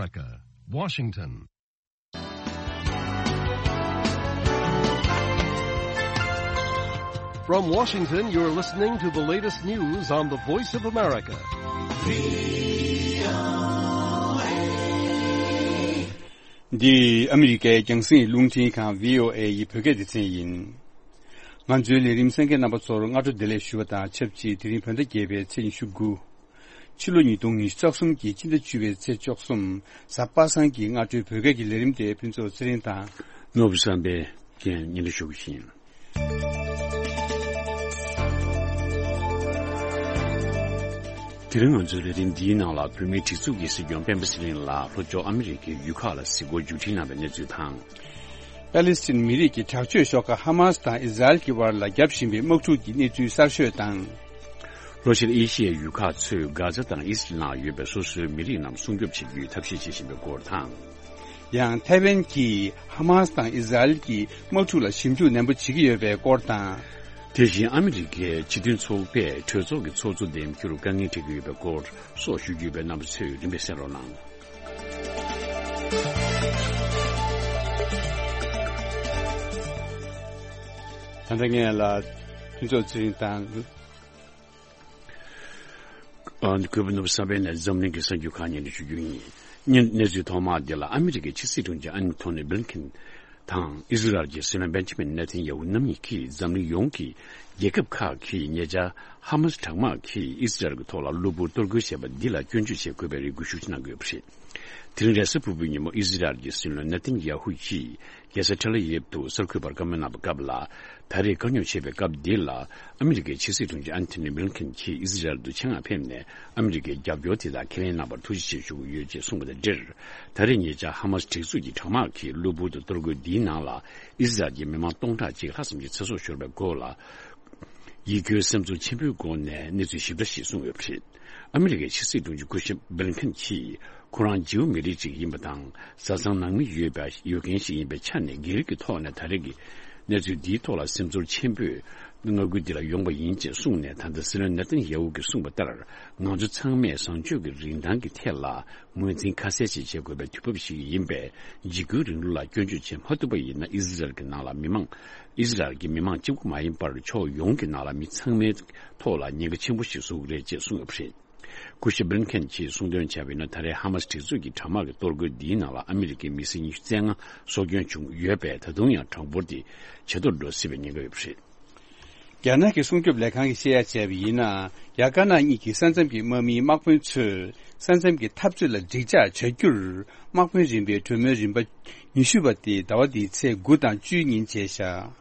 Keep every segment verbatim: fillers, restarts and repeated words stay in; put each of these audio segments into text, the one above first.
America, Washington. From Washington, you're listening to the latest news on the Voice of America. འདི་ཨ་མི་རི་ཀའི་རྒྱང་སྲིང་རླུང་འཕྲིན་ཁང་བྷི་ཨོ་ཨེ་ཡི་བོད་སྐད་སྡེ་ཚན་ཡིན། ང་ཚོའི་ལས་རིམ་གསན་མཁན་རྣམ་པ་ཚོར་སྔ་དྲོ་བདེ་ལེགས་ཞུ་བ་དང་ཆབས་ཅིག་དེ་རིང་བོད་ཟླ་བརྒྱད་པའི་ཚེས་ཉི་ཤུ་དགུ། ཕྱི་ལོ་ཉིས་སྟོང་ཉི་ཤུ་རྩ་གསུམ་གྱི་སྤྱི་ཟླ་བཅུ་པའི་ཚེས་བཅུ་གསུམ། གཟའ་པ་སངས་ཀྱི་སྔ་དྲོའི་བོད་སྐད་ཀྱི་ལས་རིམ་དེ་ཕུན་ཚོགས་ཚེ་རིང་དང་། ནོར་བུ་བསམ་འཕེལ་གྱིས་སྙན་སྒྲོན་ཞུ་གི་ཡིན། དེ་རིང་ང་ཚོའི་ལས་རིམ་འདིའི་ནང་ལ་བོད་མིའི་སྒྲིག་འཛུགས་ཀྱི་སྲིད་སྐྱོང་སྤེན་པ་ཚེ་རིང་ལགས་ལྷོ་ཕྱོགས་ཨ་མི་རི་ཀའི་ཡུལ་ཁག་ལ་གཟིགས་སྐོར་མཇུག་སྒྲིལ་གནང་བའི་གནས་ཚུལ་དང་། པེ་ལི་སི་ཐན་མི་རིགས་ཀྱི་དྲག་སྤྱོད་ཤོག་ཁག་ཧ་མ་སི་དང་ཨི་ཟ་རེལ་གྱི་བར་ལ་བརྒྱབ་བཞིན་པའི་དམག་འཁྲུག་གི་གནས་ཚུལ་གསར་ཤོས་དང་། ལྷོ་ཤར་ཨེ་ཤི་ཡའི་ཡུལ་ཁག་ཚོས་གྷ་ཛ་དང་ཨི་སི་རལ་ནང་ཡོད་པའི་སོ་སོའི་མི་རིགས་རྣམས་སྲུང་སྐྱོབ་བྱེད་རྒྱུའི་ཐབས་ཤེས་བྱེད་ཀྱི་ཡོད་ཐབས་ཤེས་བྱེད་ཀྱི་ཡོད་སྐོར་དང་། ཡང་ཐའེ་ཝན་གྱིས་ཧ་མ་སི་དང་ཨི་ཟ་རེལ་གྱི་དམག་འཁྲུག་ལ་ཞིབ་འཇུག་ནན་པོ་བྱེད་ཀྱི་ཡོད་པའི་སྐོར་དང་། དེ་བཞིན་ཨ་མི་རི་ཀའི་སྤྱི་མཐུན་ཚོགས་པས་གྲོས་ཚོགས་ཀྱི་ཚོགས་གཙོ་འདེམས་རྒྱུར་དཀའ་ངལ་འཕྲད་ཀྱི་ཡོད་པའི་སྐོར་སོགས་ཞུ་རྒྱུ་ཡོད་པས་རྣམ་པ་ཚོས་རིམ་པས་གསན་རོགས་གནང་། ད་ལྟ་ངས་ལ་ཕུན་ཚོགས་ཚེ་རིང་དང་། ཨ། གུས་པ་ནོར་བུ་བསམ་འཕེལ་ནས་འཛམ་གླིང་གི་གསར་འགྱུར་ཁག་སྙན་སྒྲོན་ཞུ་རྒྱུ་ཡིན། གནས་གནས་ཚུལ་ཐོག་མ་འདི་ལ་ཨ་མི་རི་ཀའི་ཕྱི་སྲིད་དྲུང་ཆེ་ཨན་ཐོ་ནི་བྷི་ལིན་ཁིན་དང་ཨི་ཟི་རལ་གྱི་སྲིད་བློན་བེན་ཇི་མིན་ནེ་ཐན་ཡ་ཧུ་རྣམ་གཉིས་ཀྱིས་འཛམ་གླིང་ཡོངས་ཀྱི་རྒྱལ་ཁབ་ཁག་གིས་ཉེ་ཆར་ཧ་མ་སི་དྲག་དམག་གིས་ཨི་ཟི་རལ་གྱི་ཐོག་ལ་གློ་བུར་གཏོར་རྒོལ་བྱས་པ་འདི་ལ་སྐྱོན་བརྗོད་བྱེད་དགོས་པའི་རེ་སྐུལ་ཤུགས་ཆེ་གནང་གི་ཡོད་པ་རེད། དེ་རིང་རེས་གཟའ་ཕུར་བུའི་ཉིན་མོ་ཨི་ཟི་རལ་གྱི་སྲིད་བློན་ནེ་ཐན་ཡ་ཧུ་ཡིས་རྒྱལ་ས་ཐེ་ལ་ཡིབ་ཏུ་གསར་འགོད་པར་བཀའ་མོལ་གནང་བའི་སྐབས་ལ། ད་རེས་དཀའ་རྙོག་ཆེ་བའི་སྐབས་འདི་ལ་ཨ་མི་རི་ཀའི་ཕྱི་སྲིད་དྲུང་ཆེ་ཨན་ཐོ་ནི་བྷི་ལིན་ཁིན་གྱིས་ཨི་ཟི་རལ་དུ་ཆེད་མངགས་ཕེབས་ནས་ཨ་མི་རི་ཀའི་རྒྱབ་སྐྱོར་དེ་དག་ཁས་ལེན་གནང་བར་ཐུགས་རྗེ་ཆེ་ཞུ་གི་ཡོད་ཅེས་གསུངས་པ་དང་འབྲེལ། ད་རེས་ཉེ་ཆར་ཧ་མ་སི་སྒྲིག་འཛུགས་ཀྱི་དྲག་དམག་གིས་གློ་བུར་དུ་གཏོར་རྒོལ་འདིའི་ནང་ལ་ཨི་ཟི་རལ་གྱི་མི་མང་སྟོང་ཕྲག་གཅིག་ལྷག་ཙམ་ཞིག་ཚེ་སྲོག་ཤོར་བའི་སྐོར་ལ། ཡིད་སྐྱོའི་སེམས་ཚོར་ཆེན་པོའི་སྒོ་ནས་གནས་ཚུལ་ཞིབ་ཕྲ་ཞིག་གསུངས་ཡོད་པ་རེད། ཨ་མི་རི་ཀའི་ཕྱི་སྲིད་དྲུང་ཆེ་སྐུ་ཞབས་བྷི་ལིན་ཁིན་གྱིས་ཁོ་རང་ཇིའུ་མི་རིགས་ཤིག་ཡིན་པ་དང་བཟའ་ཚང་ནང་མི་ཡོད་པ་ཡོད་མཁན་ཞིག་ཡིན་པའི་ཆ་ནས་སྒེར་གྱི་ཐོག་ནས་ད་རེས་ཀྱི་གནས་ཚུལ་འདིའི་ཐོག་ལ་སེམས་ཚོར་ཆེན་པོས་མངའ་ཁུལ་འདི་ལ་ཡོང་བ་ཡིན་ཅེས་གསུངས་ནས། ད་ལྟ་སྲིད་བློན་ནེ་ཐན་ཡ་ཧུ་གིས་གསུངས་པ་ལྟར་ང་ཚོ་ཚང་མས་བཟང་སྤྱོད་ཀྱི་རིན་ཐང་གི་ཐད་ལ་ངོས་འཛིན་ཁ་གསལ་ཞིག་བྱེད་དགོས་པའི་དུས་བབ་ཞིག་ཡིན་པས། འཇིགས་སྐུལ་རིང་ལུགས་ལ་སྐྱོན་བརྗོད་བྱེད་མ་ཐུབ་པ་ཡིན་ན་ཨི་ཟི་རལ་གྱི་ནང་ལ་མི་མང་ཨི་ཟི་རལ་གྱི་མི་མང་གཅིག་པུ་མ་ཡིན་པར་ཕྱོགས་ཡོངས་ཀྱི་ནང་ལ་མི་ཚང་མའི་ཐོག་ལ་ཉེན་ཁ་ཆེན་པོ་ཞིག་བཟོ་གི་རེད་ཅེས་གསུངས་ཡོད་པ་རེད། སྐུ་ཞབས་བྷི་ལིན་ཁེན་གྱིས་གསུངས་དོན་བྱས་པ་ཡིན་ན། ད་རེས་ཧ་མ་སི་སྒྲིག་འཛུགས་ཀྱི་དྲག་དམག་གི་གཏོར་རྒོལ་འདིའི་ནང་ལ་ཨ་མི་རི་ཀའི་མི་སེར་ཉི་ཤུ་རྩ་ལྔ་སྲོག་སྐྱོན་བྱུང་ཡོད་པས། ད་དུང་ཡང་གྲངས་འབོར་དེ་ཇེ་མཐོར་འགྲོ་སྲིད་པའི་ཉེན་ཁ་ཡོད་པ་རེད། རྒྱ་ནག་གི་སྲུང་སྐྱོབ་ལས་ཁང་གིས་བཤད་ཡ་བྱས་པ་ཡིན་ན། རྒྱ་དཀར་ནག་གཉིས་ཀྱི་ས་མཚམས་ཀྱི་དམག་མིའི་དམག་དཔོན་ཚོས་ས་མཚམས་ཀྱི་འཐབ་རྩོད་ལ་འགྲིག་འཇགས་བྱ་རྒྱུར་དམག་དཔོན་རིམ་པའི་གྲོས་མོལ་རིམ་པ་ཉི་ཤུ་པ་དེ་ཟླ་བ་འདིའི་ཚེས་དགུ་དང་བཅུའི་ཉིན་བྱས་བཞག་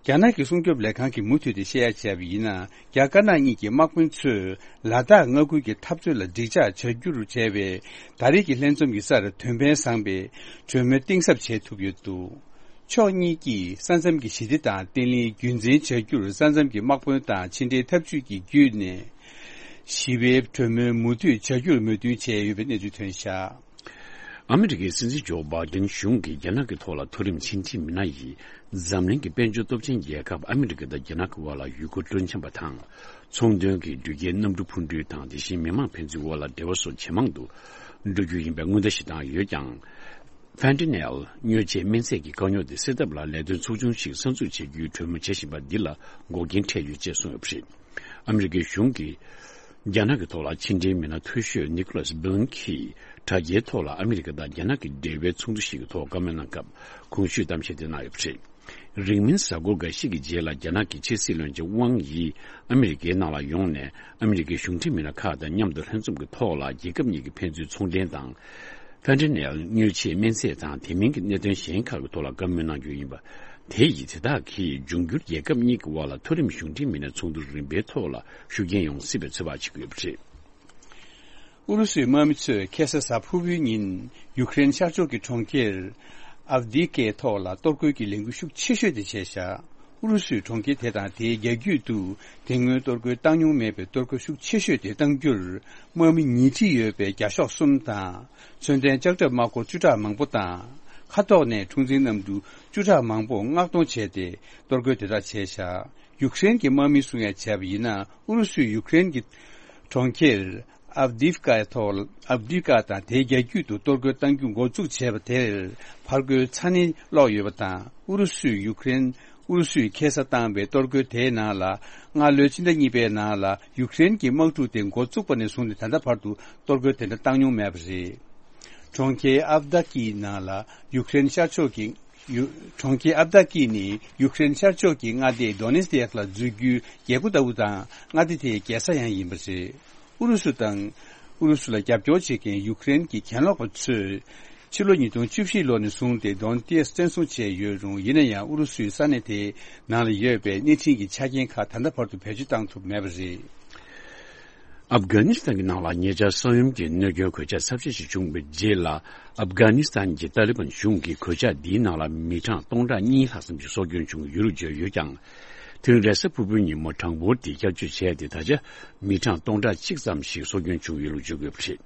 རྒྱ་ནག་གི་སྲུང་སྐྱོབ་ལས་ཁང་གིས་མུ་མཐུད་དེ་བཤད་ཡ་བྱས་པ་ཡིན་ན། རྒྱ་དཀར་ནག་གཉིས་ཀྱི་དམག་དཔོན་ཚོས་ལ་དྭགས་མངའ་ཁུལ་གྱི་འཐབ་རྩོད་ལ་འགྲིག་འཇགས་བྱ་རྒྱུར་བྱས་པའི་ད་རེས་ཀྱི་ལྷན་འཛོམས་ཀྱི་སར་དོན་ཕན་བཟང་པའི་གྲོས་མོལ་གཏིང་ཟབ་བྱེད་ཐུབ་ཡོད་འདུག་ཕྱོགས་གཉིས་ཀྱིས་ས་མཚམས་ཀྱི་ཞི་བདེ་དང་བརྟན་ལྷིང་རྒྱུན་འཛིན་བྱ་རྒྱུར་ས་མཚམས་ཀྱི་དམག་དཔོན་དང་ཕྱི་འབྲེལ་འཐབ་ཇུས་ཀྱི་བརྒྱུད་ནས་ཞི་བའི་གྲོས་མོལ་མུ་མཐུད་བྱ་རྒྱུར་མོས་མཐུན་བྱས་ཡོད་པའི་གནས་ཚུལ་ཐོན་བཞག་ཨ་མི་རི་ཀའི་སྲིད་འཛིན་ཇོ་བྷའི་ཏིན་གཞུང་གིས་རྒྱ་ནག་གི་ཐོག་ལ་མཐོ་རིམ་ཕྱི་འབྲེལ་མི་སྣ་ཡིས་འཛམ་གླིང་གི་དཔལ་འབྱོར་སྟོབས་ཆེན་རྒྱལ་ཁབ་ཨ་མི་རི་ཀ་དང་རྒྱ་ནག་གི་དབར་ལ་ཡུལ་སྐོར་སྤྲོ་འཆམ་པ་དང་། ཚོང་དོན་གྱི་འགྲུལ་སྐྱེལ་གནམ་གྲུ་འཕུར་འགྲུལ་དང་། དེ་བཞིན་མི་མང་ཕན་ཚུན་དབར་ལ་འབྲེལ་བ་སོགས་ཇེ་མང་དུ་འགྲོ་རྒྱུ་ཡིན་པའི་སྔོན་བརྡ་ཞིག་བཏང་ཡོད་ཀྱང་། ཕན་ཏི་ནེལ་དངོས་ཆས་སྨན་རྫས་ཀྱི་དཀའ་རྙོག་དེ་སེལ་ཐབས་ལ་ལས་དོན་ཚོགས་ཆུང་ཞིག་གསར་འཛུགས་བྱེད་རྒྱུའི་གྲོས་མོལ་བྱེད་བཞིན་པ་འདི་ལ་འགོག་རྐྱེན་འཕྲད་ཡོད་ཅེས་གསུངས་ཡོད་པ་རེད། ཨ་མི་རི་ཀའི་གཞུང་གིས་རྒྱ་ནག་གི་ཐོག་ལ་ཕྱི་འབྲེལ་མི་སྣ་མཐོ་ཤོས་ནི་ཀོ་ལཱས་སྦི་ལན་གྱིས་དྲ་རྒྱའི་ཐོག་ལ་ཨ་མི་རི་ཀ་དང་རྒྱ་ནག་གི་འབྲེལ་བའི་ཚོགས་འདུ་ཞིག་གི་ཐོག་བཀའ་མོལ་གནང་སྐབས་གོང་ཞུས་གཏམ་བཤད་དེ་གནང་ཡོད་པ་རེད། རིང་མིན་གཟའ་འཁོར་འགའ་ཤས་ཀྱི་རྗེས་ལ་རྒྱ་ནག་གི་ཕྱི་སྲིད་བློན་ཆེན་ཝང་ཡི་ཨ་མི་རི་ཀའི་ནང་ལ་ཡོང་ནས་ཨ་མི་རི་ཀའི་གཞུང་འབྲེལ་མི་སྣ་ཁག་དང་མཉམ་དུ་ལྷན་འཛོམས་ཀྱི་ཐོག་ལ་རྒྱལ་ཁབ་གཉིས་ཀྱི་ཕན་ཚུན་ཚོང་འབྲེལ་དང་། ཕན་ཏི་ནེལ་དངོས་ཆས་སྨན་རྫས་དང་དེ་མིན་གྱི་གནད་དོན་གཞན་ཁག་གི་ཐོག་ལ་བཀའ་མོལ་གནང་རྒྱུ་ཡིན་པ། དེ་ཡིས་དེ་དག་གིས་འབྱུང་འགྱུར་རྒྱལ་ཁབ་གཉིས་ཀྱི་དབར་ལ་མཐོ་རིམ་གཞུང་འབྲེལ་མི་སྣའི་ཚོགས་འདུ་རིམ་པའི་ཐོག་ལ་ཤུགས་རྐྱེན་ཡོང་སྲིད་པའི་ཚོད་དཔག་བྱེད་ཀྱི་ཡོད་པ་རེད། ཨུ་རུ་སུའི་དམག་མི་ཚོས་ཁ་སང་གཟའ་ཕུར་བུའི་ཉིན་ཡུཀ་རེན་ཤར་ཕྱོགས་ཀྱི་གྲོང་ཁྱེར་ཨབ་དི་ཀའི་ཐོག་ལ་གཏོར་རྒོལ་གྱི་ལས་འགུལ་ཤུགས་ཆེ་ཤོས་དེ་བྱས་བཞག་ཨུ་རུ་སུའི་གྲོང་ཁྱེར་དེ་དང་དེའི་རྒྱ་རྒྱུད་དུ་དེ་སྔོན་གཏོར་རྒོལ་བཏང་མྱོང་མེད་པའི་གཏོར་རྒོལ་ཤུགས་ཆེ་ཤོས་དེ་གཏང་རྒྱུར་དམག་མི་ཉིས་ཁྲི་ཡོད་པའི་རྒྱ་ཤོག་གསུམ་དང་། མཚོན་ལྡན་ལྕགས་ཁྲབ་དམག་འཁོར་བཅུ་ཕྲག་མང་པོ་དང་། མཁའ་ཐོག་ནས་འཁྲུག་འཛིང་གནམ་གྲུ་བཅུ་ཕྲག་མང་པོ་མངགས་གཏོང་བྱས་ཏེ་གཏོར་རྒོལ་དེ་དག་བྱས་བཞག་ཡུཀ་རེན་གྱི་དམག་མིས་གསུང་ཡ་བྱས་པ་ཡིན་ན། ཨུ་རུ་སུས་ཡུཀ་རེན་གྱི་གྲོང་ཁྱེར་ ཨབ་དིབ་ཀ་ཐོག་ཨབ་དིབ་ཀ་དང་དེའི་རྒྱ་རྒྱུད་དུ་གཏོར་རྒོལ་གཏང་རྒྱུ་འགོ་འཛུགས་བྱས་པ་དེར་ཕར་རྒོལ་ཚ་ནན་སློག་ཡོད་པ་དང་། ཨུ་རུ་སུས་ཡུཀ་རེན། ཨུ་རུ་སུས་ཁེ་ས་བཏང་བའི་གཏོར་རྒོལ་དེའི་ནང་ལ། སྔ་ལོའི་ཕྱི་ཟླ་གཉིས་པའི་ནང་ལ་ཡུཀ་རེན་གྱི་དམག་འཁྲུག་དེ་འགོ་བཙུགས་པ་ནས་བཟུང་སྟེ་ད་ལྟ་བར་དུ་གཏོར་རྒོལ་དེ་འདྲ་བཏང་མྱོང་མེད་པ་རེད། གྲོང་ཁྱེར་ཨབ་དཱ་ཀི་ནང་ལ་ཡུཀ་རེན་ཤར་ཕྱོགས་ཀྱི་ཡུ། གྲོང་ཁྱེར་ཨབ་དཱ་ཀི་ནི་ཡུཀ་རེན་ཤར་ཕྱོགས་ཀྱི་མངའ་སྡེ་དོ་ནེ་སི་ཏེག་ལ་འཛུལ་རྒྱུའི་རྒྱལ་སྒོ་ལྟ་བུ་དང་། མངའ་སྡེ་དེའི་རྒྱལ་ས་ཡང་ཡིན་པ་རེད། ཨུ་རུ་སུ་དང་། ཨུ་རུ་སུ་ལ་རྒྱབ་སྐྱོར་བྱེད་མཁན་ཡུཀ་རེན་གྱི་གྱེན་ལོག་པ་ཚོས། ཕྱི་ལོ་ཉིས་སྟོང་བཅུ་བཞི་ལོ་ནས་བཟུང་སྟེ་དོན་ཏེས་བཙན་བཟུང་བྱས་ཡོད་རུང་། ཡིན་ན་ཡང་ཨུ་རུ་སུའི་ས་གནས་དེའི་ནང་ལ་ཡོད་པའི་སྣེ་ཁྲིད་ཀྱི་ཆ་རྐྱེན་ཁག་ད་ལྟ་བར་དུ་བེད་སྤྱོད་བཏང་ཐུབ་མེད་པ་རེད། ཨབ་གྷ་ནི་སི་ཐན་གྱི་ནང་ལ་ཉེ་ཆར་ས་ཡོམ་གྱི་གནོད་སྐྱོན་གོད་ཆག་ཚབས་ཆེ་ཞིག་བྱུང་བའི་རྗེས་ལ། ཨབ་གྷ་ནི་སི་ཐན་གྱི་ཏཱ་ལི་བན་གཞུང་གིས་གོད་ཆག་འདིའི་ནང་ལ་མི་གྲངས་སྟོང་ཕྲག་གཉིས་ལྷག་ཙམ་ཞིག་སྲོག་སྐྱོན་བྱུང་ཡོད་ལུགས་བརྗོད་ཡོད་ཀྱང་། དེ་རིང་རེས་གཟའ་ཕུར་བུའི་ཉིན་མོ་གྲངས་འབོར་དེ་བསྐྱར་བཅོས་བྱས་ཏེ། ད་ཆ་མི་གྲངས་སྟོང་ཕྲག་གཅིག་ཙམ་ཞིག་སྲོག་སྐྱོན་བྱུང་ཡོད་ལུགས་བརྗོད་དགོས་པ་རེད།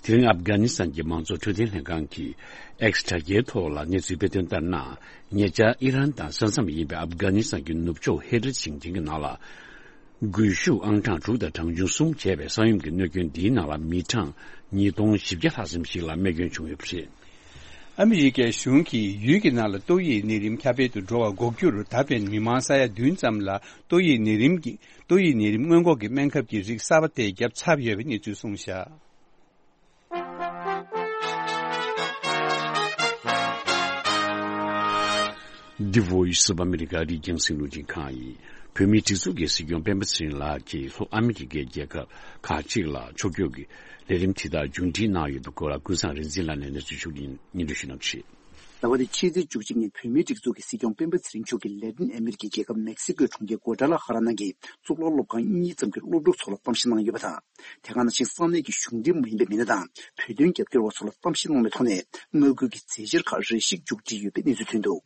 དེ་རིང་ཨབ་གྷ་ནི་སི་ཐན་གྱི་མང་གཙོ་འཕྲོད་བསྟེན་ལྷན་ཁང་གིས་ཨེགས་དྲ་རྒྱའི་ཐོག་ལ་གནས་ཚུལ་སྤེལ་དོན་ལྟར་ན། ཉེ་ཆར་ཨི་རན་དང་ས་མཚམས་ཡིན་པའི་ཨབ་གྷ་ནི་སི་ཐན་གྱི་ནུབ་ཕྱོགས་ཧེ་ར་ཞིང་ཆེན་གྱི་ནང་ལ། སྒུལ་ཤུགས་ཨང་གྲངས་དྲུག་དང་གྲངས་ཆུང་གསུམ་བྱས་པའི་ས་ཡོམ་གྱི་གནོད་སྐྱོན་འདིའི་ནང་ལ་མི་གྲངས་ཉིས་སྟོང་བཞི་བརྒྱ་ལྷག་ཙམ་ཞིག་ལ་རྨས་སྐྱོན་བྱུང་ཡོད་པ་རེད། ཨ་མི་རི་ཀའི་གཞུང་གིས་ཡུལ་གྱི་ནང་ལ་ཏོག་དབྱིབས་ནད་རིམས་ཁྱབ་སྤེལ་དུ་འགྲོ་བར་འགོག་རྒྱུར། ད་ཕན་མི་མང་ས་ཡ་བདུན་ཙམ་ལ་ཏོག་དབྱིབས་ནད་རིམས་ཀྱི། ཏོག་དབྱིབས་ནད་རིམས་སྔོན་འགོག་གི་སྨན་ཁབ་ཀྱི་རིགས་གསར་པ་དེ་བརྒྱབ་ཚར་ཡོད་པའི་གནས་ཚུལ་གསུངས་བཞག། The Voice of America རིགས་རྒྱང་སྲིང་རླུང་འཕྲིན་ཁང་ཡིན། བོད་མིའི་སྒྲིག་འཛུགས་ཀྱི་སྲིད་སྐྱོང་སྤེན་པ་ཚེ་རིང་ལགས་ཀྱིས་ལྷོ་ཨ་མི་རི་ཀའི་རྒྱལ་ཁབ་ཁག་ཅིག་ལ་ཕྱོགས་བསྐྱོད་ཀྱི་ལས་རིམ་དེ་དག་མཇུག་སྒྲིལ་གནང་ཡོད་པའི་སྐོར་ལ། ཀུན་བཟང་རིག་འཛིན་ལགས་ནས་གནས་ཚུལ་ཕྱོགས་སྒྲིག་སྙན་སྒྲོན་ཞུ་གནང་ཞུ། ཟླ་བ་འདིའི་ཕྱི་ཚེས་བཅུ་གཅིག་ཉིན་བོད་མིའི་སྒྲིག་འཛུགས་ཀྱི་སྲིད་སྐྱོང་སྤེན་པ་ཚེ་རིང་མཆོག་གིས་ལེ་ཏིན་ཨ་མི་རི་ཀའི་རྒྱལ་ཁབ་མེག་སི་ཀོའི་གྲོང་ཁྱེར་གོ་ཏྲ་ལ་ཧ་ར་ནང་གི་གཙུག་ལག་སློབ་ཁང་གཉིས་ཙམ་གྱི་སློབ་ཕྲུག་ཚོ་ལ་གཏམ་བཤད་གནང་ཡོད་པ་དང་། དེ་ག་ནང་བཞིན་ས་གནས་ཀྱི་གཞུང་འབྲེལ་མ་ཡིན་པའི་མི་སྣ་དང་བོད་དོན་རྒྱབ་སྐྱོར་བ་ཚོ་ལ་གཏམ་བཤད་གནང་བའི་ཐོག་ནས། མངའ་ཁུལ་གྱི་མཛད་འཆར་ཁག་རེ་ཞིག་མཇུག་སྒྲིལ་ཡོད་པའི་གནས་ཚུལ་ཐོན་འདུག།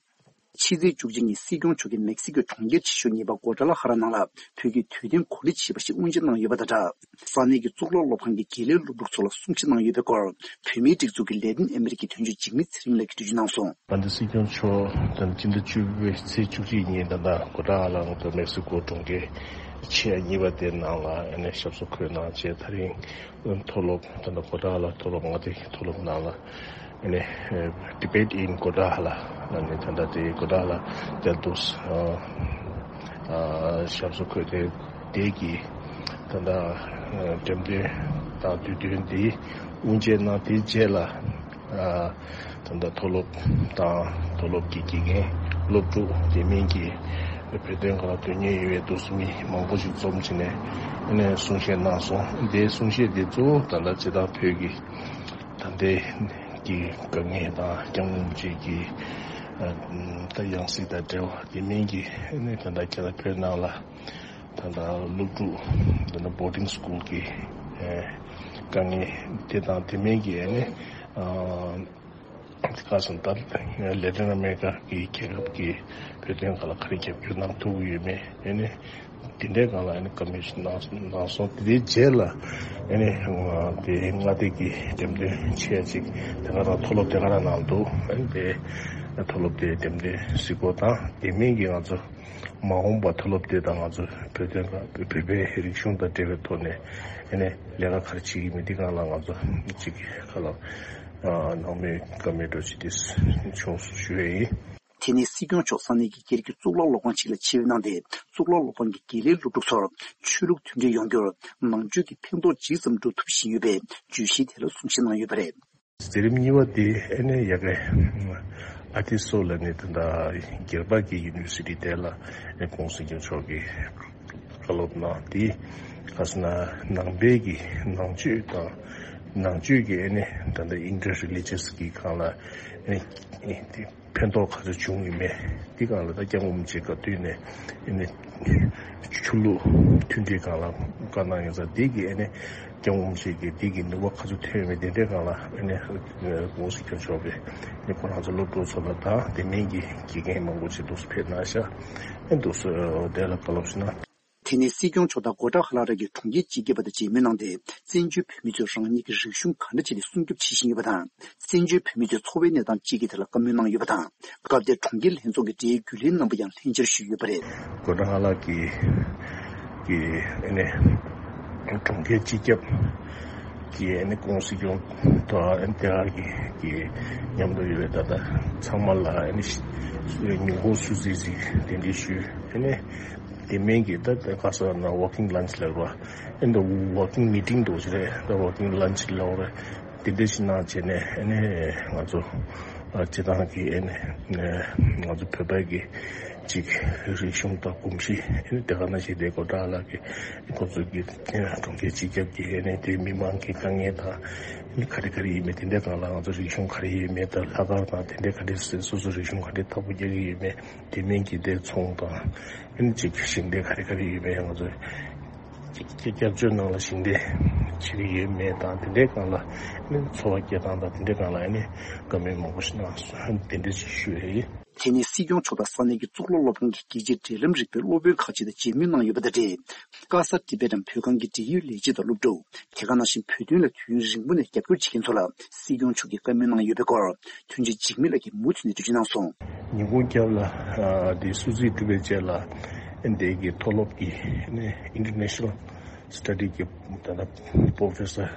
ཕྱི་ཚེས་བཅུ་གཅིག་ཉིན་སྲིད་སྐྱོང་མཆོག་གིས་མེག་སི་ཀོའི་གྲོང་ཁྱེར་ཆེ་ཤོས་གཉིས་པ་གོ་ཏྲ་ལ་ཧ་ར་ནང་ལ་བོད་ཀྱི་དུས་སྟོན་གོ་ལ་ཆེ་བ་ཞིག་དབུ་འབྱེད་གནང་ཡོད་པ་དང་སྦྲགས། ས་གནས་ཀྱི་གཙུག་ལག་སློབ་ཁང་གི་དགེ་ལས་སློབ་ཕྲུག་ཚོ་ལ་གསུང་བཤད་གནང་ཡོད་པའི་སྐོར། བོད་མིའི་སྒྲིག་འཛུགས་ཀྱི་ལས་དོན་ཨ་མི་རི་ཀའི་དོན་གཅོད་འཇིགས་མེད་ཚེ་རིང་ལགས་ཀྱིས་འགྲེལ་བརྗོད་གནང་སོང་། ད་ལྟ་སྲིད་སྐྱོང་མཆོག་ད་ལྟ་སྤྱི་ཟླ་བཅུ་པའི་ཚེས་བཅུ་གཅིག་ཉིན་ད་ལྟ་གོ་ཏྲ་ལ་ང་ཚོ་མེག་སི་ཀོ་གྲོང་ཁྱེར་ཆེ་གཉིས་པ་དེ་ནང་ལ་ཨ་ནི་ཞབས་སོར་འཁོད་གནང་བྱས། ད་རིང་མཐོ་སློབ་ད་ལྟ་གོ་ཏྲ་ལ་མཐོ་སློབ་མངའ་སྡེ་མཐོ་སློབ་ནང་ལ་ཨ་ནི་Debate in Kotala ལ་ནི་ད་ལྟ་དེ་གོ་ཏྲ་ལ་དེར་དུ་ཞབས་སོར་འཁོད་དེ་དེ་གི་ད་ལྟ་འགྲེམས་སྟོན་དང་དུས་སྟོན་འདི་དབུ་འབྱེད་གནང་། དེའི་རྗེས་ལ། ད་ལྟ་མཐོ་སློབ་དང་མཐོ་སློབ་ཀྱི་དགེ་རྒན་སློབ་ཕྲུག་དེ་མིན་གྱི་བོད་དོན་སྒང་ལ་དོན་གཉེར་ཡོད་པའི་འདུག་སེ་མི་མང་པོ་ཞིག་འཛོམས་བྱས་ནས་ཨ་ནི་གསུང་བཤད་གནང་སོང་། དེའི་གསུང་བཤད་དེ་གཙོ་བོ་ད་ལྟ་སྤྱིར་བཏང་བོད་ཀྱི་ད་ལྟའི་གི་དཀའ་ངལ་དང་སྐྱབས་མགོན་རིན་པོ་ཆེ་གི་ད་ཡང་སྲིད་དང་འབྲེལ་བ་དེ་མིན་གྱི་ཨ་ནི་ད་ལྟ་རྒྱ་ནག་བོད་ནང་ལ་ད་ལྟ་སློབ་ཕྲུག་ད་ལྟ་boarding school གི་དཀའ་ངལ་དེ་དང་དེ་མིན་གྱི་ཨ་ནི། དེ་ཁ་སང་ད་ལེ་ཏིན་ཨ་མེ་རི་ཀ་གི་རྒྱལ་ཁབ་ཀྱི་བོད་དོན་སྒང་ལ་ག་རེ་རྒྱབ་སྐྱོར་གནང་ཐུབ་ཀྱི་ཡོད་མེད་ཨ་ནི་དེ་འདྲའི་སྒང་ལ་ཨ་ནི་བཀའ་མོལ་ཞིག་གནང་གནང་སོང་། དེའི་རྗེས་ལ་ཨ་ནི་དེ་མངའ་སྡེ་གི་འགྲེམས་སྟོན་ཆེ་ཅིག་དེ་ག་རང་མཐོ་སློབ་དེ་ག་རང་ནང་འདུག། ཨ་ནི་དེ་མཐོ་སློབ་དེ་འགྲེམས་སྟོན་གཟིགས་སྐོར་དང་དེ་མིན་གྱི་ང་ཚོ་མ་འོངས་པ་མཐོ་སློབ་དེ་དང་ང་ཚོ་བོད་དོན་སྒང་བོད་པའི་རིག་གཞུང་དང་འབྲེལ་བའི་ཐོག་ནས་ཨ་ནི་ལས་ཀ་ག་རེ་བྱེད་ཀྱི་མིན་དེ་སྒང་ལ་ང་ཚོ་གཅིག་གི་ཁ་ལ། ནང་མི་བཀའ་མོལ་འདྲ་ཅིག་དེ་བྱུང་སོང་ཞུ་ཡས་ཡིན། དེ་ནས་སྲིད་སྐྱོང་མཆོག་ས་གནས་ཀྱི་སྒེར་གྱི་གཙུག་ལག་སློབ་ཁང་ཞིག་ལ་ཆིབས་གནང་སྟེ། གཙུག་ལག་སློབ་ཁང་གི་དགེ་ལས་སློབ་ཕྲུག་ཚོར་ཆོས་ལུགས་མཐུན་སྒྲིལ་ཡོང་རྒྱུར་ནང་ཆོས་ཀྱི་ཕན་ཐོགས་ཇི་ཙམ་འགྲོ་ཐུབ་བཞིན་ཡོད་པའི་བརྗོད་གཞིའི་ཐད་ལ་གསུང་བཤད་གནང་ཡོད་པ་རེད། མཛད་རིམ་གཉིས་པ་དེ་ཨ་ནི་ཡ་གི་ཨ་ཏི་སོ་ལ་ནི་ད་ལྟ་སྒེར་པ་གི་ཡུ་ནི་ཝར་སི་ཊི་དེ་ལ་ཨ་ནི་ཁོང་སྲིད་སྐྱོང་མཆོག་གིས་བཀའ་སློབ་གནང་དེ་ཁ་སང་ནང་པའི་གི་ནང་ཆོས་དང་ནང་ཆོས་ཀྱི་ཨ་ནི་ད་ལྟ་ཨིན་ཊར་རི་ལི་ཇི་ཡས་ཀྱི་སྒང་ལ་ཨ་ནི་དེ་ཕན་ཐོགས་ག་ཚོད་བྱུང་ཡོད་མེད་དེ་སྒང་ལ་ད་སྐྱབས་མགོན་རིན་པོ་ཆེ་སྐབས་དུས་ནས་ཨ་ནི་ཆོས་ལུགས་མཐུན་སྒྲིལ་སྒང་ལ་བཀའ་གནང་ཡོད་ཙང་དེ་གི་ཨ་ནི་སྐྱབས་མགོན་རིན་པོ་ཆེ་གི་དེ་གི་ནུས་པ་ག་ཚོད་ཐོན་ཡོད་མེད་དེ་འདྲའི་སྒང་ལ་ཨ་ནི་སྐུ་ངོ་སྲིད་སྐྱོང་མཆོག་གིས་ཨ་ནི་ཁོ་རང་ཚོ་སློབ་ཕྲུག་ཚོ་ལ་དང་དེ་མིན་གྱི་དགེ་རྒན་མང་པོ་ཞིག་འདུག་སེ་ཕེབས་གནང་ཤག་ཨ་འདུག་སེ་དེ་ལ་བཀའ་སློབ་ཞུ་ན། དེ་ནས་སྲིད་སྐྱོང་མཆོག་དང་གོ་ཊ་ཧ་ལ་ར་གི་གྲོང་ཁྱེར་སྤྱི་ཁྱབ་པ་དང་མཇལ་མོལ་གནང་སྟེ། བཙན་བྱོལ་བོད་མི་ཚོས་རང་ཉིད་ཀྱི་རིག་གཞུང་ག་འདྲ་བྱས་ཏེ་སྲུང་སྐྱོབ་བྱེད་བཞིན་ཡོད་པ་དང་། བཙན་བྱོལ་བོད་མི་ཚོའི་འཚོ་བའི་གནས་སྟངས་སྤྱི་ཁྱབ་ཐད་ལ་བཀའ་མོལ་གནང་ཡོད་པ་དང་། སྐབས་དེར་གྲོང་ཁྱེར་ལྷན་ཚོགས་ཀྱི་འབྲེལ་ཡོད་རྒྱུན་ལས་རྣམ་པ་ཡང་ལྷན་བཅར་ཞུས་ཡོད་པ་རེད། གོ་ཊ་ཧ་ལ་གི་གི་ཨ་ནི་གྲོང་ཁྱེར་སྤྱི་ཁྱབ་ གི་ཨ་ནི་ཀུང་སྲིད་སྐྱོང་དང་ཨ་ནི་དེ་ག་གི་གི་མཉམ་དུ་ཡོད་པའི་ད་ལྟ་ཚང་མ་ལ་ཨ་ནི་ཉིན་གུང་བསུ་གཟིགས་ཤིག་གདན་འདྲེན་ཞུས། ཨ་ནི་དེ་མིན་གྱི་ད་ལྟ་ག་ས་ན་ཝོག་ཀིང་ལན་ཆི་ལབ་ར། ཨ་ནི་ཝོག་ཀིང་མི་ཊིང་འདྲ་ཞིག་རེད། ད་ཝོག་ཀིང་ལན་ཆི་ལབ་ར། དེ་འདྲ་ཞིག་གནང་བྱས་ནས་ཨ་ནི་ང་ཚོ་ཨ་སྤྱི་བཏང་གི་ཨ་ནི་ང་ཚོ་བོད་པའི་གི་ཅིག་རིག་གཞུང་དང་གོམས་གཤིས། ཨ་ནི་དེ་ག་ནང་བཞིན་དེ་གོ་ཏྲ་ལ་གི་ཁོ་ཚོ་གི་གྲོང་ཁྱེར་སྤྱི་ཁྱབ་ཀྱི་ཨ་ནི་དེ་མི་མང་གི་དཀའ་ངལ་དང་ཨ་ནི་ག་རེ་ག་རེ་ཡིན་མིན། དེ་འདྲའི་སྒང་ལ་ང་ཚོ་རིག་གཞུང་ག་རེ་ཡིན་མིན་དང་ལྷག་དཀར་དང་དེ་འདྲའི་ག་རེ་སོ་སོ་རིག་གཞུང་ག་རེ་ཐོ་བོ་རྒྱག་གི་ཡིན་མིན། དེ་མིན་གྱི་དེ་ཚོང་དང་ཨ་ནི་ཅིག་ཞིང་སྡེ་ག་རེ་ག་རེ་ཡོད་པའི་ང་ཚོ་སྐྱབས་བཅོལ་ནང་ལ་ཞིང་སྡེ་བྱེད་ཀྱི་ཡོད་མེད་དང་དེ་འདྲའི་སྒང་ལ་ཨ་ནི་འཚོ་བ་སྐྱེལ་སྟངས་དང་དེ་འདྲའི་སྒང་ལ་ཨ་ནི་བཀའ་མོལ་མང་པོ་ཞིག་གནང་སོང་། དེ་འདྲ་ཞིག་ཞུ་ཡ་ཡིན། དེ་ནས་སྲིད་སྐྱོང་མཆོག་དང་ས་གནས་ཀྱི་གཙུག་ལག་སློབ་ཁང་གི་རྒྱལ་སྤྱིའི་འབྲེལ་ལམ་རིག་པའི་སློབ་དཔོན་ཁག་ཅིག་དང་མཇལ་མོལ་གནང་ཡོད་པ་དང་འབྲེལ། ཀ་ས་ཏི་བེ་ཊམ་བོད་ཁང་གི་འབྲེལ་ཡོད་ལས་བྱེད་དང་སློབ་ཕྲུག་དེ་ག་ནང་བཞིན་བོད་དོན་ལ་དུས་ཡུན་རིང་པོ་ནས་རྒྱབ་སྐྱོར་བྱེད་མཁན་ཚོ་ལ་སྲིད་སྐྱོང་མཆོག་གིས་བཀའ་མོལ་གནང་ཡོད་པའི་སྐོར་མཐུན་ཕྱོགས་འཇིགས་མེད་ལགས་ཀྱིས་མུ་མཐུད་ནས་འགྲེལ་བརྗོད་གནང་སོང་། ཉིན་གུང་སྐབས་ལ་ཨ་དེ་བསུ་གཟིགས་གྲུབ་པའི་རྗེས་ལ་ཨ་འདི་གི་མཐོ་སློབ་ཀྱི་ཨ་ནི་International Study གི་ད་ལྟ་Professor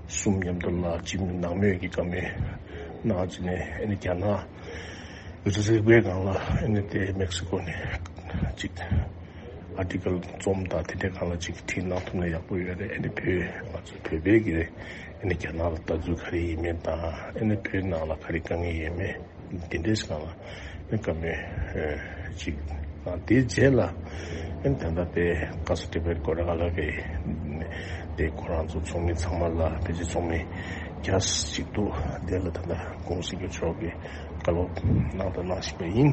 གསུམ་མཉམ་དུ་ལ་སྤྱི་མི་ནང་མོས་ཀྱི་བཀའ་མོལ་གནང་བྱས་ནས་ཨ་ནི་རྒྱ་ནག་རིག་པའི་སྒང་ལ་ཨ་ནི་དེ་མེག་སི་ཀོ་ནས་ཅིག་ཨར་ཊི་ཀལ་རྩོམ་དང་དེ་འདྲའི་སྒང་ལ་ཅིག་བྲིས་གནང་ཐུབ་ན་ཡག་པོ་ཡོད་རེད། ཨ་ནི་བོད་ང་ཚོ་བོད་པའི་གི་ཨ་ནི་རྒྱ་ནག་ལ་ལྟ་ཚུལ་ག་རེ་ཡིན་མིན་དང་ཨ་ནི་བོད་ནང་ལ་ག་རེ་དཀའ་ངལ་ཡོད་མེད་དེ་འདྲའི་སྒང་ལ་ཨ་ནི་བཀའ་མོལ་ཅིག་གནང་། དེའི་རྗེས་ལ་ཨ་ནི་ད་ལྟ་དེ་ཀ་ས་ཏི་བེ་ཊམ་གོ་ཏྲ་ལ་གི་དེ་ཁོ་རང་ཚོ་ཚོགས་མི་ཚང་མ་ལ་ཕལ་ཆེར་ཚོགས་མི་བརྒྱ་ཅིག་འདུག་དེ་ལ་ད་ལྟ་ཀུང་སྲིད་སྐྱོང་མཆོག་གིས་བཀའ་སློབ་གནང་དང་གནང་བཞིན་པ་ཡིན།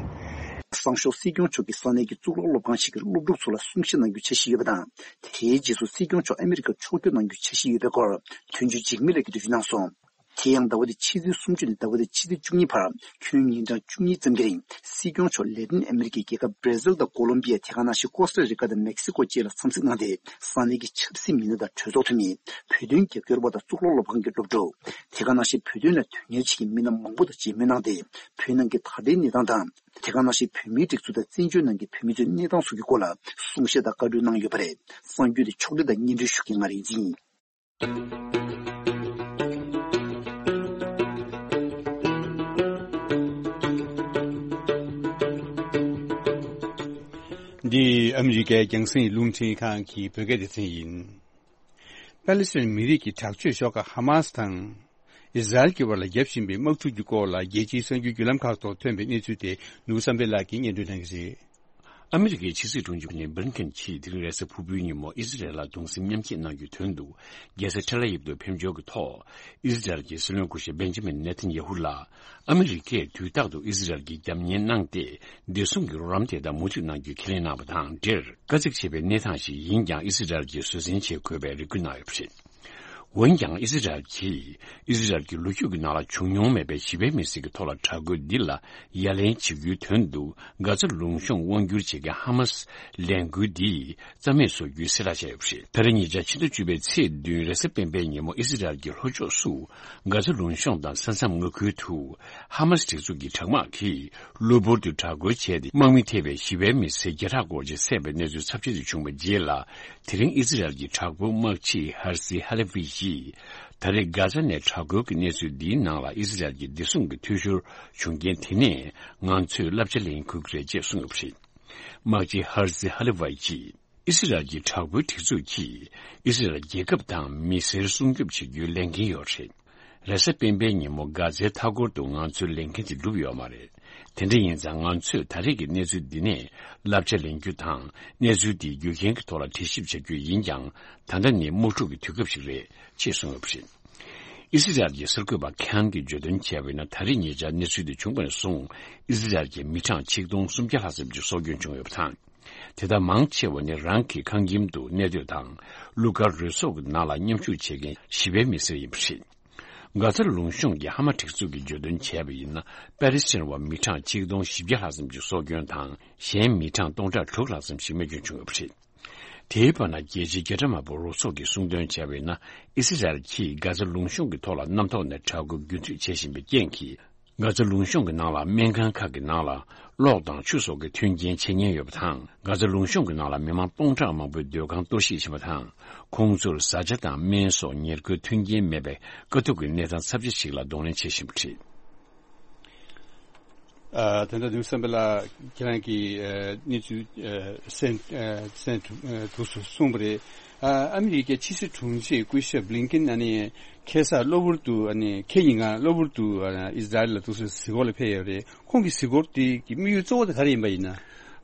སང་ཞོགས་སྲིད་སྐྱོང་མཆོག་གིས་ས་གནས་ཀྱི་གཙུག་ལག་སློབ་ཁང་ཞིག་གི་སློབ་ཕྲུག་ཚོ་ལ་གསུང་བཤད་གནང་རྒྱུའི་འཆར་གཞི་ཡོད་པ་དང་། དེའི་རྗེས་སུ་སྲིད་སྐྱོང་མཆོག་ཨ་མི་རི་ཀར་ཕྱོགས་བསྐྱོད་གནང་རྒྱུའི་འཆར་གཞི་ཡོད་པའི་སྐོར་མཐུན་ཕྱོགས་འཇིགས་མེད་ལགས་ཀྱིས་འགྲེལ་བརྗོད་གནང་སོང་། དེ་ཡང་ཟླ་བ་འདིའི་ཕྱི་ཚེས་སུམ་ཅུ་ནས་ཟླ་བ་འདིའི་ཕྱི་ཚེས་བཅུ་གཉིས་བར་ཁྱོན་ཉིན་གྲངས་བཅུ་གཉིས་ཙམ་གྱི་རིང་སྲིད་སྐྱོང་མཆོག་ལེ་ཏིན་ཨ་མི་རི་ཀའི་རྒྱལ་ཁབ་བྷར་ཟིལ་དང་ཀོ་ལོམ་བི་ཡ། དེ་ག་ནང་བཞིན་ཀོ་སྟ་རི་ཀ་དང་མེག་སི་ཀོ་བཅས་ལ་འཚམས་གཟིགས་གནང་སྟེ། ས་གནས་ཀྱི་ཆབ་སྲིད་མི་སྣ་དང་གྲོས་ཚོགས་འཐུས་མི། བོད་དོན་རྒྱབ་སྐྱོར་བ་དང་གཙུག་ལག་སློབ་ཁང་གི་སློབ་ཕྲུག་དེ་ག་ནང་བཞིན་བོད་དོན་ལ་དོན་གཉེར་བྱེད་མཁན་མི་སྣ་མང་པོ་དང་མཇལ་མོལ་གནང་སྟེ། བོད་ནང་གི་ད་ལྟའི་གནས་སྟངས་དང་། དེ་ག་ནང་བཞིན་བོད་མིའི་སྒྲིག་འཛུགས་དང་བཙན་བྱོལ་ནང་གི་བོད་མི་ཚོའི་གནས་སྟངས་སོགས་ཀྱི་སྐོར་ལ་གསུང་བཤད་དང་བཀའ་འཁྲོལ་གནང་ཡོད་པ་རེད། གསར་འགྱུར་དེ་ཕྱོགས་སྒྲིག་དང་སྙན་སྒྲོན་ཞུ་མཁན་ང་རིག་འཛིན་ཡིན། འདི་ཨ་མི་རི་ཀའི་རྒྱང་སྲིང་རླུང་འཕྲིན་ཁང་གི་བོད་སྐད་སྡེ་ཚན་ཡིན། པ་ལི་སི་ཐན་མི་རིགས་ཀྱི་དྲག་སྤྱོད་ཤོག་ཁག་ཧ་མ་སི་དང་། ཨི་ཟི་རལ་གྱི་བར་ལ་བརྒྱབ་བཞིན་པའི་དམག་འཁྲུག་གི་སྐོར་ལ་རྒྱལ་སྤྱིའི་གསར་འགྱུར་བརྒྱུད་ལམ་ཁག་ཐོག་ཐོན་པའི་གནས་ཚུལ་དེ་ནོར་བུ་བསམ་འཕེལ་ལགས་ཀྱིས་སྙན་སྒྲོན་གནང་གི་རེད། ཨ་མི་རི་ཀའི་ཕྱི་སྲིད་དྲུང་ཆེ་ཨན་ཐོ་ནི་བྷི་ལིན་ཀེན་གྱིས་དེ་རིང་རེས་གཟའ་ཕུར་བུའི་ཉིན་མོ་ཨི་ཟི་རལ་ལ་གདུང་སེམས་མཉམ་སྐྱེད་གནང་རྒྱུའི་དོན་དུ་རྒྱལ་ས་ཐེལ་ཨ་ཡིབ་ཏུ་ཕེབས་འབྱོར་གྱི་ཐོག་ཨི་ཟི་རལ་གྱི་སྲིད་བློན་སྐུ་ཞབས་བེན་ཇི་མིན་ནེ་ཐན་ཡ་ཧུ་ལ་ཨ་མི་རི་ཀས་དུས་རྟག་ཏུ་ཨི་ཟི་རལ་གྱི་རྒྱབ་གཉེར་གནང་སྟེ། བདེ་སྲུང་གི་རོགས་རམ་དེ་དག་མུ་མཐུད་གནང་རྒྱུའི་ཁས་ལེན་གནང་བ་དང་འབྲེལ། དཀའ་ཚེགས་ཆེ་བའི་གནས་སྟངས་ཤིག་ཡིན་ཀྱང་ཨི་ཟི་རལ་གྱིས་བཟོད་བསྲན་བྱེད་དགོས་པའི་རེ་སྐུལ་གནང་ཡོད་པ་རེད། འོན་ཀྱང་ཨི་ཟི་རལ་གྱིས་ཨི་ཟི་རལ་གྱི་ལོ་རྒྱུས་ཀྱི་ནང་ལ་བྱུང་མྱོང་མེད་པའི་ཞི་བའི་མི་སེར་གྱི་ཐོག་ལ་དྲག་རྒོལ་འདི་ལ་ཡ་ལན་བྱེད་རྒྱུའི་དོན་དུ་གྷ་ཛ་ལུང་གཤོང་དབང་བསྒྱུར་བྱེད་མཁན་ཧ་མ་སི་ལས་འགུལ་འདིས་རྩ་མེད་བཟོ་རྒྱུའི་གསལ་བསྒྲགས་བྱས་ཡོད་པ་རེད། ད་རེས་ཉེ་ཆར་ཕྱི་ཟླ་བཅུ་པའི་ཚེས་བདུན་རེས་གཟའ་སྤེན་པའི་ཉིན་མོ་ཨི་ཟི་རལ་གྱི་ལྷོ་ཕྱོགས་སུ་གྷ་ཛ་ལུང་གཤོང་དང་ས་མཚམས་མངའ་ཁུལ་དུ་ཧ་མ་སི་སྒྲིག་འཛུགས་ཀྱི་དྲག་དམག་གིས་གློ་བུར་དུ་དྲག་རྒོལ་བྱས་ཏེ་དམག་མི་ཐེ་བའི་ཞི་བའི་མི་སེར་བརྒྱ་ཕྲག་སྐོར་ཅིག་བསད་པའི་གནས་ཚུལ་ཚབས་ཆེ་ཞིག་བྱུང་བའི་རྗེས་ལ། དེ་རིང་ཨི་ཟི་རལ་གྱི་དྲག་པོའི་དམག་སྤྱི་ཧར་ཟི་ཧ་ལེ་ཝི་ཡིས་ད་རེས་གྷ་ཛ་ནས་དྲག་རྒོལ་གྱི་གནས་ཚུལ་འདིའི་ནང་ལ་ཨི་ཟི་རལ་གྱི་བདེ་སྲུང་གི་འཐུས་ཤོར་བྱུང་རྐྱེན་དེ་ནས་ང་ཚོས་བསླབ་བྱ་ལེན་དགོས་ཀྱི་རེད་ཅེས་གསུངས་ཡོད་པ་རེད། དམག་སྤྱི་ཧར་ཟི་ཧ་ལེ་ཝི་ཡིས། ཨི་སི་རལ་གྱི་དྲག་པོའི་སྒྲིག་འཛུགས་ཀྱིས་ཨི་སི་རལ་རྒྱལ་ཁབ་དང་མི་སེར་སྲུང་སྐྱོབ་བྱེད་རྒྱུའི་ལས་འགན་ཡོད་རེད། རེས་གཟའ་སྤེན་པའི་ཉིན་མོ་གྷ་ཛའི་མཐའ་འཁོར་དུ་ང་ཚོའི་ལས་འགན་དེ་འགྲུབ་ཡོད་མ་རེད། དེ་འདྲ་ཡིན་ཙང་ང་ཚོས་ད་རེས་ཀྱི་གནས་ཚུལ་འདི་ནས་བསླབ་བྱ་ལེན་རྒྱུ་དང་གནས་ཚུལ་འདིའི་རྒྱུ་རྐྱེན་གྱི་ཐོག་ལ་དྲི་ཞིབ་བྱ་རྒྱུ་ཡིན་ཀྱང་། ད་ལྟ་ནི་དམག་འཁྲུག་གི་དུས་སྐབས་ཤིག་རེད་ཅེས་གསུངས་ཡོད་པ་རེད། ཨི་སི་རལ་གྱི་གསར་འགོད་པ་ཁན་གྱིས་བརྗོད་དོན་བྱས་པ་ཡིན་ན། ད་རེས་ཉེ་ཆར་གནས་ཚུལ་འདི་བྱུང་བ་ནས་བཟུང་ཨི་སི་རལ་གྱི་མི་གྲངས་ཆིག་སྟོང་སུམ་བརྒྱ་ལྷག་ཙམ་ཅིག་སྲོག་སྐྱོན་བྱུང་ཡོད་པ་དང་། དེ་དག་མང་ཆེ་བ་ནི་རང་གི་ཁང་ཁྱིམ་དུ་གནས་སྡོད་དང་། གླུ་གར་རོལ་ཚོགས་ཀྱི་ནང་ལ་མཉམ་ཞུགས་བྱེད་མཁན་ཞི་བའི་མི་སེར་ཡིན་པ་རེད། གྷ་ཛ་ལུང་གཤོང་གི་ཧ་མ་སྒྲིག་འཛུགས་ཀྱིས་བརྗོད་དོན་བྱས་པ་ཡིན་ན། པ་ལི་སི་ཐན་བ་མི་གྲངས་ཆིག་སྟོང་བཞི་བརྒྱ་ལྷག་ཙམ་ཞིག་སྲོག་སྐྱོན་དང་། གཞན་མི་གྲངས་སྟོང་ཕྲག་དྲུག་ལྷག་ཙམ་ཞིག་རྨས་སྐྱོན་བྱུང་ཡོད་པ་རེད། དེའི་བར་ན་རྒྱལ་སྤྱིའི་རྒྱལ་ཁྲིམས་དམར་པོ་རོགས་ཚོགས་ཀྱིས་གསུངས་དོན་བྱས་པ་ཡིན་ན། ཨི་སི་རལ་གྱིས་གྷ་ཛ་ལུང་གཤོང་གི་ཐོག་ལ་གནམ་ཐོག་ནས་དྲག་རྒོལ་རྒྱུན་མཐུད་བྱེད་བཞིན་པའི་རྐྱེན་གྱིས། གྷ་ཛ་ལུང་གཤོང་གི་ནང་ལ་སྨན་ཁང་ཁག་གི་ནང་ལ་གློག་དང་ཆུ་སོགས་ཀྱི་མཐུན་རྐྱེན་ཆད་ཉེན་ཡོད་པ་དང་། གྷ་ཛ་ལུང་གཤོང་གི་ནང་ལ་མི་མང་སྟོང་ཕྲག་མང་པོའི་སྡོད་ཁང་གཏོར་བཤིག་ཕྱིན་པ་དང་། ཁོང་ཚོར་བཟའ་བཅའ་དང་སྨན་སོགས་ཉེར་མཁོའི་མཐུན་རྐྱེན་མེད་པའི་དཀའ་སྡུག་གི་གནས་སྟངས་ཚབས་ཆེ་ཞིག་ལ་གདོང་ལེན་བྱེད་བཞིན་པ་རེད། ཨ། ད་ལྟ་ནུབ་བསམ་པ་ལགས་ཁྱེད་རང་གིས་ཨ་གནས་ཚུལ་ཨ་གསན་ཨ་གསན་ཐུབ་ཨ་ཐུབ་སོང་གསུངས་པ་རེད། ཨ་ཨ་མི་རི་ཀའི་ཕྱི་སྲིད་དྲུང་ཆེ་སྐུ་ཞབས་བྷི་ལིན་ཀེན་ཨ་ནི་ཁ་སང་གློ་བུར་དུ་ཨ་ནི་ཁ་ཉིན་གང་གློ་བུར་དུ་ཨ་ཨི་ཟི་རལ་ལ་འདུག་སེ་གཟིགས་སྐོར་ལ་ཕེབས་ཡོད་རེད། ཁོང་གི་གཟིགས་སྐོར་དེ་གི་དམིགས་ཡུལ་གཙོ་བོ་དེ་ག་རེ་ཡིན་པ་ཡིན་ན།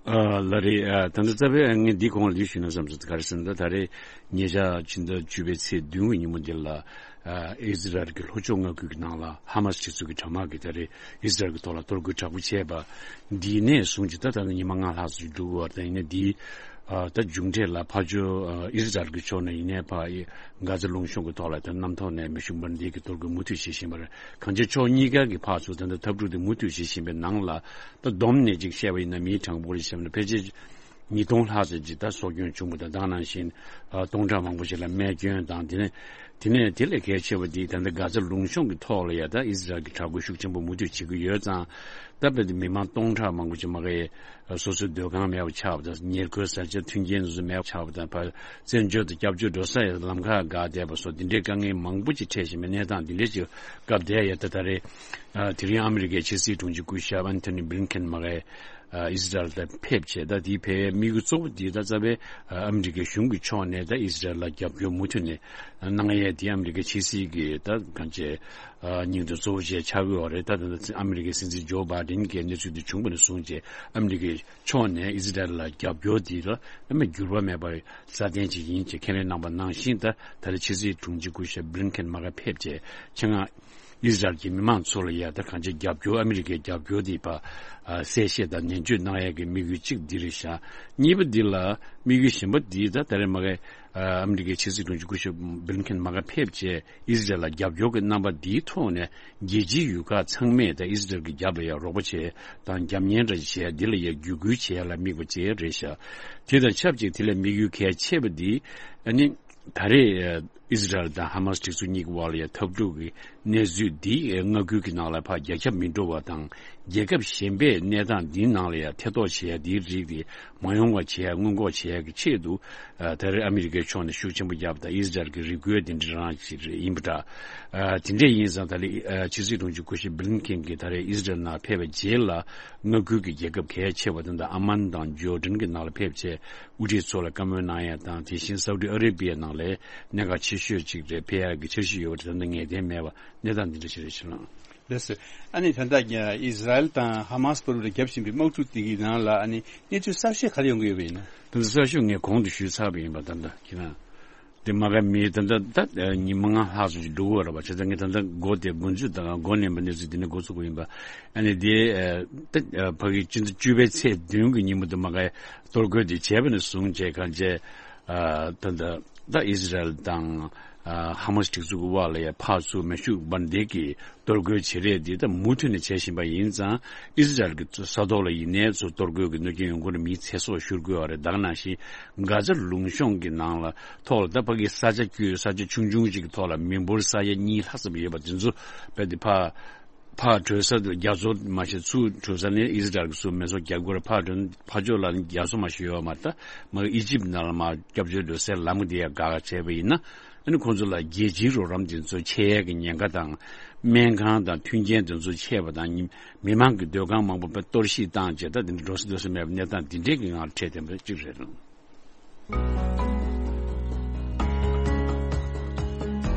ཨ་ལགས་རེད། ཨ་ད་ལྟ་རྩ་བའི་ངས་འདི་གོང་ལ་འདི་ཞུས་ན་བསམ་སོང་། ག་རེ་ཟེར་ན། ད་ད་རེས་ཉེ་ཆར་ཕྱི་ཟླ་བཅུ་པའི་ཚེས་བདུན་གྱི་ཉིན་མོ་འདི་ལ་ཨ་ཨི་ཟི་རལ་གྱི་ལྷོ་ཕྱོགས་མངའ་ཁུལ་གྱི་ནང་ལ་ཧ་མ་སི་སྒྲིག་འཛུགས་ཀྱི་དྲག་དམག་གིས་ད་རེས་ཨི་ཟི་རལ་གྱི་ཐོག་ལ་གཏོར་རྒོལ་དྲག་པོ་བྱས་པ་འདི་ནས་བཟུང་སྟེ་ད་ད་ལྟ་ཉི་མ་ལྔ་ལྷག་ཙམ་འགྲོ་གི་ཡོད་རེད། ད་ཡིན་ནའི་འདི་ཨ་ད་མཇུག་འབྲས་ལ་ཕར་ཕྱོགས་ཨ་ཨི་ཟི་རལ་གྱི་ཕྱོགས་ནས་ཡིན་ནའི་ཕར་གྷ་ཛ་ལུང་གཤོང་གི་ཐོག་ལ་ད་གནམ་ཐོག་ནས་མེ་ཤུགས་འབར་མདེལ་གྱི་གཏོར་རྒོལ་མུ་མཐུད་བྱེད་བཞིན་པ་རེད། གང་ཅི་ཕྱོགས་གཉིས་ཀ་གི་ཕར་ཚུར་ད་ལྟ་འཐབ་འཁྲུག་དེ་མུ་མཐུད་བྱེད་བཞིན་པའི་ནང་ལ་ད་བསྡོམས་ནས་ཅིག་བཤད་པ་ཡིན་ན་མིའི་གྲངས་འབོར་ཞིག་བཤད་པ་ན་ཕལ་ཆེར་ཉིས་སྟོང་ལྷག་ཙམ་ཅིག་ད་སྲོག་སྐྱོན་བྱུང་བ་དང་། ད་ག་ནང་བཞིན་ཨ་སྟོང་ཕྲག་མང་པོ་ཞིག་ལ་རྨས་སྐྱོན་དང་། དེ་ནས་དེ་ནས་དེ་ལས་གལ་ཆེ་བ་འདི་ད་ལྟ་གྷ་ཛ་ལུང་གཤོང་གི་ཐོག་ལ་ཡ་ད་ཨི་ཟི་རལ་གྱི་དྲག་རྒོལ་ཤུགས་ཆེན་པོ་མུ་མཐུད་བྱེད་ཀྱི་ཡོད་ཙང་། ད་དཔེར་ན་མི་མང་སྟོང་ཕྲག་མང་པོ་ཅིག་མ་གི་སོ་སོའི་སྡོད་ཁང་མེད་པ་ཆགས་པ་དང་། ཉེར་མཁོའི་བཟའ་བཅའ་མཐུན་རྐྱེན་དེ་ཚོ་མེད་པ་ཆགས་པ་དང་། ཕར་བཙན་བྱོལ་དུ་སྐྱབས་བཅོལ་འགྲོ་ས་ཡང་ལམ་ཁ་འགག་བསྡད་པ་སོགས་འདི་འདྲའི་དཀའ་ངལ་མང་པོ་ཅིག་འཕྲད་བཞིན་པའི་གནས་སྟངས་འདི་འདྲའི་ཅིག་སྐབས་དེར་ཡ་ད་ད་རེས་ཨ་དེ་རིང་ཨ་མི་རི་ཀའི་ཕྱི་སྲིད་དྲུང་ཆེ་སྐུ་ཞབས་ཨན་ཐོ་ནི་བྷི་ལིན་ཀེན་མ་གི་ཨ་ཨི་ཟི་རལ་ལ་ཕེབས་བྱས། ད་དེའི་ཕེབས་དམིགས་ཡུལ་གཙོ་བོ་འདི་ད་རྩ་བའི་ཨ་ཨ་མི་རི་ཀའི་གཞུང་གི་ཕྱོགས་ནས་ད་ཨི་ཟི་རལ་ལ་རྒྱབ་སྐྱོར་མུ་མཐུད་ནས་གནང་ཡས་དེ་ཨ་མི་རི་ཀའི་ཕྱི་སྲིད་ཀྱི་ད་གང་ཅི་ཨ་སྙིང་དོན་གཙོ་བོ་ཅིག་ཆགས་ཀྱི་ཡོད་རེད། ད་ད་ལྟ་ཨ་མི་རི་ཀའི་སྲིད་འཛིན་ཇོ་བྷའི་ཌེན་གྱི་གནས་ཚུལ་འདི་བྱུང་བ་ནས་བཟུང་བྱས་ཨ་མི་རི་ཀའི་ཕྱོགས་ནས་ཨི་ཟི་རལ་ལ་རྒྱབ་སྐྱོར་འདི་ལ་ཨ་མི་འགྱུར་བ་མེད་པ་སྲ་བརྟན་ཅིག་ཡིན་ཅེས་ཁས་ལེན་གནང་བ་ནང་བཞིན། ད་ད་ལྟ་ཕྱི་སྲིད་དྲུང་ཆེ་སྐུ་ཞབས་བྷི་ལིན་ཀེན་མ་གི་ཕེབས་བྱས་ཆེད་མངགས་ཨི་ཟི་རལ་གྱི་མི་མང་ཚོ་ལ་ཡ་ད་གང་ཅི་རྒྱབ་སྐྱོར་ཨ་མི་རི་ཀའི་རྒྱབ་སྐྱོར་འདི་ཕར་ཨ་གསལ་བཤད་དང་ནན་བརྗོད་གནང་ཡས་ཀྱི་དམིགས་ཡུལ་གཅིག་འདི་རེད་ཤག་གཉིས་པ་འདི་ལ་དམིགས་ཡུལ་གཞན་པ་འདི་ད་ད་རེས་མ་གི་ཨ་ཨ་མི་རི་ཀའི་ཕྱི་སྲིད་དྲུང་ཆེ་སྐུ་ཞབས་བྷི་ལིན་ཀེན་མ་གི་ཕེབས་བྱས་ཨི་ཟི་རལ་ལ་རྒྱབ་སྐྱོར་གྱི་རྣམ་པ་འདིའི་ཐོག་ནས་རྒྱལ་སྤྱིའི་ཡུལ་ཁག་ཚང་མས་ད་ཨི་ཟི་རལ་གྱི་རྒྱབ་ལ་ཡ་རོགས་པ་བྱས་དང་རྒྱབ་གཉེར་འདྲ་ཞིག་བྱས། འདི་ལ་ཡ་བརྒྱུད་སྐུལ་བྱེད་ཡ་ལ་དམིགས་པ་ཅིག་རེད་ཤག་དེ་དང་ཆབས་ཅིག་དེ་ལས་དམིགས་ཡུལ་གལ་ཆེ་བ་འདི་ཨ་ནི་ད་རེས་ཨི་ཟི་རལ་དང་ཧ་མ་སི་སྒྲིག་འཛུགས་གཉིས་ཀྱི་དབར་ལ་ཡ་འཐབ་འཁྲུག་གི་གནས་ཚུལ་འདི་མངའ་ཁུལ་གྱི་ནང་ལ་ཕར་རྒྱ་ཁྱབ་མི་འགྲོ་བ་དང་། རྒྱལ་ཁབ་གཞན་པས་གནས་སྟངས་འདིའི་ནང་ལ་ཡ་ཐེ་གཏོགས་བྱེད་ཡ་འདིའི་རིགས་དེ་མ་ཡོང་བ་བྱེད་ཡ་སྔོན་འགོག་བྱེད་ཡ་གི་ཆེད་དུ། ཨ་ད་རེས་ཨ་མི་རི་ཀའི་ཕྱོགས་ནས་ཤུགས་ཆེན་པོ་བརྒྱབ་དང་ཨི་ཟི་རལ་གྱི་རེ་སྐུལ་དེ་འདྲ་རང་ཞིག་རེད་ཡིན་པ་འདྲ། ཨ་དེ་འདྲ་ཡིན་ཙང་ད་རེས་ཨ་ཕྱི་སྲིད་དྲུང་ཆེ་སྐུ་ཞབས་བྷི་ལིན་ཀེན་གྱིས་ད་རེས་ཨི་ཟི་རལ་ནང་ཕེབས་པའི་རྗེས་ལ་མངའ་ཁུལ་གྱི་རྒྱལ་ཁབ་གལ་ཆེ་བ་དེ་འདྲ་ཨ་མན་དང་ཇོར་ཌན་གྱི་ནང་ལ་ཕེབས་བྱས་དབུ་ཁྲིད་ཚོ་ལ་བཀའ་མོལ་གནང་ཡ་དང་། དེ་བཞིན་སའུ་ཏི་ཨ་རེ་བྷི་ཡ་ནང་ལ་གནད་འགག་ཆེ་ཤོས་ཅིག་རེད། ཕེབས་ཡ་གི་འཆར་གཞི་ཡོད་པ་དེ་ད་ལྟ་ངེས་གཏན་མེད་པ་གནས་སྟངས་འདི་འདྲ་ཞིག་རེད་ཤག་ལགས། ལགས་སོ། ཨ་ནི་ད་ལྟ་ཨི་ཟི་རལ་དང་ཧ་མ་སི་བར་དུ་རྒྱབ་བཞིན་པའི་དམག་འཁྲུག་དེ་གི་ནང་ལ་ཨ་ནི་གནས་ཚུལ་གསར་ཤོས་ག་རེ་ཡོང་གི་ཡོད་པ་ཡིན་ན། ད་ལྟ་གསར་ཤོས་ངས་གོང་དུ་ཞུས་ཚར་བ་ཡིན་པ། ད་ལྟ་ཁྱེད་རང་དེ་མ་ག་མི་ད་ལྟ་ད་ཉི་མ་ལྔ་ལྷག་ཙམ་ཞིག་འགྲོ་གི་ཡོད་རེད་པ། བྱས་ཙང་ངས་ད་ལྟ་འགོ་དེ་འགོ་འཛུགས་དང་འགོ་ལེན་པའི་གནས་ཚུལ་དེ་ནས་འགོ་ཚུགས་པ་ཡིན་པ། ཨ་ནི་དེ་ད་ཕ་གི་སྤྱི་ཟླ་བཅུ་པའི་ཚེས་བདུན་གྱི་ཉིན་མོ་དེ་མ་ག་གཏོར་རྒོལ་དེ་བྱས་པ་ནས་བཟུང་བྱས་གང་བྱས། ཨ་ད་ལྟ་ད་ཨི་ཟི་རལ་དང་ཨ་ཧ་མ་སི་སྒྲིག་འཛུགས་ཀྱི་དབར་ལ་ཡ་ཕར་ཚུར་མེ་ཤུགས་འབར་མདེལ་གྱི་གཏོར་རྒོལ་བྱེད་རེས་འདི་ད་མུ་མཐུད་ནས་བྱེད་བཞིན་པ་ཡིན་ཙང་། ཨི་ཟི་རལ་གྱི་ས་ཐོག་ལ་ཡིན་ནའི་ཚུར་གཏོར་རྒོལ་གྱི་གནོད་སྐྱོན་ཡོང་གི་རེད། མིའི་ཚེ་སྲོག་ཤོར་གྱི་ཡོད་རེད། ད་ག་ནང་བཞིན་གྷ་ཛ་ལུང་གཤོང་གི་ནང་ལ་ཐོག་ལ་ད་ཕ་གི་ས་ཆ་བསྐྱོད་ས་ཆ་ཆུང་ཆུང་ཅིག་གི་ཐོག་ལ་མི་འབོར་ས་ཡ་གཉིས་ལྷག་ཙམ་ཡོད་པ་དེ་ཚོ་རྦད་དེ་ཕར་ཕར་བྲོས་ས་དུ་རྒྱ་མཚོ་མ་ཞིག་ཚུར་བྲོས་ས་ནི་ཨི་ཟི་རལ་གྱི་ཚུར་མེ་སྲོག་རྒྱག་དགོས་རེད། ཕར་བྲོས་ཕར་ཕྱོགས་ལ་ནི་རྒྱ་མཚོ་མ་ཞིག་ཡོད་མ་རེད། ད་མ་ཨི་ཇིབ་ནང་ལ་མར་སྐྱབས་བཅོལ་འགྲོ་སའི་ལམ་དེ་ཡང་བཀག་བྱས་པ་ཡིན་ན། ཨ་ནི་ཁོང་ཚོ་ལ་རྒྱལ་སྤྱིའི་རོགས་རམ་དེ་ཚོ་ཆད་ཡས་ཀྱི་ཉེན་ཁ་དང་། སྨན་ཁང་དང་མཐུན་རྐྱེན་དེ་ཚོ་ཆད་པ་དང་། མི་མང་གི་སྡོད་ཁང་མང་པོ་གཏོར་བཤིག་བཏང་བྱས། ད་དེ་འདྲ་འགྲོ་ས་སྡོད་ས་མེད་པའི་གནས་སྟངས་དེ་འདྲའི་གི་ངང་འཕྲད་བསྡད་པ་གཅིག་རེད།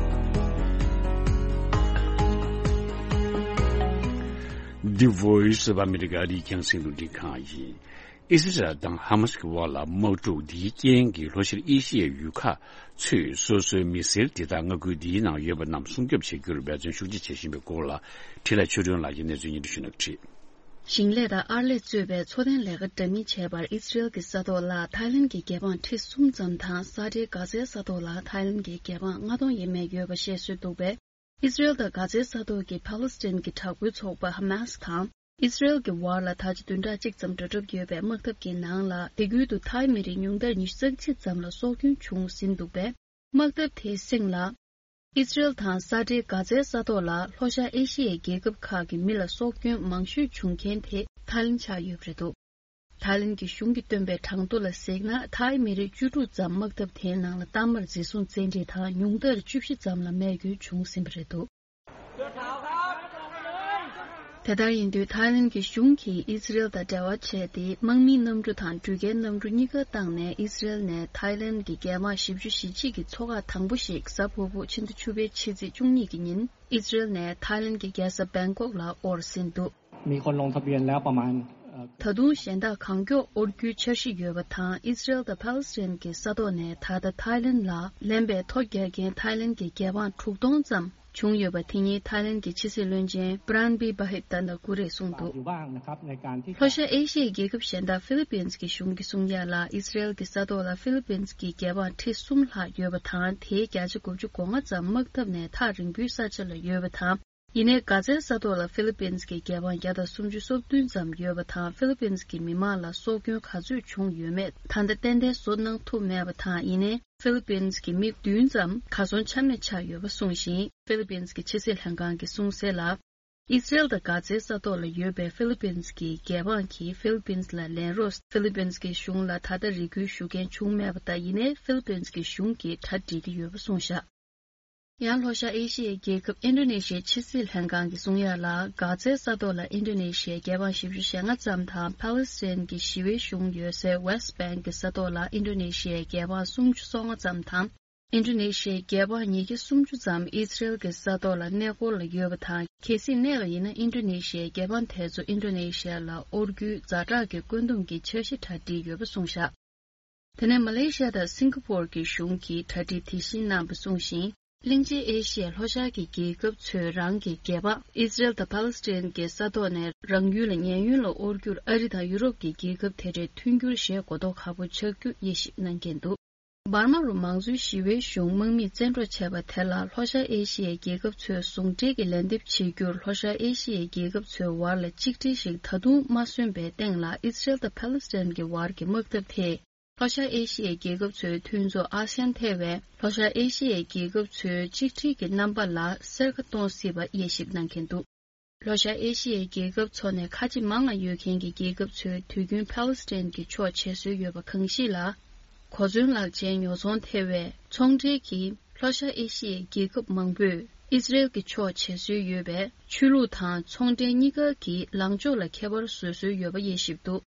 The Voice of America ཨ་རིའི་རྒྱང་སྲིང་རླུང་འཕྲིན་ཁང་ཡིན། ཨི་སི་རལ་དང་ཧ་མ་སི་གི་དབར་ལ་དམག་འཁྲུག་འདིའི་རྐྱེན་གྱིས་ལྷོ་ཤར་ཨེ་ཤི་ཡའི་ཡུལ་ཁག་ཚོས་སོ་སོའི་མི་སེར་དེ་དག་མངའ་ཁུལ་འདིའི་ནང་ཡོད་པ་རྣམས་སྲུང་སྐྱོབ་བྱེད་རྒྱུར་འབད་བརྩོན་ཤུགས་ཆེ་བྱེད་བཞིན་པའི་སྐོར་ལ་འཕྲིན་ལས་ཆོས་སྒྲོན་ལགས་ཀྱིས་གནས་ཚུལ་སྙན་སྒྲོན་ཞུ་གནང་གི་རེད། ཞིང་ལས་དང་ཨར་ལས་གཙོས་པའི་འཚོ་རྟེན་ལས་ཀ་འདྲ་མིན་བྱེད་པར་ཨི་སི་རེལ་གྱི་ས་ཐོག་ལ་ཐའི་ལན་གྱི་རྒྱལ་འབངས་ཁྲི་གསུམ་ཙམ་དང་། ས་ཁྲའི་གྷ་ཛའི་ས་ཐོག་ལ་ཐའི་ལན་གྱི་རྒྱལ་འབངས་ལྔ་སྟོང་ཡས་མས་ཡོད་པ་བཤད་སྲོལ་འདུག་པས། ཨི་སི་རེལ་དང་གྷ་ཛའི་ས་ཐོག་གི་ཕཱ་ལེ་སི་ཐན་གྱི་དྲག་པོའི་ཚོགས་པ་ཧ་མཱ་སི་དང་ཨི་སི་རེལ་གྱི་བར་ལ་ད་ཆ་བདུན་ཕྲག་གཅིག་ཙམ་འགྲོ་གྲབས་ཡོད་པའི་དམག་འཐབ་ཀྱི་ནང་ལ། དེ་ཁུལ་དུ་ཐའི་མི་རིགས་ཉུང་མཐར་ཉི་ཤུ་རྩ་གཅིག་ཙམ་ལ་སྲོག་སྐྱོན་བྱུང་ཟིན་འདུག་པས། དམག་འཐབ་དེའི་གསེང་ལ། ཨི་སི་རེལ་དང་ས་འབྲེལ་གྷ་ཛའི་ས་ཐོག་ལ་ལྷོ་ཤར་ཨེ་ཤི་ཡའི་རྒྱལ་ཁབ་ཁག་གི་མི་ལ་སྲོག་སྐྱོན་མང་ཤོས་བྱུང་མཁན་དེ་ཐའི་ལེན་ཆགས་ཡོད་པ་རེད་འདུག་ཐའི་ལེན་གྱི་གཞུང་གིས་བཏོན་པའི་གྲངས་ཐོ་ལ་གཟིགས་ན། ཐའི་མི་རིགས་བཅུ་དྲུག་ཙམ་དམག་འཐབ་དེའི་ནང་ལ་གཏའ་མར་འཛིན་བཟུང་བཙན་ཁྲིད་དང་། ཉུང་མཐར་བཅུ་བཞི་ཙམ་ལ་རྨས་སྐྱོན་བྱུང་ཟིན་པ་རེད་འདུག་དེ་ལྟར་ཡིན་དུས། ཐའི་ལེན་གྱི་གཞུང་གིས་ཨི་སི་རེལ་དང་འབྲེལ་བ་བྱས་ཏེ། དམག་མིའི་གནམ་གྲུ་དང་འགྲུལ་སྐྱེལ་གནམ་གྲུ་གཉིས་ཀ་བཏང་ནས། ཨི་སི་རེལ་ནས་ཐའི་ལེན་གྱི་རྒྱལ་འབངས་བཞི་བཅུ་ཞེ་གཅིག་གི་ཚོ་ཁག་དང་པོ་ཞིག་གཟའ་ཕུར་བུ་ཕྱི་ཟླ་བཅུ་པའི་ཕྱི་ཚེས་བཅུ་གཉིས་ཀྱི་ཉིན། ཨི་སི་རེལ་ནས་ཐའི་ལེན་གྱི་རྒྱལ་ས་བེང་ཀོག་ལ་དབོར་ཟིན་འདུག มีคนลงทะเบียนแล้วประมาณเอ่อ ད་དུང་གཞན་དག་གང་མགྱོགས་དབོར་རྒྱུའི་འཆར་གཞི་ཡོད་པ་དང་། ཨི་སི་རེལ་དང་ཕཱ་ལེ་སི་ཐན་གྱི་ས་ཐོག་ནས་ད་ལྟ་ཐའི་ལེན་ལ་ལེན་པའི་ཐོ་རྒྱག་མཁན་ཐའི་ལེན་གྱི་རྒྱལ་འབངས་དྲུག་སྟོང་ཙམ་བྱུང་ཡོད་པ། དེ་ཉིན་ཐའི་ལེན་གྱི་ཕྱི་སྲིད་བློན་ཆེན་པྲན་བི་བྷ་ཧིད་ཏན་ད་ཀུ་རེས་གསུངས་འདུག อยู่บ้างนะครับในการที่ ལྷོ་ཤར་ཨེ་ཤི་ཡའི་རྒྱལ་ཁབ་གཞན་དག་ཧྥི་ལི་པིན་གྱི་གཞུང་གིས་གསུངས་ཡ་ལ། ཨི་སི་རེལ་གྱི་ས་ཐོག་ལ་ཧྥི་ལི་པིན་གྱི་རྒྱལ་འབངས་ཁྲི་གསུམ་ལྷག་ཡོད་པ་དང་། དེའི་བརྒྱ་ཆ་དགུ་བཅུ་གོ་ལྔ་ཙམ་དམག་འཐབ་ནས་ཐག་རིང་པོའི་ས་ཆ་ལ་ཡོད་པ་དང་། ཡིན་ནའི་གྷ་ཛའི་ས་ཐོག་ལ་ཧྥི་ལི་པིན་གྱི་རྒྱལ་འབངས་བརྒྱ་དང་སུམ་ཅུ་སོ་བདུན་ཙམ་ཡོད་པ་དང་། ཧྥི་ལི་པིན་གྱི་མི་མང་ལ་སྲོག་སྐྱོན་ག་ཚོད་བྱུང་ཡོད་མེད་ད་ལྟ་ཏན་ཏན་བཟོ་གནང་ཐུབ་མེད་པ་དང་། ཡིན་ནའི་ཧྥི་ལི་པིན་གྱི་མི་བདུན་ཙམ་གར་སོང་ཆ་མེད་ཆགས་ཡོད་པ་གསུངས་ཤིང་། ཧྥི་ལི་པིན་གྱི་ཕྱི་སྲིད་ལྷན་ཁང་གིས་གསུངས་གསལ་ལ། ཨི་སི་རེལ་དང་གྷ་ཛའི་ས་ཐོག་ལ་ཡོད་པའི་ཧྥི་ལི་པིན་གྱི་རྒྱལ་འབངས་ཀྱིས་ཧྥི་ལི་པིན་ལ་ལེན་རོགས། ཧྥི་ལི་པིན་གྱི་གཞུང་ལ་ད་ལྟ་རེ་སྐུལ་ཞུ་མཁན་བྱུང་མེད་པ་དང་། ཡིན་ནའི་ཧྥི་ལི་པིན་གྱི་གཞུང་གིས་གྲ་སྒྲིག་གི་ཡོད་པ་གསུངས་བཞག་ཡང་ལྷོ་ཤར་ཨེ་ཤི་ཡའི་རྒྱལ་ཁབ་ཨིན་ཌོ་ནེ་ཤི་ཡའི་ཕྱི་སྲིད་ལྷན་ཁང་གིས་གསུངས་ཡ་ལ། གྷ་ཛའི་ས་ཐོག་ལ་ཨིན་ཌོ་ནེ་ཤི་ཡའི་རྒྱལ་འབངས་བཞི་བཅུ་ཞེ་ལྔ་ཙམ་དང་། ཕཱ་ལེ་སི་ཐན་གྱི་ཞི་བའི་གཞུང་ཡོད་སའི་ཝེ་སི་བེང་གི་ས་ཐོག་ལ་ཨིན་ཌོ་ནེ་ཤི་ཡའི་རྒྱལ་འབངས་སུམ་ཅུ་སོ་ལྔ་ཙམ་དང་། ཨིན་ཌོ་ནེ་ཤི་ཡའི་རྒྱལ་འབངས་ཉིས་བརྒྱ་སུམ་ཅུ་ཙམ་ཨི་སི་རེལ་གྱི་ས་ཐོག་ལ་གནས་སྐོར་ལ་ཡོད་པ་དང་། གལ་སྲིད་གནས་པ་ཡིན་ན། ཨིན་ཌོ་ནེ་ཤི་ཡའི་རྒྱལ་འབངས་དེ་ཚོ་ཨིན་ཌོ་ནེ་ཤི་ཡ་ལ་དབོར་རྒྱུའི་ཛ་དྲག་གི་བཀོད་འདོམས་ཀྱི་འཆར་གཞི་གྲ་སྒྲིག་ཡོད་པ་གསུངས་བཞག་དེ་ནས་མ་ལེ་ཤི་ཡ་དང་སིང་ག་པོར་གྱི་གཞུང་གིས་གྲ་སྒྲིག་དེ་བཞིན་གནང་བ་གསུངས་ཤིང་། གླིང་ཆེན་ཨེ་ཤི་ཡའི་ལྷོ་ཤར་གྱི་རྒྱལ་ཁབ་ཚོས་རང་གི་རྒྱལ་འབངས་ཨི་སི་རེལ་དང་ཕཱ་ལེ་སི་ཐན་གྱི་ས་ཐོག་ནས་རང་ཡུལ་ལ་ཉེན་གཡོལ་ལ་དབོར་རྒྱུར་ཨ་རི་དང་ཡུ་རོབ་ཀྱི་རྒྱལ་ཁབ་དེ་འདྲས་མཐུན་འགྱུར་བྱེད་དགོས་མདོག་ཁ་པོ་ཆགས་རྒྱུ་དབྱེ་ཞིབ་གནང་མཁན་འདུག་འབར་མ་རུ་མང་གཙོའི་ཞི་བའི་གཞུང་དམག་མིས་བཙན་འཕྲོག་བྱས་པ་དེ་ལ་ལྷོ་ཤར་ཨེ་ཤི་ཡའི་རྒྱལ་ཁབ་ཚོས་ཟུང་འབྲེལ་གྱི་ལན་འདེབས་བྱེད་རྒྱུར། ལྷོ་ཤར་ཨེ་ཤི་ཡའི་རྒྱལ་ཁབ་ཚོའི་བར་ལ་གཅིག་སྒྲིལ་ཞིག་ད་དུང་མ་སོན་པའི་སྟེང་ལ། ཨི་སི་རེལ་དང་ཕཱ་ལེ་སི་ཐན་གྱི་བར་གྱི་དམག་འཐབ་དེས་ལྷོ་ཤར་ཨེ་ཤི་ཡའི་རྒྱལ་ཁབ་ཚོའི་མཐུན་ཚོགས་ཨ་སི་ཡན་ཐེ་བའི་ལྷོ་ཤར་ཨེ་ཤི་ཡའི་རྒྱལ་ཁབ་ཚོའི་གཅིག་སྒྲིལ་གྱི་རྣམ་པ་ལ་སེར་ཁ་གཏོང་སྲིད་པ་དབྱེ་ཞིབ་གནང་མཁན་འདུག་ལྷོ་ཤར་ཨེ་ཤི་ཡའི་རྒྱལ་ཁབ་ཚོ་ནས་ཁ་ཆེ་མང་ང་ཡོད་མཁན་གྱི་རྒྱལ་ཁབ་ཚོས་དུས་རྒྱུན་ཕཱ་ལེ་སི་ཐན་གྱི་ཕྱོགས་བྱེད་སྲོལ་ཡོད་པ་གང་ཞིག་ལ། གོ་མཚོན་ལག་ཆའི་ཉོ་ཚོང་ཐེ་བའི་ཚོང་འབྲེལ་གྱིས་ལྷོ་ཤར་ཨེ་ཤི་ཡའི་རྒྱལ་ཁབ་མང་པོས་ཨི་སི་རེལ་གྱི་ཕྱོགས་བྱེད་སྲོལ་ཡོད་པས། ཆོས་ལུགས་དང་ཚོང་འབྲེལ་གཉིས་ཀ་གི་ལངས་ཕྱོགས་ལ་ཁྱད་པར་བཟོ་སྲོལ་ཡོད་པ་དབྱེ་ཞིབ་འདུག་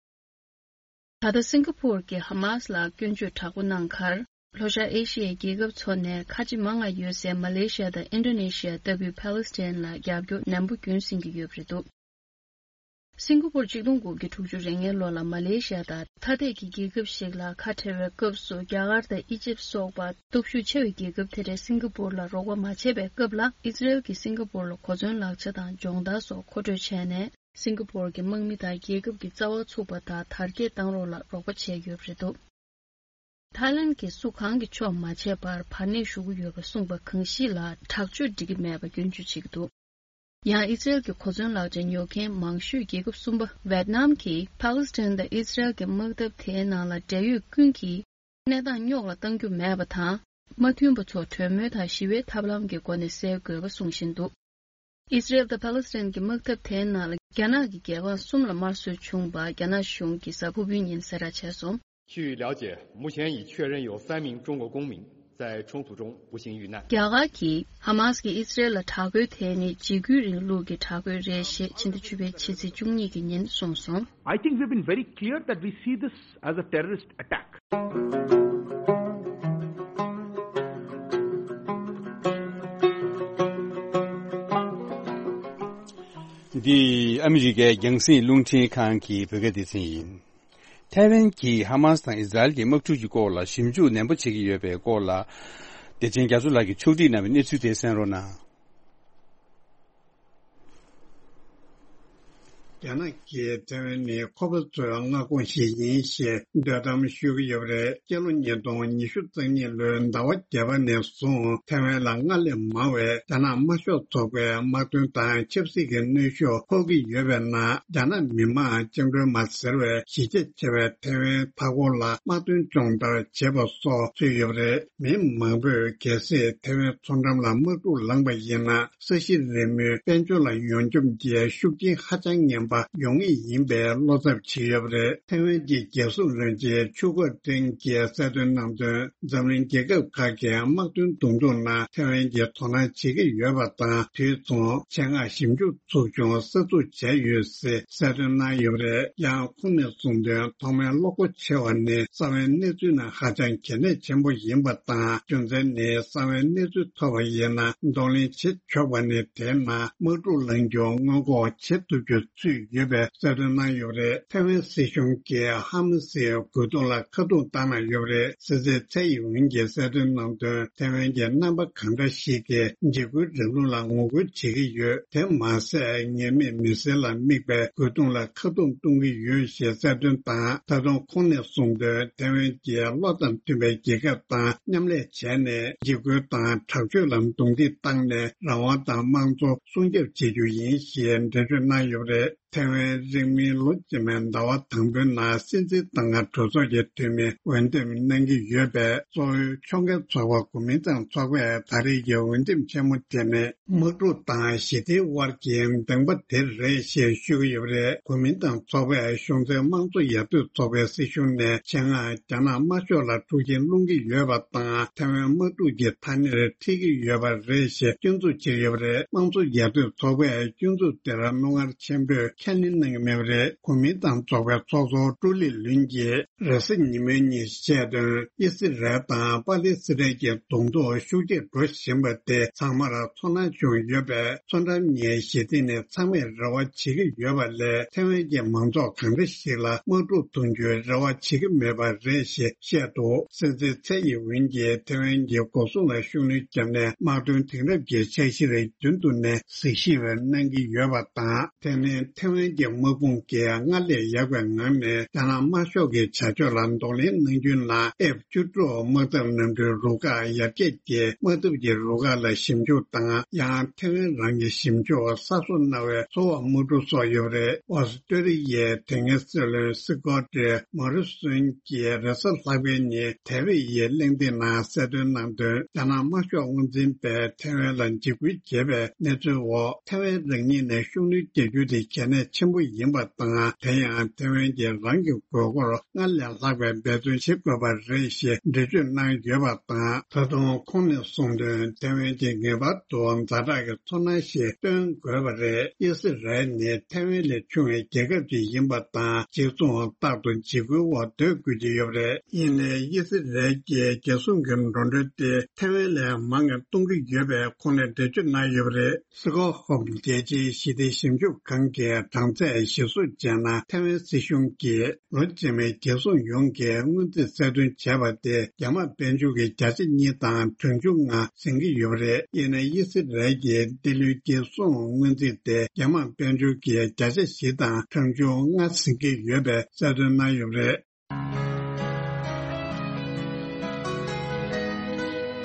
ད་ལྟ་སིང་ག་པུར་གྱིས་ཧ་མཱས་ལ་སྐྱོན་བརྗོད་དྲག་པོ་གནང་ཁར། ལྷོ་ཤར་ཨེ་ཤི་ཡའི་རྒྱལ་ཁབ་ཚོ་ནས་ཁ་ཆེ་མང་ང་ཡོད་སའི་མ་ལེ་ཤི་ཡ་དང་ཨིན་ཌོ་ནེ་ཤི་ཡ་ལྟ་བུའི་ཕཱ་ལེ་སི་ཐན་ལ་རྒྱབ་སྐྱོར་ནན་པོ་རྒྱུན་བསྲིང་གི་ཡོད་པ་རེད་འདུག་སིང་ག་པུར་གཅིག་སྟོང་དགུ་བརྒྱ་དྲུག་ཅུ་རེ་ལྔའི་ལོ་ལ་མ་ལེ་ཤི་ཡ་དང་ཐ་དད་ཀྱི་རྒྱལ་ཁབ་ཞིག་ལ་ཁ་བྲལ་བའི་སྐབས་སུ། རྒྱ་གར་དང་ཨི་ཇིབ་སོགས་པ་སྟོབས་ཤུགས་ཆེ་བའི་རྒྱལ་ཁབ་དེ་འདྲས་སིང་ག་པུར་ལ་རོགས་པ་མ་བྱས་པའི་སྐབས་ལ། ཨི་སི་རེལ་གྱིས་སིང་ག་པུར་ལ་གོ་མཚོན་ལག་ཆ་དང་སྦྱོང་བརྡར་སོགས་མཁོ་སྤྲོད་བྱས་ནས། སིང་ག་པུར་གྱི་དམག་མི་དང་རྒྱལ་ཁབ་ཀྱི་རྩ་བ་ཚུགས་པ་དང་དར་རྒྱས་གཏང་རོགས་ལ་རོགས་པ་བྱས་ཡོད་པ་རེད་འདུག་ཐའི་ལན་གྱིས་སུ་གང་གི་ཕྱོགས་མ་བྱས་པར་བར་གནས་ཞུ་གི་ཡོད་པ་གསུངས་པ་གང་ཞིག་ལ་དྲག་སྤྱོད་འགྲིག་གི་མེད་པ་སྐྱོན་བརྗོད་བྱེད་ཀྱི་འདུག་ཡང་ཨི་སི་རེལ་གྱི་གོ་མཚོན་ལག་ཆ་ཉོ་མཁན་མང་ཤོས་རྒྱལ་ཁབ་གསུམ་པ་ཝེད་ནམ་གྱིས་ཕཱ་ལེ་སི་ཐན་དང་ཨི་སི་རེལ་གྱི་དམག་འཐབ་དེའི་ནང་ལ་འབྲེལ་ཡོད་ཀུན་གྱིས་གནས་སྟངས་རྙོག་ལ་གཏང་རྒྱུ་མེད་པ་དང་། མ་མཐུན་པ་ཚོ་གྲོས་མོལ་དང་ཞི་བའི་ཐབས་ལམ་གྱི་སྒོ་ནས་སེལ་དགོས་པ་གསུངས་བཞིན་འདུག་ཨི་སི་རེལ་དང་ཕཱ་ལེ་སི་ཐན་གྱི་དམག་འཐབ་དེའི་ནང་ལ་རྒྱ་ནག་གི་རྒྱལ་འབངས་གསུམ་ལ་དམར་གསོད་བྱུང་བ་རྒྱ་ནག་གཞུང་གིས་གཟའ་ཕུར་བུའི་ཉིན་གསལ་བསྒྲགས་བྱས་སོང་། 据了解，目前已确认有三名中国公民在冲突中不幸遇难。 རྒྱ་གར་གྱིས་ཧ་མཱས་ཀྱིས་ཨི་སི་རེལ་ལ་དྲག་རྒོལ་དེ་ནི་འཇིགས་སྐུལ་རིང་ལུགས་ཀྱི་དྲག་རྒོལ་རེད་ཞེས་ཕྱི་ཟླ་བཅུ་པའི་ཕྱི་ཚེས་བཅུ་གཉིས་ཀྱི་ཉིན་གསུངས་སོང་། I think we've been very clear that we see this as a terrorist attack. འདི་ཨ་མི་རི་ཀའི་རྒྱང་སྲིང་རླུང་འཕྲིན་ཁང་གི་བོད་སྐད་སྡེ་ཚན་ཡིན། ཐའེ་ཝན་གྱིས་ཧ་མཱས་དང་ཨི་ཟ་རེལ་གྱི་དམག་འཁྲུག་གི་སྐོར་ལ་ཞིབ་འཇུག་ནན་པོ་བྱེད་ཀྱི་ཡོད་པའི་སྐོར་ལ། བདེ་ཆེན་རྒྱ་མཚོ་ལགས་ཀྱིས་ཕྱོགས་སྒྲིག་གནང་བའི་གནས་ཚུལ་དེ་གསན་རོགས་གནང་། རྒྱ་ནག་གིས་ཐེ་ཝན་ནི་ཁོ་པ་ཚོའི་མངའ་ཁོངས་ཤིག་ཡིན་ཞེས་འདོད་གཏམ་ཤོད་ཀྱི་ཡོད་པ་རེད། སྤྱི་ལོ་ཉིས་སྟོང་ཉི་ཤུ་རྩ་གཉིས་ལོའི་ཟླ་བ་བརྒྱད་པ་ནས་བཟུང་ཐེ་ཝན་ལ་སྔར་ལས་མང་བའི་རྒྱ་ནག་དམར་ཤོག་ཚོགས་པའི་དམག་དོན་དང་ཆབ་སྲིད་ཀྱི་གནོན་ཤུགས་ཕོག་གི་ཡོད་པའི་ནང་། རྒྱ་ནག་མི་དམངས་བཅིངས་འགྲོལ་མ་ཟེར་བའི་གཞིས་ཆགས་ཆེ་བའི་ཐེ་ཝན་མཐའ་འཁོར་ལ་དམག་དོན་སྦྱོང་བརྡར་བྱེད་པ་སོགས་ཚུད་ཡོད་པ་རེད། མི་མང་པོས་གལ་སྲིད་ཐེ་ཝན་མཚོ་འགྲམ་ལ་དམག་འཁྲུག་ལངས་པ་ཡིན་ན། ས་གཞི་རིལ་མོའི་དཔལ་འབྱོར་ལ་ཡོངས་འཁྱོམ་གྱི་ཤུགས་རྐྱེན་ཧ་ཅང་ངན་པ་ཡོང་ངེས་ཡིན་པའི་བློ་འཚབ་བྱེད་ཡོད་པ་རེད། ཐེ་ཝན་གྱི་རྒྱལ་སྲུང་བློན་ཆེན་ཆུ་ཁོ་ཀྲེང་གིས་གསལ་སྟོན་གནང་དོན། འཛམ་གླིང་རྒྱལ་ཁབ་ཁག་གི་དམག་དོན་གདོང་ཐུག་ནང་ཐེ་ཝན་གྱིས་དོ་སྣང་བྱེད་ཀྱི་ཡོད་པ་དང་། དུས་མཚུངས་ཆེད་མངགས་ཞིབ་འཇུག་ཚོགས་ཆུང་གསར་འཛུགས་བྱས་ཡོད་ཅེས་གསལ་སྟོན་གནང་ཡོད་པ་རེད། ཡང་ཁོང་ནས་གསུངས་དོན། ཐོག་མའི་བློ་ཁོག་ཆེ་བ་ནི་རྩ་བའི་གནས་ཚུལ་ནང་ཧ་ཅང་གལ་གནད་ཆེན་པོ་ཡིན་པ་དང་། རྒྱུ་མཚན་ནི་རྩ་བའི་གནས་ཚུལ་ཐོབ་པ་ཡིན་ན་གདོང་ལེན་བྱེད་ཆོག་པ་ནི། དེའི་ནང་དམག་འཁྲུག་ལངས་རྒྱུ་སྔོན་འགོག་བྱེད་ཐུབ་རྒྱུ་ཚུད་ཡོད་པའི་གསལ་སྟོན་གནང་ཡོད་པ་རེད། ཐེ་ཝན་སྲིད་གཞུང་གིས་ཧ་མ་སིའི་རྒོལ་རྡུང་ལ་ཁ་རྡུང་བཏང་གནང་ཡོད་པ་རེད། སྲིད་འཛིན་ཚའེ་ཡིན་ཝིན་གྱིས་གསལ་སྟོན་གནང་དོན། ཐེ་ཝན་གྱི་རྣམ་པ་གང་འདྲ་ཞིག་གིས་འཇིགས་སྐུལ་རིང་ལུགས་ལ་ངོ་རྒོལ་བྱེད་ཀྱི་ཡོད། དེ་མ་ཟད་ཉེས་མེད་མི་སེར་ལ་དམིགས་པའི་རྒོལ་རྡུང་ལ་ཁ་རྡུང་གཏོང་གི་ཡོད་ཞེས་གསལ་སྟོན་དང་། ད་དུང་ཁོང་ནས་གསུངས་དོན། ཐེ་ཝན་གྱིས་བློ་དང་མཐུན་པའི་རྒྱལ་ཁབ་དང་མཉམ་ལས་བྱས་ནས། འཇིགས་སྐུལ་དང་དྲག་སྤྱོད་ལ་རྡུང་རྡེག་བཏང་ནས་རང་དབང་དང་དམངས་གཙོ་སྲུང་སྐྱོབ་བྱེད་རྒྱུ་ཡིན་ཞེས་འགྲེལ་བརྗོད་གནང་ཡོད་པ་རེད། ཐེ་ཝན་རིང་མིན་ལོ་རྗེས་མའི་ཟླ་བ་དང་པོའི་ནང་སྲིད་འཛིན་ཏང་ཨ་གྲོས་ཚོགས་ཀྱི་འཐུས་མི་འོས་འདེམས་གནང་གི་ཡོད་པས། གཙོ་བོའི་ཕྱོགས་འགལ་ཚོགས་པ་གོ་མིན་ཏང་ཚོགས་པས་ད་རེས་ཀྱི་འོས་འདེམས་ཆེན་མོ་དེ་ནི་དམག་འཁྲུག་དང་ཞི་བདེའི་དབར་གྱི་གདེང་པ་དེ་རེད་ཞེས་ཤོད་ཀྱི་ཡོད་པ་རེད། གོ་མིན་ཏང་ཚོགས་པས་གཞུང་འཛིན་དམངས་གཙོ་ཡར་ཐོན་ཚོགས་པའི་སྲིད་གཞུང་ནས་ཆེད་མངགས་རྒྱ་ནག་དམར་ཤོག་ལ་འཁྲུག་རྐྱེན་སློང་གི་ཡོད་པ་དང་། ཐེ་ཝན་དམག་འཁྲུག་གི་ཐ་སྙད་ཁྲིད་ཀྱི་ཡོད་པ་རེད་ཞེས་སྐྱོན་འཛུགས་བྱས་ཡོད་པ་རེད། དམངས་གཙོ་ཡར་ཐོན་ཚོགས་པས་སྐྱོན་འཛུགས་དེར་རྣོ་ངར་ཆེན་པོས་ཁས་ལེན་གནང་གི་མེད་པ་རེད། གོ་མིན་ཏང་ཚོགས་པའི་ཚོགས་གཙོ་ཀྲུའུ་ལི་ལུན་གྱིས་རེས་གཟའ་ཉི་མའི་ཉིན་བཤད་དོན། ཨི་སི་རལ་དང་པ་ལི་སི་ཐན་གྱི་གདོང་ཐུག་ཤུགས་ཆེར་འགྲོ་བཞིན་པ་དེ་ཚང་མར་ཚོར་སྣང་བྱུང་ཡོད་པས། མཚོ་འགྲམ་གཉིས་ཞི་བདེ་ནི་ཚང་མས་རེ་བ་བྱེད་ཀྱི་ཡོད་པ་ལས། ཐེ་ཝན་གྱི་མང་ཚོགས་གང་འདྲ་ཞིག་ལ་དམག་འཁྲུག་གཏོང་རྒྱུའི་རེ་བ་བྱེད་ཀྱི་མེད་པ་རེད་ཞེས་བཤད་འདུག་སྲིད་འཛིན་ཚའེ་ཡིན་ཝིན་གྱིས་ཐེ་ཝན་གྱི་འགོག་སྲུང་ལ་ཤུགས་སྣོན་བརྒྱབ་ནས། དམག་དོན་དེང་རབས་ཀྱི་འཆར་གཞིར་རྒྱུན་དུ་ནས་གཟིགས་ཞིབ་གནང་གི་ཡོད་པ་དང་། དེ་ནི་ཐེ་ཝན་གྱི་དམག་དཔུང་གིས་སྔར་ལས་ཡག་པའི་ངང་ནས་རྒྱ་ནག་དམར་ཤོག་གི་བྱ་སྤྱོད་ལ་གདོང་ལེན་གནང་རྒྱུའི་ནང་། ཨེཕ་བཅུ་དྲུག་དམག་འཐབ་གནམ་གྲུའི་རུ་ཁག་ཡར་རྒྱས་ཀྱིས་དམག་འཐབ་ཀྱི་རུ་ཁག་ལ་ཞིབ་འཇུག་དང་། ཡང་ཐེ་ཝན་རང་གི་ཞིབ་འཇུག་གསར་བཟོ་གནང་བའི་སོ་འོག་དམག་གྲུ་སོགས་ཡོད་པ་རེད། ཨོ་སི་ཀྲོ་ལི་ཡའི་དེ་སྔའི་སྲིད་བློན་སི་ཀོ་ཏི་མོ་རི་སོན་གྱིས་རེས་གཟའ་ལྷག་པའི་ཉིན་དེ་བྷི་ཡི་གླེང་སྟེགས་ནང་གསལ་སྟོན་གནང་དོན། རྒྱ་ནག་དམར་ཤོག་དབང་འཛིན་པས་ཐེ་ཝན་ལ་འཇིགས་སྐུལ་བྱས་པའི་གནས་ཚུལ་འོག་ཐེ་ཝན་རང་ཉིད་ནས་ཤུགས་སྣོན་རྒྱག་རྒྱུ་དེ་གལ་གནད་ཆེན་པོ་ཡིན་པ་དང་། དེ་ཡང་ཐེ་ཝན་གྱིས་རང་གི་དགོས་མཁོར་སྔར་ལས་ལྷག་པའི་འབད་བརྩོན་བྱེད་དགོས་པ་རེད་ཞེས་འགྲེལ་བརྗོད་གནང་ཡོད་པ་དང་། ད་དུང་ཁོང་ནས་གསུངས་དོན། ཐེ་ཝན་གྱིས་ངེས་པར་དུ་ཛ་དྲག་གི་ཚོར་སྣང་ཞིག་སྟོན་དགོས་པ་རེད། ཨི་སི་རལ་ནི་ཐེ་ཝན་ལས་ཆུང་བའི་རྒྱལ་ཁབ་ཅིག་ཡིན་པ་དང་། གཅིག་མཚུངས་རྟག་ཏུ་འཇིགས་སྐུལ་འོག་སྡོད་དགོས་ཀྱི་ཡོད་པ་རེད། ཡིན་ནའི་ཨི་སི་རལ་གྱིས་རྒྱལ་སྲུང་གི་འགྲོ་གྲོན་དེ་ཐེ་ཝན་ལས་མང་ང་གཏོང་གི་ཡོད་པའི་ཁོང་ནས་འགྲེལ་བརྗོད་གནང་ཡོད་པ་རེད། སི་ཀོ་ཧོམ་རྒྱལ་སྤྱིའི་ཞི་བདེ་ཞིབ་འཇུག་ཁང་གི་གྲངས་ཚད་གཞིར་བཟུང་བྱས་ན། ཐེ་ཝན་སྲིད་གཞུང་གིས་ལོ་རྗེས་མའི་རྒྱལ་སྲུང་ཡོངས་ཀྱི་སྔོན་རྩིས་གསལ་སྟོན་བྱས་པ་དེ་རྒྱ་དམག་དཔལ་འབྱོར་གྱི་བརྒྱ་ཆ་གཉིས་དང་གྲངས་ཆུང་ལྔ་ཟིན་གྱི་ཡོད་པ་རེད། ཡིན་ན་ཨི་སི་རལ་གྱི་འདི་ལོའི་རྒྱལ་སྲུང་སྔོན་རྩིས་དེ་རྒྱ་དམག་དཔལ་འབྱོར་གྱི་བརྒྱ་ཆ་བཞི་དང་གྲངས་ཆུང་ལྔ་ཟིན་གྱི་ཡོད་པའི་གསལ་སྟོན་གནང་ཡོད་པ་རེད།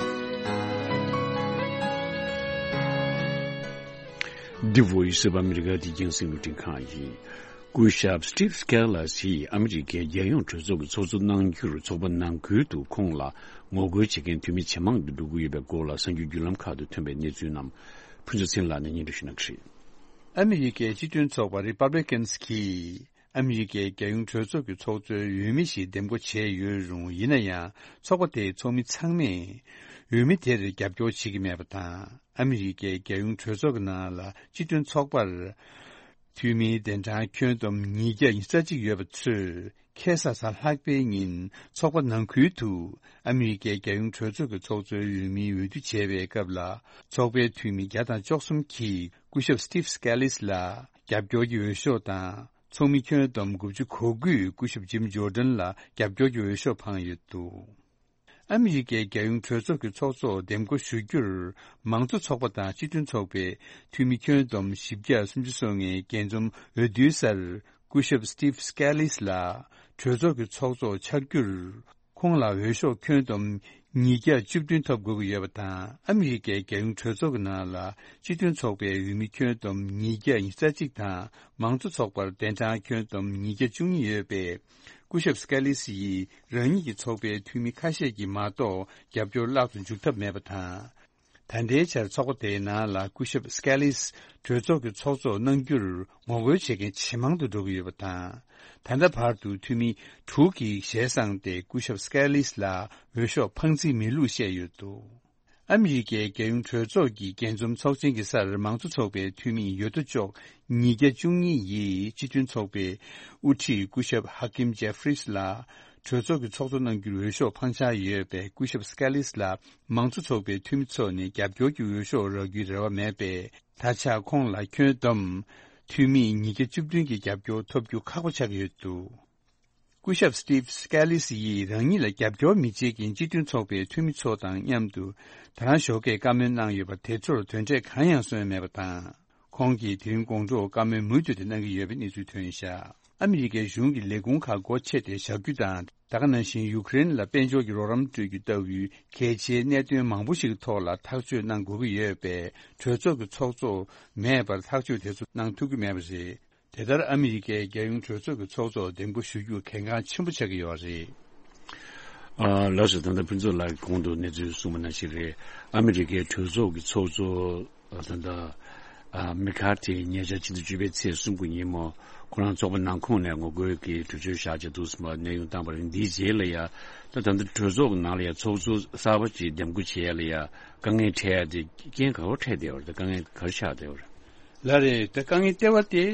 The Voice of America. འདི་རྒྱང་སྲིང་རླུང་འཕྲིན་ཁང་ཡིན། སྐུ་ཞབས་Steve Scalise ཡིས་ཨ་མི་རི་ཀའི་རྒྱལ་ཡོངས་གྲོས་ཚོགས་ཀྱི་ཚོགས་གཙོ་གནང་རྒྱུར་ཚོགས་པ་ནང་ཁུལ་དུ་ཁོང་ལ་ངོ་རྒོལ་བྱེད་མཁན་འཐུས་མི་ཇེ་མང་དུ་འགྲོ་གི་ཡོད་པའི་སྐོར་ལ་གསར་འགྱུར་བརྒྱུད་ལམ་ཁག་ཏུ་ཐོན་པའི་གནས་ཚུལ་རྣམས་ཕུན་ཚོགས་ཚེ་རིང་ལགས་ནས་སྙན་སྒྲོན་ཞུ་གནང་གི་རེད། ཨ་མི་རི་ཀའི་སྤྱི་མཐུན་ཚོགས་པ་Republicans གིས་ཨ་མི་རི་ཀའི་རྒྱལ་ཡོངས་གྲོས་ཚོགས་ཀྱི་ཚོགས་གཙོའི་འོས་མི་ཞིག་འདེམས་བསྐོ་བྱས་ཡོད་རུང་། ཡིན་ན་ཡང་ཚོགས་པ་དེའི་ཚོགས་མི་ཚང་མས་འོས་མི་དེར་རྒྱབ་སྐྱོར་བྱེད་ཀྱི་མེད་པ་དང་། ཨ་མི་རི་ཀའི་རྒྱལ་ཡོངས་གྲོས་ཚོགས་ཀྱི་ནང་ལ་སྤྱི་མཐུན་ཚོགས་པར་འཐུས་མིའི་གདན་གྲངས་ཁྱོན་བསྡོམས་ཉིས་བརྒྱ་ཉི་ཤུ་རྩ་གཅིག་ཡོད་པ་ཚོས། ཁ་སང་གཟའ་ལྷག་པའི་ཉིན་ཚོགས་པ་ནང་ཁུལ་དུ་ཨ་མི་རི་ཀའི་རྒྱལ་ཡོངས་གྲོས་ཚོགས་ཀྱི་ཚོགས་གཙོའི་འོས་མིའི་འོས་བསྡུ་བྱས་པའི་སྐབས་ལ། ཚོགས་པའི་འཐུས་མི་བརྒྱ་དང་བཅུ་གསུམ་གྱིས་སྐུ་ཞབས་Steve Scalise ལ་རྒྱབ་སྐྱོར་གྱི་འོས་ཤོག་དང་། ཚོགས་མི་ཁྱོན་བསྡོམས་དགུ་བཅུ་གོ་དགུས་སྐུ་ཞབས་Jim Jordan ལ་རྒྱབ་སྐྱོར་གྱི་འོས་ཤོག་འཕངས་ཡོད་འདུག་ཨ་མི་རི་ཀའི་རྒྱལ་ཡོངས་གྲོས་ཚོགས་ཀྱི་ཚོགས་གཙོ་འདེམས་བསྐོ་ཞུ་རྒྱུར། མང་གཙོ་ཚོགས་པ་དང་སྤྱི་མཐུན་ཚོགས་པའི་འཐུས་མི་ཁྱོན་བསྡོམས་བཞི་བརྒྱ་སུམ་ཅུ་སོ་ལྔའི་རྒྱས་འཛོམས་འོས་བསྡུའི་སར། སྐུ་ཞབས་Steve Scalise་ལགས་གྲོས་ཚོགས་ཀྱི་ཚོགས་གཙོ་ཆགས་རྒྱུར། ཁོང་ལ་འོས་ཤོག་ཁྱོན་བསྡོམས་ཉིས་བརྒྱ་བཅུ་བདུན་ཐོབ་དགོས་ཀྱི་ཡོད་པ་དང་། ཨ་མི་རི་ཀའི་རྒྱལ་ཡོངས་གྲོས་ཚོགས་ཀྱི་ནང་ལ་སྤྱི་མཐུན་ཚོགས་པའི་འོས་མི་ཁྱོན་བསྡོམས་ཉིས་བརྒྱ་ཉི་ཤུ་རྩ་གཅིག་དང་། མང་གཙོ་ཚོགས་པར་གདན་གྲངས་ཁྱོན་བསྡོམས་ཉིས་བརྒྱ་བཅུ་གཉིས་ཡོད་པས། སྐུ་ཞབས་སྐེ་ལི་སི་ཡིས་རང་ཉིད་ཀྱི་ཚོགས་པའི་འཐུས་མི་ཁ་ཤས་ཀྱིས་མ་གཏོགས་རྒྱབ་སྐྱོར་བརླག་ཏུ་འཇུག་ཐབས་མེད་པ་དང་། ད་ལྟའི་ཆར་ཚོགས་པ་དེའི་ནང་ལ་སྐུ་ཞབས་སྐེ་ལི་སི་གྲོས་ཚོགས་ཀྱི་ཚོགས་གཙོ་གནང་རྒྱུར་ངོ་རྒོལ་བྱེད་མཁན་ཇེ་མང་དུ་འགྲོ་གི་ཡོད་པ་དང་། ད་ལྟ་བར་དུ་འཐུས་མི་དྲུག་གིས་ཞལ་བསངས་ཏེ་སྐུ་ཞབས་སྐེ་ལི་སི་ལ་འོས་ཤོག་འཕངས་རྩིས་མེད་ལུགས་བཤད་ཡོད་འདུག་ཨ་མི་རི་ཀའི་རྒྱལ་ཡོངས་གྲོས་ཚོགས་ཀྱི་རྒྱས་འཛོམས་ཚོགས་ཆེན་གྱི་སར་མང་གཙོ་ཚོགས་པའི་འཐུས་མི་ཡོད་དོ་ཅོག་ཉིས་བརྒྱ་བཅུ་གཉིས་ཡིས་སྤྱི་མཐུན་ཚོགས་པའི་དབུ་ཁྲིད་སྐུ་ཞབས་ཧ་ཀིམ་ཇེ་ཧྥི་རིས་ལ་གྲོས་ཚོགས་ཀྱི་ཚོགས་གཙོ་གནང་རྒྱུར་འོས་ཤོག་འཕངས་འཆར་ཡོད་པས། སྐུ་ཞབས་སྐེ་ལི་སི་ལ་མང་གཙོ་ཚོགས་པའི་འཐུས་མི་ཚོ་ནས་རྒྱབ་སྐྱོར་གྱི་འོས་ཤོག་རག་རྒྱུའི་རེ་བ་མེད་པས། ད་ཆ་ཁོང་ལ་ཁྱོན་བསྡོམས་འཐུས་མི་ཉིས་བརྒྱ་བཅུ་བདུན་གྱི་རྒྱབ་སྐྱོར་ཐོབ་རྒྱུ་ཁག་པོ་ཆགས་ཀྱི་ཡོད་འདུག་སྐུ་ཞབས་Steve Scalise་ཡིས་རང་ཉིད་ལ་རྒྱབ་སྐྱོར་མི་བྱེད་མཁན་སྤྱི་མཐུན་ཚོགས་པའི་འཐུས་མི་ཚོ་དང་མཉམ་དུ་ད་རང་ཞོགས་ཀས་བཀའ་མོལ་གནང་ཡོད་པ་དེ་ཚོར་དོན་འབྲས་གང་ཡང་སོན་མེད་པ་དང་། ཁོང་གིས་དེ་རིང་དགོང་དྲོ་བཀའ་མོལ་མུ་མཐུད་དུ་གནང་གི་ཡོད་པའི་གནས་ཚུལ་ཐོན་བཞག་ཨ་མི་རི་ཀའི་གཞུང་གི་ལས་ཁུངས་ཁག་སྒོ་ཕྱེ་སྟེ་བཞག་རྒྱུ་དང་། ད་ག་ནང་བཞིན་ཡུཀ་རེན་ལ་དཔལ་འབྱོར་གྱི་རོགས་རམ་སྤྲོད་རྒྱུ་ལྟ་བུའི་གལ་ཆེའི་གནད་དོན་མང་པོ་ཞིག་གི་ཐོག་ལ་ཐག་གཅོད་གནང་དགོས་ཀྱི་ཡོད་པས། གྲོས་ཚོགས་ཀྱི་ཚོགས་གཙོ་མེད་པར་ཐག་གཅོད་དེ་ཚོ་གནང་ཐུབ་ཀྱི་མེད་པ་རེད། དེ་ལྟར་ཨ་མི་རི་ཀའི་རྒྱལ་ཡོངས་གྲོས་ཚོགས་ཀྱི་ཚོགས་གཙོ་འདེམས་བསྐོ་ཞུ་རྒྱུ་གལ་འགངས་ཆེན་པོ་ཆགས་ཀྱི་ཡོད་རེད། ཨ། ལགས་སོ། ད་ལྟ་ཕུན་ཚོགས་ལགས་ཀྱིས་གོང་དུ་གནས་ཚུལ་གསུངས་པ་ནང་བཞིན་རེད། ཨ་མི་རི་ཀའི་གྲོས་ཚོགས་ཀྱི་ཚོགས་གཙོ་ད་ལྟ་ཨ། མེ་ཁར་ཐི་ཉེ་ཆར་ཕྱི་ཟླ་བཅུ་པའི་ཚེས་སུམ་ཅུ་ཉིན་མོ་ཁོ་རང་ཚོགས་པ་ནང་ཁོངས་ནས་ངོ་རྒོལ་གྱི་གྲོས་ཆོད་བཞག་བྱས་འདུག་སེ་གནས་དབྱུང་བཏང་བ་རེད། འདིའི་རྗེས་ལ་ཡ་ད་ད་ལྟ་གྲོས་ཚོགས་ཀྱི་ནང་ལ་ཡ་ཚོགས་གཙོ་གསར་པ་ཅིག་འདེམས་བསྐོ་བྱེད་ཡ་ལ་ཡ་དཀའ་ངལ་འཕྲད་ཡ་དེ་རྐྱེན་ག་པར་འཕྲད་བསྡད་ཡོད་རེད། དཀའ་ངལ་ག་རེ་ཆགས་བསྡད་ཡོད་རེད། ལགས་རེད། ད་དཀའ་ངལ་ལྟེ་བ་དེ་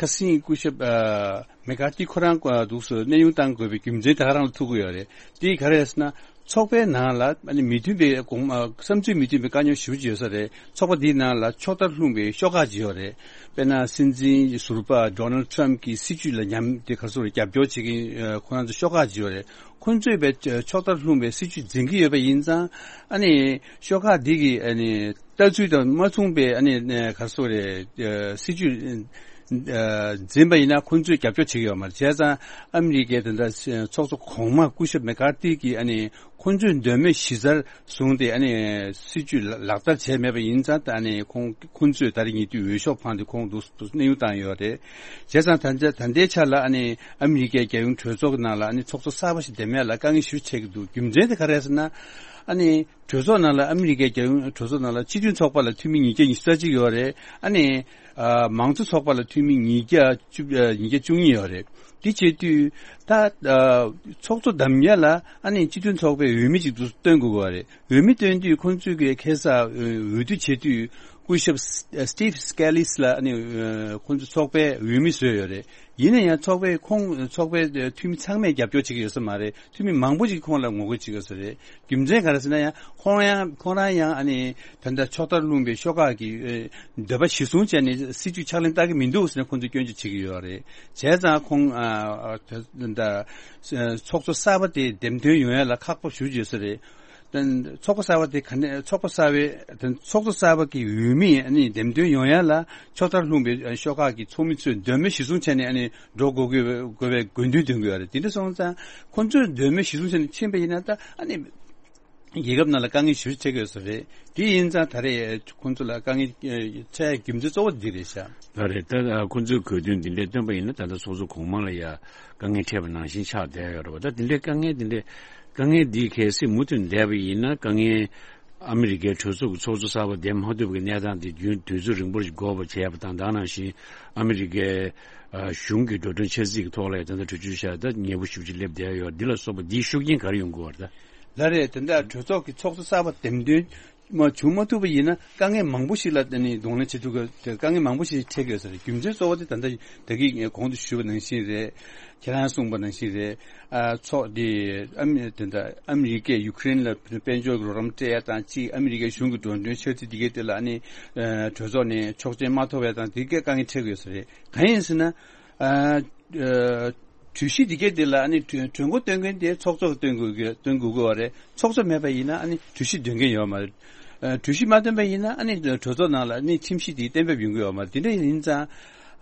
ཁ་སང་སྐུ་ཞབས་ཨ། མེ་ཀར་ཐི་ཁོ་རང་ཨ། འདུག་སེ་གནས་དབྱུང་བཏང་དགོས་པའི་རྒྱུ་མཚན་དེ་ག་རང་ལ་ཐུག་གི་ཡོད་རེད། དེ་ག་རེ་རེད་ཟེར་ན། ཚོགས་པའི་ནང་ལ་ཨ་ནི་མི་མཐུན་པའི་དགོངས་ཨ། བསམ་ཚུལ་མི་མཐུན་པའི་དཀའ་རྙོག་ཞེ་པོ་ཅིག་ཡོད་ས་རེད། ཚོགས་པ་འདིའི་ནང་ལ་ཕྱོགས་མཐར་ལྷུང་བའི་ཤོག་ཁག་ཅིག་ཡོད་རེད། དཔེར་ན་སྲིད་འཛིན་ཟུར་པ་ཌོ་ནལ་ཊམ་གྱི་སྲིད་བྱུས་ལ་ཉམས་དེ་ག་རེ་ཟེར་རྒྱབ་སྐྱོར་བྱེད་མཁན་ཨ། ཁོ་རང་ཚོ་ཤོག་ཁག་ཅིག་ཡོད་རེད། ཁོ་ཚོས་པའི་ཕྱོགས་མཐར་ལྷུང་བའི་སྲིད་བྱུས་འཛིན་གྱི་ཡོད་པ་ཡིན་ཙང་། ཨ་ནི་ཤོག་ཁག་འདི་གི་ཨ་ནི་ལྟ་ཚུལ་དང་མ་མཚུངས་པའི་ཨ་ནི་ག་རེ་ཟེར་རེད། སྲིད་བྱུས་འཛིན་པ་ཡིན་ན་ཁོ་ཚོས་རྒྱབ་སྐྱོར་བྱེད་ཀྱི་ཡོད་མ་རེད། བྱས་ཙང་ཨ་མི་རི་ཀའི་དེ་འདྲ་ཚོགས་གཙོ་གོང་མ་སྐུ་ཞབས་མེ་ཀར་ཐི་གིས་ཨ་ནི་ཁོ་ཚོས་འདོད་མོས་གཞི་རྩར་བཟུང་སྟེ་ཨ་ནི་སྲིད་བྱུས་ལག་བསྟར་བྱས་མེད་པ་ཡིན་ཙང་། ད་ཨ་ནི་ཁོང་ཁོ་ཚོས་ད་རེས་ཉེ་དུས་འོས་ཤོག་འཕངས་ཏེ་ཁོང་འདུག་སེ་གནས་དབྱུང་བཏང་ཡོད་རེད། བྱས་ཙང་ད་ལྟའི་ཆ་ལ་ཨ་ནི་ཨ་མི་རི་ཀའི་རྒྱལ་ཡོངས་གྲོས་ཚོགས་ཀྱི་ནང་ལ་ཨ་ནི་ཚོགས་གཙོ་གསར་པ་ཞིག་འདེམས་ཡ་ལ་དཀའ་ངལ་ཞེ་པོ་འཕྲད་ཀྱི་འདུག་རྒྱུ་མཚན་དེ་ག་རེ་རེད་ཟེར་ན། ཨ་ནི་གྲོས་ཚོགས་ནང་ལ་ཨ་མི་རི་ཀའི་རྒྱལ་ཡོངས་གྲོས་ཚོགས་ནང་ལ་སྤྱི་མཐུན་ཚོགས་པ་ལ་འཐུས་མི་ཉིས་བརྒྱ་ཉི་ཤུ་རྩ་གཅིག་ཡོད་རེད། ཨ་ནི་ཨ། མང་གཙོ་ཚོགས་པ་ལ་འཐུས་མི་ཉིས་བརྒྱ་བཅུ་ཨ། ཉིས་བརྒྱ་བཅུ་གཉིས་ཡོད་རེད། དེ་བྱེད་དུས་ད་ཨ། ཚོགས་གཙོ་འདེམས་ཡ་ལ་ཨ་ནི་སྤྱི་མཐུན་ཚོགས་པའི་འོས་མི་ཅིག་ཏུ་བཏོན་དགོས་པ་རེད། འོས་མི་བཏོན་དུས་ཁོང་ཚོས་ཀྱི་ཁ་སང་འོས་བསྡུ་བྱེད་དུས་སྐུ་ཞབས་སི་ཊིབ་སི་ཀེ་ལི་སི་ལ་ཨ་ནི་ཁོང་ཚོ་ཚོགས་པའི་འོས་མི་བཟོས་ཡོད་རེད། ཡིན་ན་ཡང་ཚོགས་པའི་ཁོང་ཚོགས་པའི་འཐུས་མི་ཚང་མས་རྒྱབ་སྐྱོར་བྱེད་ཀྱི་ཡོད་ས་མ་རེད། འཐུས་མི་མང་པོ་ཞིག་ཁོང་ལ་ངོ་རྒོལ་བྱེད་ཀྱི་ཡོད་ས་རེད། རྒྱུ་མཚན་ག་རེ་ཟེར་ན། ཡང་ཁོང་ཡང་ཁོང་རང་ཡང་ཨ་ནི་ད་ལྟ་ཕྱོགས་མཐར་ལྷུང་པའི་ཤོག་ཁག་གི་འདོད་པ་གཞིར་བཟུང་བྱས་ནས་སྲིད་བྱུས་ཕྱག་ལེན་བསྟར་གྱི་མི་འདུག་ཟེར་ནས་ཁོང་ཚོས་སྐྱོན་བརྗོད་བྱེད་ཀྱི་ཡོད་རེད། བྱས་ཙང་ཁོང་ཨ་ད་ཚོགས་གཙོ་གསར་པ་དེ་འདེམས་ཐོན་ཡོང་ཡ་ལ་ཁག་པོ་ཞེ་པོ་ཅིག་ཡོད་ས་རེད། ཚོགས་པ་གསར་པ་དེ་ག་ནས་ཚོགས་པ་གསར་པའི་ཚོགས་གཙོ་གསར་པ་གི་འོས་མི་ཨ་ནི་འདེམས་ཐོན་ཡོང་ཡ་ལ་ཕྱོགས་མཐར་ལྷུང་པའི་ཤོག་ཁག་གི་ཚོགས་མི་ཚོས་འདོད་མོས་གཞིར་བཟུང་བྱས་ནས་ཨ་ནི་འགྲོ་དགོས་དགོས་པའི་དགོས་པའི་དགོས་འདུན་འདོན་གྱི་ཡོད་རེད། དེ་འདྲ་སོང་ཙང་ཁོང་ཚོས་འདོད་མོས་གཞིར་བཟུང་བྱས་ནས་ཕྱིན་པ་ཡིན་ན། ད་ཨ་ནི་རྒྱལ་ཁབ་ནང་ལ་དཀའ་ངལ་ཞེ་པོ་ཅིག་འཕྲད་ཀྱི་ཡོད་ས་རེད། དེ་ཡིན་ཙང་ད་རེས་ཁོང་ཚོ་ལ་དཀའ་ངལ་འཕྲད་ཡ་རྒྱུ་མཚན་གཙོ་བོ་འདི་རེད་ཤག་ལགས་རེད། ད་ཁོང་ཚོའི་དགོས་འདུན་འདི་འདྲས་བཏོན་པ་ཡིན་ན། ད་ལྟ་ཚོགས་གཙོ་གོང་མ་ལ་ཡ་དཀའ་ངལ་འཕྲད་པ་ནང་བཞིན་ཆགས་བསྡད་ཡོད་རེད་པ། ད་འདི་འདྲའི་དཀའ་ངལ་འདི་འདྲའི་དཀའ་ངལ་འདི་གལ་སྲིད་མུ་མཐུད་བསྡད་པ་ཡིན་ན། དཀའ་ངལ་ཨ་མི་རི་ཀའི་གྲོས་ཚོགས་ཀྱི་ཚོགས་གཙོ་གསར་པ་འདེམས་མ་ཐུབ་པའི་གནས་སྟངས་དེ་རྒྱུན་དུས་ཚོད་རིང་པོ་ཞིག་འགོར་བ་བྱས་པ་དང་། ད་ག་ནང་བཞིན་ཨ་མི་རི་ཀའི་ཨ་གཞུང་གི་འགྲོ་གྲོན་ཆག་སྲིད་ཀྱི་ཐོག་ལ་ཡང་ད་ལྟ་གྲོས་ཆོད་བཞག་ད་ཉེ་པོ་ཞེ་པོ་ཅིག་སླེབས་བསྡད་ཡོད། འདི་ལ་སོགས་པ་འདིའི་ཤུགས་རྐྱེན་ག་རེ་ཡོང་གི་ཡོད་རེད་ད། ལགས་རེད། དེ་འདྲ་གྲོས་ཚོགས་ཀྱི་ཚོགས་གཙོ་གསར་པ་འདེམས་ཐོན་མ་བྱུང་མ་ཐུབ་པ་ཡིན་ན། དཀའ་ངལ་མང་པོ་ཞིག་ལ་ཨ་ནི་གདོང་ལེན་བྱེད་ཐུབ་ཀྱི་དཀའ་ངལ་མང་པོ་ཞིག་འཕྲད་ཀྱི་ཡོད་ས་རེད། རྒྱུ་མཚན་གཙོ་བོ་དེ་ད་ལྟ་ད་གིན་གོང་དུ་ཞུས་པ་ནང་བཞིན་རེད། ཁྱེད་རང་གསུངས་པ་ནང་བཞིན་རེད། ཨ་ཚོགས་དེ་ཨ་མི་དེ་འདྲ་ཨ་མི་རི་ཀས་ཡུཀ་རེན་ལ་དཔལ་འབྱོར་གྱི་རོགས་རམ་སྤྲད་ཡ་དང་གཅིག་ཨ་མི་རི་ཀའི་གཞུང་གི་འགྲོ་གྲོན་ཆག་སྲིད་དེ་གའི་དེ་ལ་ཨ་ནི་ཨ་གྲོས་ཚོགས་ནས་ཆོག་མཆན་མ་ཐོབ་ཡ་དང་དེ་གའི་དཀའ་ངལ་འཕྲད་ཀྱི་ཡོད་ས་རེད། གང་ཡིན་ཟེར་ན། ཨ་ཨ། གྲོས་གཞི་འདི་གའི་འདི་ལ་ཨ་ནི་གྲོས་གྲོས་འགོ་སྟོན་མཁན་དེ་ཚོགས་གཙོ་གིས་སྟོན་དགོས་ཀྱི་སྟོན་དགོས་ཀྱི་ཡོད་རེད། ཚོགས་གཙོ་མེད་པ་ཡིན་ན་ཨ་ནི་གྲོས་གཞི་འདོན་མཁན་ཡོད་མ་རེད། ཨ་གྲོས་གཞི་མ་འདོན་པ་ཡིན་ན་ཨ་ནི་གྲོས་ཚོགས་ནང་ལ་ཨ་ནི་ཁྲིམས་གཞི་དེ་གཏན་འབེབས་ཡོང་གི་ཡོད་མ་རེད། དེ་འདྲ་ཡིན་ཙང་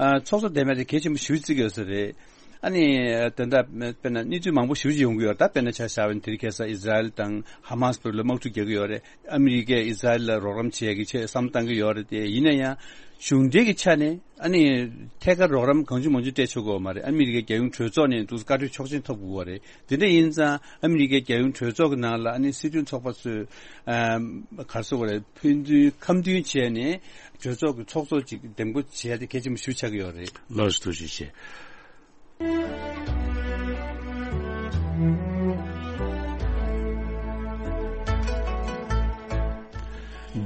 ཨ་ཚོགས་གཙོ་འདེམས་ཡ་དེ་གལ་ཆེན་པོ་ཞེ་པོ་བརྩི་གི་ཡོད་ས་རེད། ཨ་ནི་ད་ལྟ་དཔེར་ན་གནས་ཚུལ་མང་པོ་ཞེ་པོ་ཅིག་ཡོང་གི་ཡོད་རེད། ད་དཔེར་ན་ཆ་བཞག་པ་ཡིན་དེ་རིང་ཁ་སང་ཨི་ཟི་རལ་དང་ཧ་མ་སི་བར་ལ་དམག་འཁྲུག་རྒྱག་གི་ཡོད་རེད། ཨ་མི་རི་ཀས་ཨི་ཟི་རལ་ལ་རོགས་རམ་བྱེད་ཡ་གི་ཆེད་བསམ་བློ་བཏང་གི་ཡོད་རེད། དེ་ཡིན་ན་ཡང་གཞུང་འབྲེལ་གྱི་ཆ་ནས་ཨ་ནི་ཐད་ཀར་རོགས་རམ་གང་བྱུང་མང་བྱུང་སྤྲད་ཆོག་གི་ཡོད་མ་རེད། ཨ་མི་རི་ཀའི་རྒྱལ་ཡོངས་གྲོས་ཚོགས་ནས་འདུག་བཀའ་འཁྲོལ་ཆོག་མཆན་ཐོབ་དགོས་པ་རེད། དེ་འདྲ་ཡིན་ཙང་ཨ་མི་རི་ཀའི་རྒྱལ་ཡོངས་གྲོས་ཚོགས་ཀྱི་ནང་ལ་ཨ་ནི་སྲིད་དོན་ཚོགས་པ་ཚོས་ཨ་ག་རེ་ཟེར་དགོས་རེད། ཕན་ཚུན་ཁ་མཐུན་བྱས་ནས་གྲོས་ཚོགས་ཀྱི་ཚོགས་གཙོ་ཅིག་འདེམས་བསྐོ་བྱས་ཏེ་གལ་ཆེན་པོ་ཞེ་པོ་ཆགས་ཀྱི་ཡོད་རེད། ལགས་སོ། ཐུགས་རྗེ་ཆེ།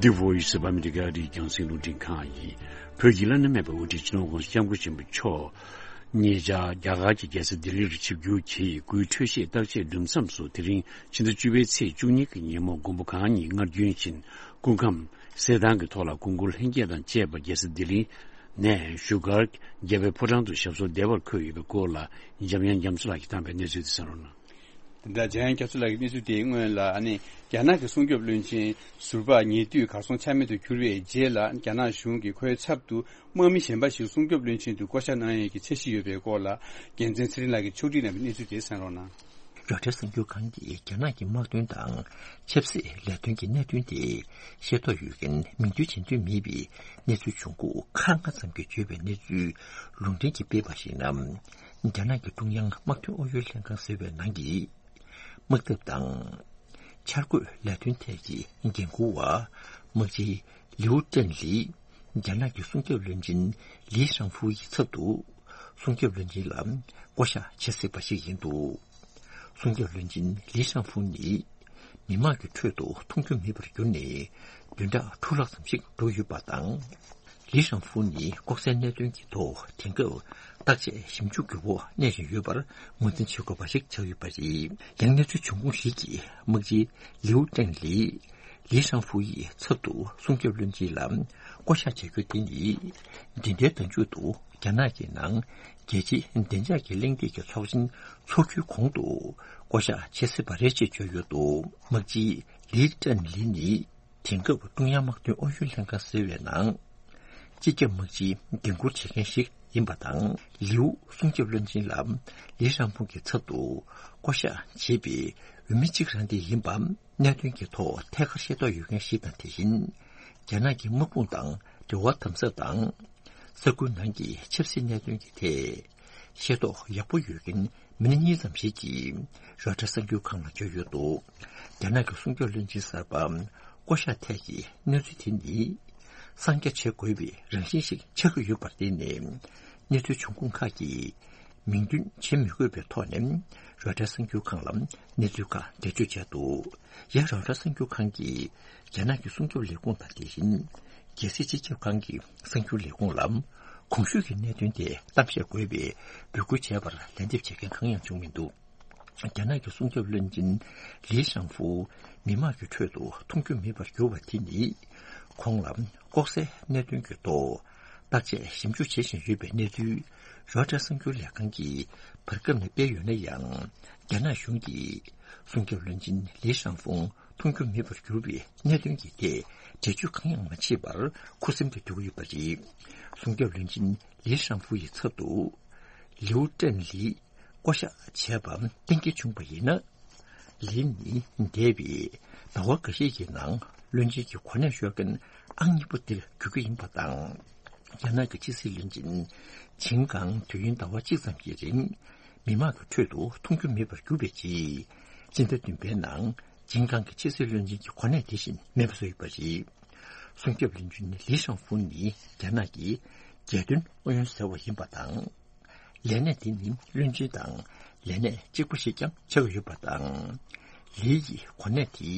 འདི་བོ་ཡི་སི་བྷ་མི་ཏི་ག་རི་རྒྱང་སྲིང་རླུང་འཕྲིན་ཁང་ཡིན། བོད་ཀྱི་བླ་ན་མེད་པའི་དབུ་ཁྲིད་སྤྱི་ནོར་༸གོང་ས་༸སྐྱབས་མགོན་ཆེན་པོ་མཆོག་ཉེ་ཆར་རྒྱ་གར་གྱི་རྒྱལ་ས་ལྡི་ལི་རུ་ཆིབས་བསྒྱུར་གྱིས་སྐུའི་འཕྲོད་བཞེས་བརྟག་དཔྱད་གྲུབ་མཚམས་སུ་དེ་རིང་ཕྱི་ཟླ་བཅུ་པའི་ཚེས་བཅུ་གཉིས་ཀྱི་ཉིན་མོ་མགོན་པོ་གང་ཉིད་སྔར་རྒྱུན་བཞིན་སྐུ་ཁམས་གསལ་ཐང་གི་ཐོག་ལ་སྐུ་འཁོར་ལྷན་རྒྱས་དང་བཅས་པ་རྒྱལ་ས་ལྡི་ལི་ནས་བཞུགས་སྒར་རྒྱལ་བའི་ཕོ་བྲང་དུ་ཞབས་སོར་བདེ་བར་འཁོད་ཡོད་པའི་སྐོར་ལ་འཇམ་དབྱངས་རྒྱ་མཚོ་ལགས་ཀྱིས་བཏང་བའི་གནས་ཚུལ་དེ་གསན་རོགས་གནང་། དེ་འདྲ་འཇམ་དབྱངས་རྒྱ་མཚོ་ལགས་ཀྱི་གནས་ཚུལ་དེའི་སྔོན་ལ་ཨ་ནི་རྒྱ་ནག་གི་སྲུང་སྐྱོབ་བློན་ཆེན་ཟུར་པ་ཉེ་དུས་གར་སོང་ཆ་མེད་དུ་གྱུར་བའི་རྗེས་ལ་རྒྱ་ནག་གཞུང་གིས་ཁོའི་ཚབ་ཏུ་དམག་མི་གཞན་པ་ཞིག་སྲུང་སྐྱོབ་བློན་ཆེན་དུ་བསྐོ་བཞག་གནང་ཡས་ཀྱི་འཆར་གཞི་ཡོད་པའི་སྐོར་ལ་རྒྱལ་མཚན་ཚེ་རིང་ལགས་ཀྱིས་ཕྱོགས་སྒྲིག་གནང་བའི་གནས་ཚུལ་དེ་གསན་རོགས་གནང་། རོའི་ཊར་གསར་འགྱུར་ཁང་གིས་རྒྱ་ནག་གི་དམག་དོན་དང་ཆབ་སྲིད་ལས་དོན་གྱི་གནད་དོན་དེ་ཤེས་རྟོགས་ཡོད་མཁན་མིང་འདོན་བྱེད་འདོད་མེད་པའི་གནས་ཚུལ་བྱུང་ཁུངས་ཁག་ལྔ་ཙམ་གྱིས་བརྗོད་པའི་གནས་ཚུལ་ལུང་འདྲེན་གྱིས་སྤེལ་བར་གཞིགས་ན། རྒྱ་ནག་གི་ཀྲུང་དབྱང་དམག་དོན་ཨུ་ཡོན་ལྷན་ཁང་ཟེར་བའི་ནང་གི་དམག་འཐབ་དང་འཆར་འགོད་ལས་དོན་ཐད་ཀྱི་འགན་འཁུར་བ་དམག་སྤྱི་ལིའུ་ཀྲེན་ལི་རྒྱ་ནག་གི་སྲུང་སྐྱོབ་བློན་ཆེན་ལི་ཧྲང་ཧྥུའུ་ཡི་ཚབ་ཏུ་སྲུང་སྐྱོབ་བློན་ཆེན་ལ་བསྐོ་གཞག་བྱེད་སྲིད་པ་ཞིག་ཡིན་འདུག་སྲུང་སྐྱོབ་བློན་ཆེན་ལི་ཧྲང་ཧྥུའུ་ནི་མི་དམངས་ཀྱི་ཁྲོད་དུ་མཐོང་རྒྱུ་མེད་པར་གྱུར་ནས་བདུན་ཕྲག་དྲུག་ལྷག་ཙམ་ཞིག་འགྲོ་ཡོད་པ་དང་། ལི་ཧྲང་ཧྥུའུ་ནི་ལྐོག་ཟའི་གནད་དོན་གྱི་ཐོག་དེང་སྐབས་བརྟག་དཔྱད་ཞིབ་འཇུག་གི་འོག་གནས་བཞིན་ཡོད་པར་ངོས་འཛིན་བྱེད་དགོས་པ་ཞིག་ཆགས་ཡོད་པ་རེད། ཡང་གནས་ཚུལ་བྱུང་ཁུངས་ཤིག་གིས་དམག་སྤྱི་ལིའུ་ཀྲེང་ལི་ལི་ཧྲང་ཧྥུའུ་ཡི་ཚབ་ཏུ་སྲུང་སྐྱོབ་བློན་ཆེན་ལ་བསྐོ་གཞག་བྱ་རྒྱུ་དེ་ནི་འདི་ཟླའི་ཟླ་མཇུག་ཏུ་རྒྱ་ནག་གི་ནང་རྒྱལ་སྤྱིའི་བདེ་འཇགས་ཀྱི་གླེང་སྟེགས་ཀྱི་ཚོགས་ཆེན་འཚོགས་རྒྱུའི་གོང་དུ་བསྐོ་གཞག་བྱེད་སྲིད་པ་རེད་ཅེས་བརྗོད་ཡོད་འདུག་དམག་སྤྱི་ལི་ཀྲེང་ལི་ནི་དེང་སྐབས་ཀྲུང་དབྱང་དམག་དོན་ཨུ་ཡོན་ལྷན་ཁང་ཟེར་བའི་ནང་སྤྱི་ཁྱབ་དམག་སྤྱིའི་འགན་འཁུར་བྱེད་མཁན་ཞིག་ཡིན་པ་དང་། ལིའུ་སྲུང་སྐྱོབ་བློན་ཆེན་ལ་ལི་ཧྲང་ཧྥུའུ་གི་ཚབ་ཏུ་བསྐོ་གཞག་བྱས་པའི་འོས་མི་གཅིག་རང་དེ་ཡིན་པ་གནད་དོན་གྱི་ཐོག་ཐད་ཀར་ཤེས་རྟོགས་ཡོད་མཁན་ཞིག་དང་། དེ་བཞིན་རྒྱ་ནག་གི་དམག་དཔུང་དང་འབྲེལ་བ་དམ་ཟབ་དང་། ས་ཁུལ་ནང་གི་ཆབ་སྲིད་གནད་དོན་གྱི་ཐད་ཤེས་རྟོགས་ཡག་པོ་ཡོད་མཁན་མི་སྣ་གཉིས་ཙམ་ཞིག་གིས་རོའི་ཊར་གསར་འགྱུར་ཁང་ལ་བརྗོད་ཡོད་འདུག་རྒྱ་ནག་གི་སྲུང་སྐྱོབ་བློན་ཆེན་གསར་པ་བསྐོ་གཞག་ཐད་ཀྱི་གནས་ཚུལ་དེ་ནི་གསང་རྒྱ་བྱེད་དགོས་པའི་རང་བཞིན་ཞིག་ཆགས་ཀྱི་ཡོད་པར་བརྟེན་ནས། གནས་ཚུལ་བྱུང་ཁུངས་ཁག་གིས་མིང་འདོན་བྱེད་མི་དགོས་པའི་ཐོག་ནས་རོའི་ཊར་གསར་འགྱུར་ཁང་ལ་གནས་ཚུལ་ཁག་འགྲེལ་བརྗོད་བྱས་འདུག་ཡང་རོའི་ཊར་གསར་འགྱུར་ཁང་གིས་རྒྱ་ནག་གི་སྲུང་སྐྱོབ་ལས་ཁུངས་དང་། དེ་བཞིན་རྒྱལ་སྲིད་སྤྱི་ཁྱབ་ཁང་གི་གསར་འགྱུར་ལས་ཁུངས་ལ་གོང་ཞུས་ཀྱི་གནད་དོན་དེ་གཏམ་བཤད་དགོས་པའི་འབོད་སྐུལ་བྱས་པར་ལན་འདེབས་བྱེད་མཁན་གང་ཡང་བྱུང་མི་འདུག་རྒྱ་ནག་གི་སྲུང་སྐྱོབ་བློན་ཆེན་ལི་ཧྲང་ཧྥུའུ་མི་དམངས་ཀྱི་ཁྲོད་དུ་མཐོང་རྒྱུ་མེད་པར་གྱུར་བ་དེ་ནི། ཁོང་ལ་ལྐོག་ཟའི་གནད་དོན་གྱི་ཐོག་བརྟག་དཔྱད་ཞིབ་འཇུག་བྱེད་བཞིན་ཡོད་པའི་གནས་ཚུལ་རོའི་ཊར་གསར་འགྱུར་ལས་ཁང་གིས་བར་སྐབས་ནས་སྤེལ་ཡོད་ན་ཡང་། རྒྱ་ནག་གཞུང་གིས་སྲུང་སྐྱོབ་བློན་ཆེན་ལི་ཧྲང་ཧྥུའུ་མཐོང་རྒྱུ་མེད་པར་གྱུར་བའི་གནད་དོན་གྱི་ཐད་འགྲེལ་བརྗོད་གང་ཡང་མ་བྱས་པར་ཁུ་སིམ་དུ་སྡོད་ཀྱི་ཡོད་པ་རེད། སྲུང་སྐྱོབ་བློན་ཆེན་ལི་ཧྲང་ཧྥུའུ་ཡི་ཚབ་ཏུ་ལིའུ་ཀྲེན་ལི་བསྐོ་གཞག་བྱས་པ་གཏན་འཁེལ་བྱུང་བ་ཡིན་ན། ལི་ནི་འདས་པའི་ཟླ་བ་འགའ་ཤས་ཀྱི་ནང་བློན་ཆེན་གྱི་གོ་གནས་ཤོར་མཁན་ཨང་གཉིས་པ་དེར་གྱུར་གྱི་ཡིན་པ་དང་། རྒྱ་ནག་གི་ཕྱི་སྲིད་བློན་ཆེན་ཆིན་ཀང་དུས་ཡུན་ཟླ་བ་གཅིག་ཙམ་གྱི་རིང་མི་དམངས་ཀྱི་ཁྲོད་དུ་མཐོང་རྒྱུ་མེད་པར་གྱུར་པའི་རྗེས། སྤྱི་ཟླ་བདུན་པའི་ནང་ཆིན་ཀང་གི་ཕྱི་སྲིད་བློན་ཆེན་གྱི་གོ་གནས་དེ་བཞིན་མེད་པ་བཟོས་ཡོད་པ་རེད། སྲུང་སྐྱོབ་བློན་ཆེན་ལི་ཧྲང་ཧྥུའུ་ནི་རྒྱ་ནག་གི་རྒྱལ་དོན་ཨུ་ཡོན་ཟེར་བ་ཡིན་པ་དང་། ལས་གནས་དེ་ནི་བློན་ཆེན་དང་ལས་གནས་གཅིག་པ་ཞིག་ཀྱང་ཆགས་ཡོད་པ་དང་། ལི་ཡི་གོ་གནས་དེ་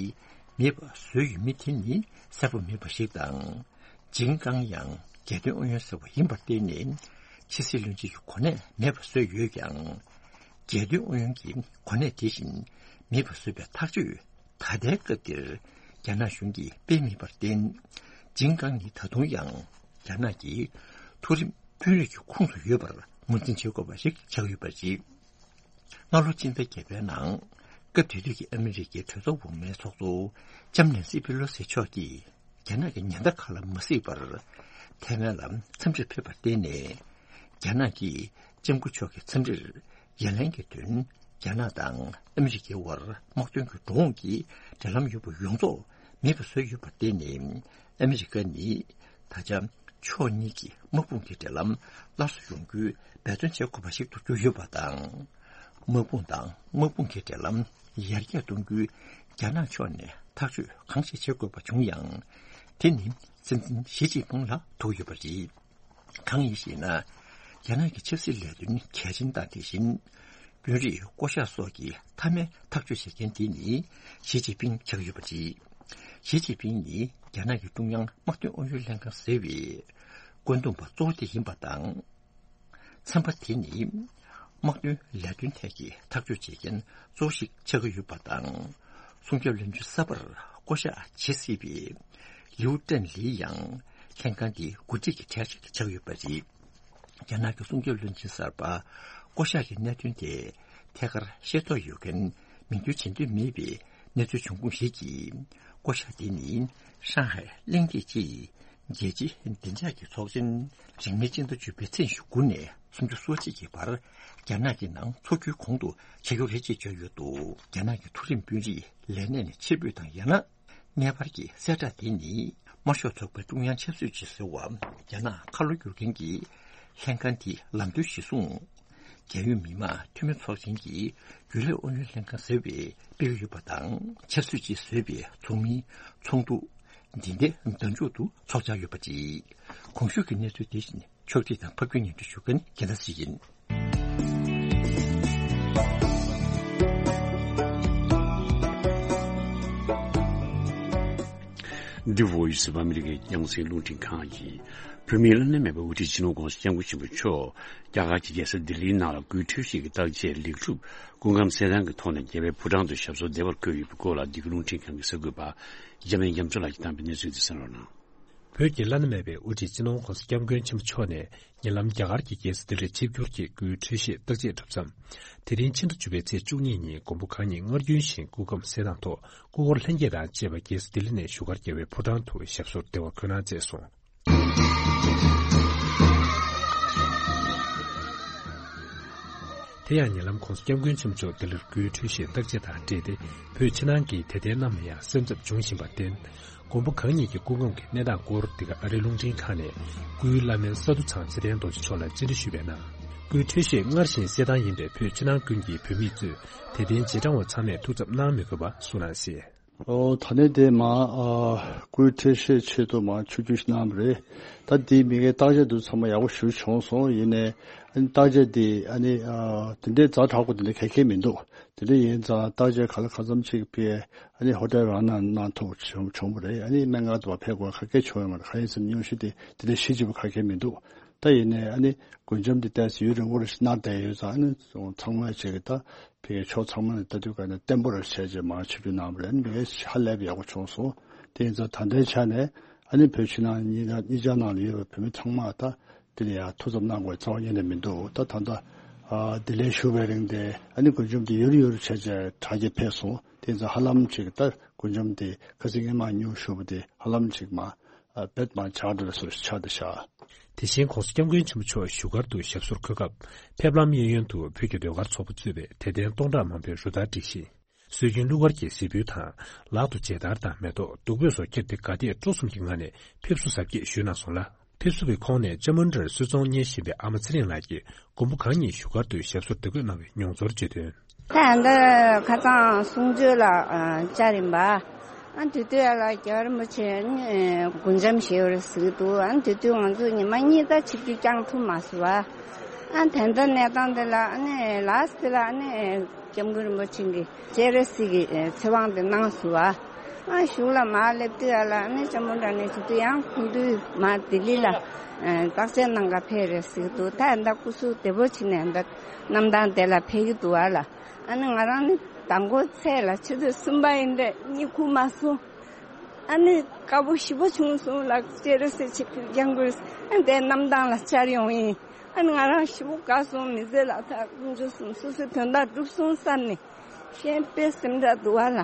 མེད་པ་བཟོས་ཡོད་མིན་དེ་ནི་གསལ་པོ་མེད་པ་ཞིག་དང་། ཆིན་ཀང་ཡང་རྒྱལ་དོན་ཨུ་ཡོན་ཟེར་བ་ཡིན་པར་བརྟེན་ནས། ཕྱི་སྲིད་བློན་ཆེན་གྱི་གོ་གནས་མེད་པ་བཟོས་ཡོད་ཀྱང་། རྒྱལ་དོན་ཨུ་ཡོན་གྱི་གོ་གནས་དེ་བཞིན་མེད་པ་བཟོས་པའི་ཐག་གཅོད་ད་ལྟའི་སྐབས་འདིར་རྒྱ་ནག་གཞུང་གིས་སྤེལ་མེད་པར་བརྟེན། ཆིན་ཀང་ནི་ད་དུང་ཡང་རྒྱ་ནག་གི་མཐོ་རིམ་དཔོན་རིགས་ཀྱི་ཁོངས་སུ་ཡོད་པར་ངོས་འཛིན་བྱེད་དགོས་པ་ཞིག་ཆགས་ཡོད་པ་རེད། སྔ་ལོ་སྤྱི་ཟླ་བརྒྱད་པའི་ནང་། སྐབས་དེ་དུས་ཀྱི་ཨ་མི་རི་ཀའི་གྲོས་ཚོགས་འོག་མའི་ཚོགས་གཙོ་ལྕམ་ནན་སི་པི་ལོ་སི་མཆོག་གིས། རྒྱ་ནག་གི་ཉེན་བརྡ་ཁག་ལ་མ་གཟིགས་པར། ཐའེ་ཝན་ལ་འཚམས་འདྲིར་ཕེབས་པར་བརྟེན་ནས། རྒྱ་ནག་གིས་ལྕམ་སྐུ་མཆོག་གི་འཚམས་འདྲིར་ཡ་ལན་གྱི་དོན། རྒྱ་ནག་དང་ཨ་མི་རི་ཀའི་དབར་དམག་དོན་གྱི་འགྲོ་འོང་གི་འབྲེལ་ལམ་ཡོད་པ་ཡོངས་རྫོགས་མེད་པ་བཟོས་ཡོད་པར་བརྟེན་ནས། ཨ་མི་རི་ཀ་ནི་ད་ཆ་ཕྱོགས་གཉིས་ཀྱི་དམག་དཔུང་གི་འབྲེལ་ལམ་སླར་གསོ་ཡོང་རྒྱུའི་འབད་བརྩོན་བྱེད་དགོས་པ་ཞིག་ཏུ་གྱུར་ཡོད་པ་དང་། དམག་དཔུང་དང་དམག་དཔུང་གི་འབྲེལ་ལམ་ཡར་རྒྱས་གཏོང་རྒྱུའི་རྒྱ་ནག་ཕྱོགས་ནས་ཐག་གཅོད་གང་ཞིག་བྱེད་དགོས་པ་བྱུང་ཡང་། དེ་ནི་སྲིད་འཛིན་ཞི་ཅིན་ཕིང་ལ་ཐུག་ཡོད་པ་རེད། གང་ཡིན་ཞེ་ན། རྒྱ་ནག་གི་ཆབ་སྲིད་ལས་དོན་གལ་ཆེན་དང་དེ་བཞིན། དཔོན་རིགས་བསྐོ་གཞག་སོགས་ཀྱི་མཐའ་མའི་ཐག་གཅོད་བྱེད་མཁན་དེ་ནི་ཞི་ཅིན་ཕིང་ཆགས་ཡོད་པ་རེད། ཞི་ཅིན་ཕིང་ནི་རྒྱ་ནག་གི་ཀྲུང་དབྱང་དམག་དོན་ཨུ་ཡོན་ལྷན་ཁང་ཟེར་བའི་བཀོད་འདོམས་པ་གཙོ་བོ་དེ་ཡིན་པ་དང་། ཚན་པ་དེ་ནི་དམག་དོན་ལས་དོན་ཐད་ཀྱི་ཐག་གཅོད་བྱེད་མཁན་གཙོ་བོ་ཞིག་ཆགས་ཀྱི་ཡོད་པ་དང་། སྲུང་སྐྱོབ་བློན་ཆེན་གསར་པར་བསྐོ་གཞག་བྱེད་སྲིད་པའི་ལིའུ་ཀྲེན་ལི་ཡང་ལྷན་ཁང་འདིའི་འགོ་ཁྲིད་ཀྱི་གྲས་ཤིག་ཆགས་ཡོད་པ་རེད། རྒྱ་ནག་གི་སྲུང་སྐྱོབ་བློན་ཆེན་གསར་པ་བསྐོ་གཞག་གི་གནད་དོན་དེ་ཐད་ཀར་ཤེས་རྟོགས་ཡོད་མཁན་མིང་འདོན་བྱེད་འདོད་མེད་པའི་གནས་ཚུལ་བྱུང་ཁུངས་ཤིག་གིས། བསྐོ་གཞག་དེ་ནི་ཧྲང་ཧའེ་གླེང་སྟེགས་ཀྱིས་རྒྱལ་སྤྱིའི་བདེ་འཇགས་ཀྱི་ཚོགས་ཆེན་རིང་མིན་སྤྱི་ཟླ་བཅུ་པའི་ཚེས་ཉི་ཤུ་དགུ་ནས་སུམ་ཅུ་སོ་གཅིག་གི་བར་རྒྱ་ནག་གི་ནང་འཚོགས་རྒྱུའི་གོང་དུ་བྱེད་རྒྱུ་རེད་ཅེས་བརྗོད་ཡོད་འདུག་རྒྱ་ནག་གི་མཐོ་རིམ་དཔོན་རིགས་ལས་གནས་ནས་ཕྱིར་འབུད་དང་ཡང་ན། གནས་སྤར་གྱི་གསལ་བསྒྲགས་དེ་ནི་དམར་ཤོག་ཚོགས་པའི་ཀྲུང་དབྱང་ཆབ་སྲིད་ཅུས་ཟེར་བ་རྒྱ་ནག་ཁ་ལོ་བསྒྱུར་མཁན་གྱི་ལྷན་ཁང་དེའི་ལམ་སྟོན་གཞིར་བཟུང་། རྒྱལ་ཡོངས་མི་དམངས་འཐུས་མི་ཚོགས་ཆེན་གྱི་རྒྱུན་ལས་ཨུ་ཡོན་ལྷན་ཁང་ཟེར་བས་སྤེལ་གྱི་ཡོད་པ་དང་། ཆབ་སྲིད་ཅུས་ཟེར་བའི་ཚོགས་མིའི་ཚོགས་འདུ་འདི་ཟླའི་ཟླ་མཇུག་ཏུ་ཚོགས་འཆར་ཡོད་པ་རེད། གོང་ཞུས་ཀྱི་གནས་ཚུལ་དེ་བཞིན། ཕྱོགས་སྒྲིག་དང་ཕབ་སྒྱུར་སྙན་སྒྲོན་ཞུ་མཁན་རྒྱལ་མཚན་ཞིག་ཡིན། འདི་Voice of America རྒྱང་སྲིང་རླུང་འཕྲིན་ཁང་ཡིན། བོད་མིའི་བླ་ན་མེད་པའི་དབུ་ཁྲིད་སྤྱི་ནོར་༸གོང་ས་༸སྐྱབས་མགོན་ཆེན་པོ་མཆོག་རྒྱ་གར་གྱི་རྒྱལ་ས་ལྡི་ལིའི་ནང་ལ་སྐུའི་འཕྲོད་བཞེས་ཀྱི་བརྟག་དཔྱད་ལེགས་གྲུབ་སྐུ་ཁམས་གསལ་ཐང་གི་ཐོག་ནས་རྒྱལ་བའི་ཕོ་བྲང་དུ་ཞབས་སོར་བདེ་བར་བཀོད་ཡོད་པའི་སྐོར་ལ་འདི་ག་རླུང་འཕྲིན་ཁང་གི་གསར་འགོད་པ་འཇམ་དབྱངས་རྒྱ་མཚོ་ལགས་ཀྱིས་བཏང་པའི་གནས་ཚུལ་འདི་གསན་རོགས་གནང་། བོད་ཀྱི་བླ་ན་མེད་པའི་དབུ་ཁྲིད་སྤྱི་ནོར་༸གོང་ས་༸སྐྱབས་མགོན་ཆེན་པོ་མཆོག་ནས་ཉེ་ལམ་རྒྱ་གར་གྱི་རྒྱལ་ས་ལྡི་ལིར་ཆིབས་བསྒྱུར་གྱིས་སྐུའི་འཕྲོད་བཞེས་བརྟག་དཔྱད་གྲུབ་མཚམས། དེ་རིང་ཕྱི་ཟླ་བཅུ་པའི་ཚེས་བཅུ་གཉིས་ཉིན་མགོན་པོ་གང་ཉིད་སྔར་རྒྱུན་བཞིན་སྐུ་ཁམས་གསལ་ཐང་ཐོག་སྐུ་འཁོར་ལྷན་རྒྱས་དང་བཅས་པ་རྒྱལ་ས་ལྡི་ལི་ནས་བཞུགས་སྒར་རྒྱལ་བའི་ཕོ་བྲང་དུ་ཞབས་སོར་བདེ་བར་འཁོད་གནང་མཛད་སོང་། དེ་ཡང་ཉེ་ལམ་༸གོང་ས་༸སྐྱབས་མགོན་ཆེན་པོ་མཆོག་ལྡི་ལིར་སྐུའི་འཕྲོད་བཞེས་བརྟག་དཔྱད་དང་འབྲེལ་ཏེ། བོད་ཕྱི་ནང་གི་དད་ལྡན་རྣམས་ལ་ཡང་སེམས་འཚབ་འབྱུང་བཞིན་པར་བརྟེན། མགོན་པོ་གང་ཉིད་ཀྱི་སྐུ་ཁམས་ཀྱི་གནས་སྟངས་སྐོར་འདི་ག་ཨ་རིའི་རླུང་འཕྲིན་ཁང་ནས་སྐུའི་བླ་སྨན་ས་འདུ་ཚང་ཚེ་བརྟན་རྡོ་རྗེ་མཆོག་ལ་བཅར་འདྲི་ཞུས་པའི་ནང་། སྐུའི་འཕྲོད་བཞེས་སྔར་བཞིན་གསལ་ཐང་ཡིན་པས་བོད་ཕྱི་ནང་ཀུན་གྱི་བོད་མི་གཙོས་དད་ལྡན་རྗེས་འབྲང་བ་ཚང་མས་ཐུགས་འཚབ་གནང་མི་དགོས་པ་གསུངས་གནང་ཞིང་། ཨོ། ད་ནི་དེ་མ་ཨ་སྐུའི་འཕྲོད་བཞེས་ཆེད་དུ་མ་ཆིབས་བསྒྱུར་ཞིག་གནང་བ་རེད། ད་དེའི་མི་སྒེར་བརྟག་དཔྱད་དུ་ཚང་མ་ཡག་པོ་ཞུ་བྱུང་སོང་། ཡིན་ནའི་ཨ་ནི་བརྟག་དཔྱད་དེ་ཨ་ནི་ཨ་དེ་འདྲའི་ཛ་དྲག་པོ་དེ་འདྲ་ག་གེ་མི་འདུག་དེ་འདྲ་ཡིན་ཙང་བརྟག་དཔྱད་ག་ལ་གང་འཚམ་ཅིག་ཕེ་ཨ་ནི་ཧོ་ཊེལ་རང་ནང་གནང་ཐུབ་བྱུང་བྱུང་བ་རེད། ཨ་ནི་སྨན་ཁང་དུ་བ་ཕེབས་དགོས་ག་གེ་བྱུང་ཡོད་མ་རེད། གང་ཡིན་ཟེར་ན་སྙུང་གཞི་དེ་དེ་འདྲ་ཞེ་ཅིག་པོ་ག་གེ་མི་འདུག་ད་ཡིན་ནའི་ཨ་ནི་མགོན་ལྕམ་དེ་ཏོག་ཙམ་ཡུན་རིང་པོ་རེ་ཞིག་གནང་བསྡད་ཡོད་ཙང་། ཨ་ནི་ཚང་མ་ཅིག་གི་ད་ཕ་གིའི་ཕྱོགས་ཚང་མ་ནས་ལྟ་དུས་ག་ནས་བརྟན་པོ་རེ་བྱས་རྗེས་མར་ཆིབས་བསྒྱུར་གནང་བ་རེད། མི་ཧ་ལས་པ་ཡག་པོ་བྱུང་སོང་། དེ་ཡིན་ཙང་ད་ལྟའི་ཆ་ནས་ཨ་ནི་བོད་ཕྱི་ནང་གཉིས་ཀ་གཉིས་ཆ་ནང་ལ་ཡོད་པའི་བོད་མི་ཚང་མ་ད་དེ་ལ་ཡང་ཐུགས་འཚབ་གནང་དགོས་རྩ་བ་ཉིད་ནས་མི་འདུག་ད་ད་ལྟ་ཨ་ལྡི་ལིར་བཞུགས་པའི་རིང་དེ་ཨ་ནི་མགོན་ལྕམ་དེ་ཡུར་ཡུར་བྱས་རྗེས་དྲག་གི་ཕེབས་སོང་། དེ་ཡིན་ཙང་ཧ་ལམ་ཅིག་ད་མགོན་ལྕམ་དེ་ཁ་སང་སྔོན་མ་སྙུང་ཞུས་པ་དེ་ཧ་ལམ་ཅིག་མ་ཨ་བེད་མ་ཆགས་འགྲོ་བཟོ་ཞིག་ཆགས་བསྡད་ཤག་དེ་བཞིན་༸གོང་ས་༸སྐྱབས་མགོན་ཆེན་པོ་མཆོག་བཞུགས་སྒར་དུ་ཞབས་སོར་འཁོད་སྐབས། ཕེབས་ལམ་གཡས་གཡོན་དུ་བོད་ཀྱི་ཟློས་གར་ཚོགས་པ་གཙོས་པའི་དད་ལྡན་སྟོང་ཕྲག་མང་པོས་རུ་སྟར་བསྒྲིགས་ཤིང་། སྲོལ་རྒྱུན་གླུ་གར་གྱི་གཟིགས་འབུལ་དང་། ལག་ཏུ་མཇལ་དར་དང་མེ་ཏོག་བདུག་སྤོས་སོགས་ཁྱེར་ཏེ་དགའ་དད་སྤྲོ་གསུམ་གྱི་ངང་ནས་ཕེབས་བསུ་གཟབ་རྒྱས་ཞུས་གནང་སོང་ལ། ཕེབས་བསུ་བའི་ཁོངས་ནས་ལྕམ་མོ་ཌར་གསོལ་ཚོགས་གཉེར་བཞིན་པའི་ཨ་མ་ཚེ་རིང་ལགས་ཀྱིས། མགོན་པོ་གང་ཉིད་བཞུགས་སྒར་དུ་ཞབས་སོར་བདེ་འཁོད་གནང་བའི་མྱོང་ཚོར་བརྗོད་དོན། ད་ད་ཁ་སང་གསུང་ཆོས་ལ་ཨ་བཅར་ཡིན་པ། ཨ་དེ་དུས་ཡ་ལ་རྒྱལ་བ་རིན་པོ་ཆེ་ནི་དགུང་འཇམ་ཞེ་པོ་རེད་ཟེར་གྱི་འདུག་ཨ་དེ་དུས་ང་ཚོ་ཉི་མ་གཉིས་ད་ཆིབས་བསྒྱུར་བསྐྱངས་ཐུབ་མ་སོང་བ། ཨ་ད་ལྟ་གནས་སྟངས་དེ་ལ་ཨ་ནི་ལགས་དེ་ལ་ཨ་ནི་སྐྱབས་མགོན་རིན་པོ་ཆེ་གིས་སྤྱན་རས་གཟིགས་ཀྱི་ཚེ་དབང་དེ་གནང་སོང་བ། ཨ་གཞུག་ལ་མར་སླེབས་དུས་ཡ་ལ་ཨ་ནི་ལྕམ་མོ་ཌར་ནི་དེ་དུས་ཡང་ཁོང་དུས་མར་ལྡི་ལི་ལ་བརྟག་དཔྱད་གནང་ག་ཕེབས་རེད་ཟེར་གྱི་འདུག་ད་ད་སྐུ་གཟུགས་བདེ་པོ་བྱས་ནས་ད་གནམ་ཐང་དེ་ལ་ཕེབས་ཀྱི་འདུག་བ་ལ། ཨ་ནི་ང་རང་ནི་མདང་དགོང་ཚེས་ལ་ཆུ་ཚོད་གསུམ་པ་ཡིན་དུས་གཉིད་ཁུག་མ་སོང་། ཨ་ནི་དགའ་པོ་ཞེ་པོ་བྱུང་སོང་ལགས། སྤྱན་རས་གཟིགས་ཆིབས་བསྒྱུར་བསྐྱངས་དགོས། ཨ་དེ་གནམ་ཐང་ལ་བཅར་ཡོང་ཡིན། ཨ་ནི་ང་རང་ཞེ་པོ་དགའ་སོང་། མི་ཚེ་ལ་ད་དཀོན་མཆོག་གསུམ་སོ་སོའི་དོན་དག་འགྲུབ་སོང་བསམ་ནས་གཞན་དཔེ་སེམས་ཁྲལ་འདུག་བ་ལ།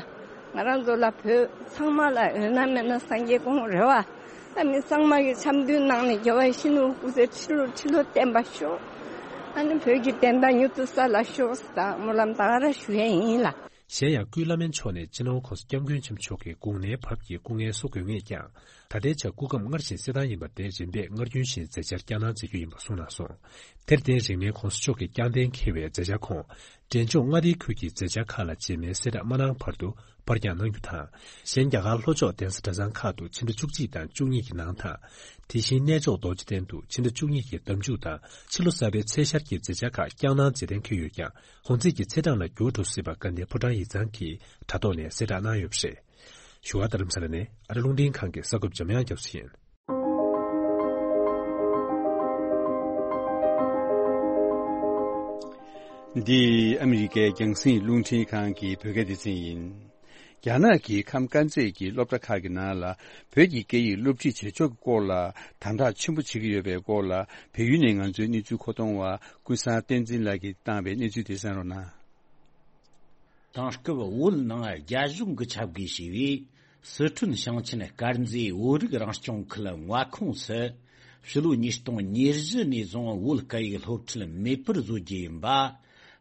ང་རང་ཚོ་ལ་བོད་ཚང་མ་ལ་ཡོད་ན་མེད་ན་སངས་རྒྱས་དགོངས་རེད་བ། ཨ་ནི་ཚང་མ་གི་འཆམ་མཐུན་ནང་ནས་རྒྱལ་བ་ཡིད་བཞིན་ནོར་བུ་སྐུ་ཚེ་ཁྲི་ལོ་ཁྲི་ལོ་བརྟན་པ་ཤོག་ཨ་ནི་བོད་ཀྱི་བདེན་མཐའ་མྱུར་དུ་གསལ་ལ་ཤོག་ཟེར་ད་སྨོན་ལམ་ད་ག་རང་ཞུ་ཡས་ཡིན་ལ། གཞན་ཡང་ཀུན་བླ་སྨན་མཆོག་ནས་སྤྱི་ནོར་༸གོང་ས་༸སྐྱབས་མགོན་ཆེན་པོ་མཆོག་གི་དགུང་ནའི་བབས་ཀྱི་སྐུ་ངལ་གསོ་དགོས་ངེས་ཀྱང་། ད་ལྟའི་ཆར་སྐུ་ཁམས་སྔར་བཞིན་གསལ་ཐང་ཡིན་པ་དེ་རིམ་པས་སྔར་རྒྱུན་བཞིན་མཛད་འཆར་བསྐྱངས་གནང་མཛད་རྒྱུ་ཡིན་པ་གསུངས་གནང་སོང་། དེར་བརྟེན་རིང་མིན་༸གོང་ས་མཆོག་གིས་བསྐྱངས་གཏན་འཁེལ་བའི་མཛད་འཆར་ཁོངས། འབྲས་ལྗོངས་མངའ་སྡེའི་ཁུལ་གྱི་མཛད་འཆར་ཁག་ལ་རྗེས་མའི་གསལ་བསྒྲགས་མ་གནང་བར་དུ་པར་བརྒྱང་གནང་རྒྱུ་དང་། གཞན་རྒྱ་གར་ལྷོ་ཕྱོགས་གདན་ས་གྲྭ་ཚང་ཁག་ཏུ་ཕྱི་ཟླ་བཅུ་གཅིག་དང་བཅུ་གཉིས་ཀྱི་ནང་དང་། དེ་བཞིན་གནས་མཆོག་རྡོ་རྗེ་གདན་དུ་ཕྱི་ཟླ་བཅུ་གཉིས་ཀྱི་ཟླ་མཇུག་དང་ཕྱི་ལོ་གསར་པའི་ཚེས་ཤར་གྱི་མཛད་འཆར་ཁག་བསྐྱངས་གནང་མཛད་གཏན་འཁེལ་ཡོད་ཀྱང་། གོང་ཚད་ཀྱི་ཚེས་གྲངས་ལ་འགྱུར་བ་འགྲོ་སྲིད་པ་དགའ་ལྡན་ཕོ་བྲང་ཡིག་ཚང་གིས་དྲ་ཐོག་ནས་གསལ་བསྒྲགས་གནང་ཡོད་པ་རེད། བཞུགས་སྒར་རྡ་རམ་ས་ལ་ནས་ཨ་རི་རླུང་འཕྲིན་ཁང་གི་གསར་འགོད་པ་འཇམ་དབྱངས་རྒྱ་མཚོ་ཡིན། འདི་ཨ་མི་རི་ཀའི་རྒྱང་སྲིང་རླུང་འཕྲིན་ཁང་གི་བོད་སྐད་སྡེ་ཚན་ཡིན། རྒྱ་ནག་གི་ཁམས་དཀར་མཛེས་ཀྱི་སློབ་གྲྭ་ཁག་གི་ནང་ལ་བོད་ཀྱི་སྐད་ཡིག་སློབ་ཁྲིད་བྱེད་ཕྱོགས་ཀྱི་སྐོར་ལ་དམ་དྲག་ཆེན་པོ་བྱེད་ཀྱི་ཡོད་པའི་སྐོར་ལ་བལ་ཡུལ་ནས་ང་ཚོའི་གནས་ཚུལ་མཁོ་གཏོང་བ་ཀུན་བཟང་བསྟན་འཛིན་ལགས་ཀྱིས་བཏང་བའི་གནས་ཚུལ་དེ་གསན་རོགས་གནང་། དེང་སྐབས་བོད་ནང་རྒྱ་གཞུང་གི་ཆབ་དགོས་ཞེས་པའི་སི་ཁྲོན་ཞིང་ཆེན་དཀར་མཛེས་བོད་རིགས་རང་སྐྱོང་ཁུལ་མངའ་ཁོངས་སུ་ཕྱི་ལོ་ཉིས་སྟོང་ཉེར་བཞི་ནས་བཟུང་བོད་སྐད་ཡིག་སློབ་ཁྲིད་མེད་པར་བཟོ་རྒྱུ་ཡིན་པ།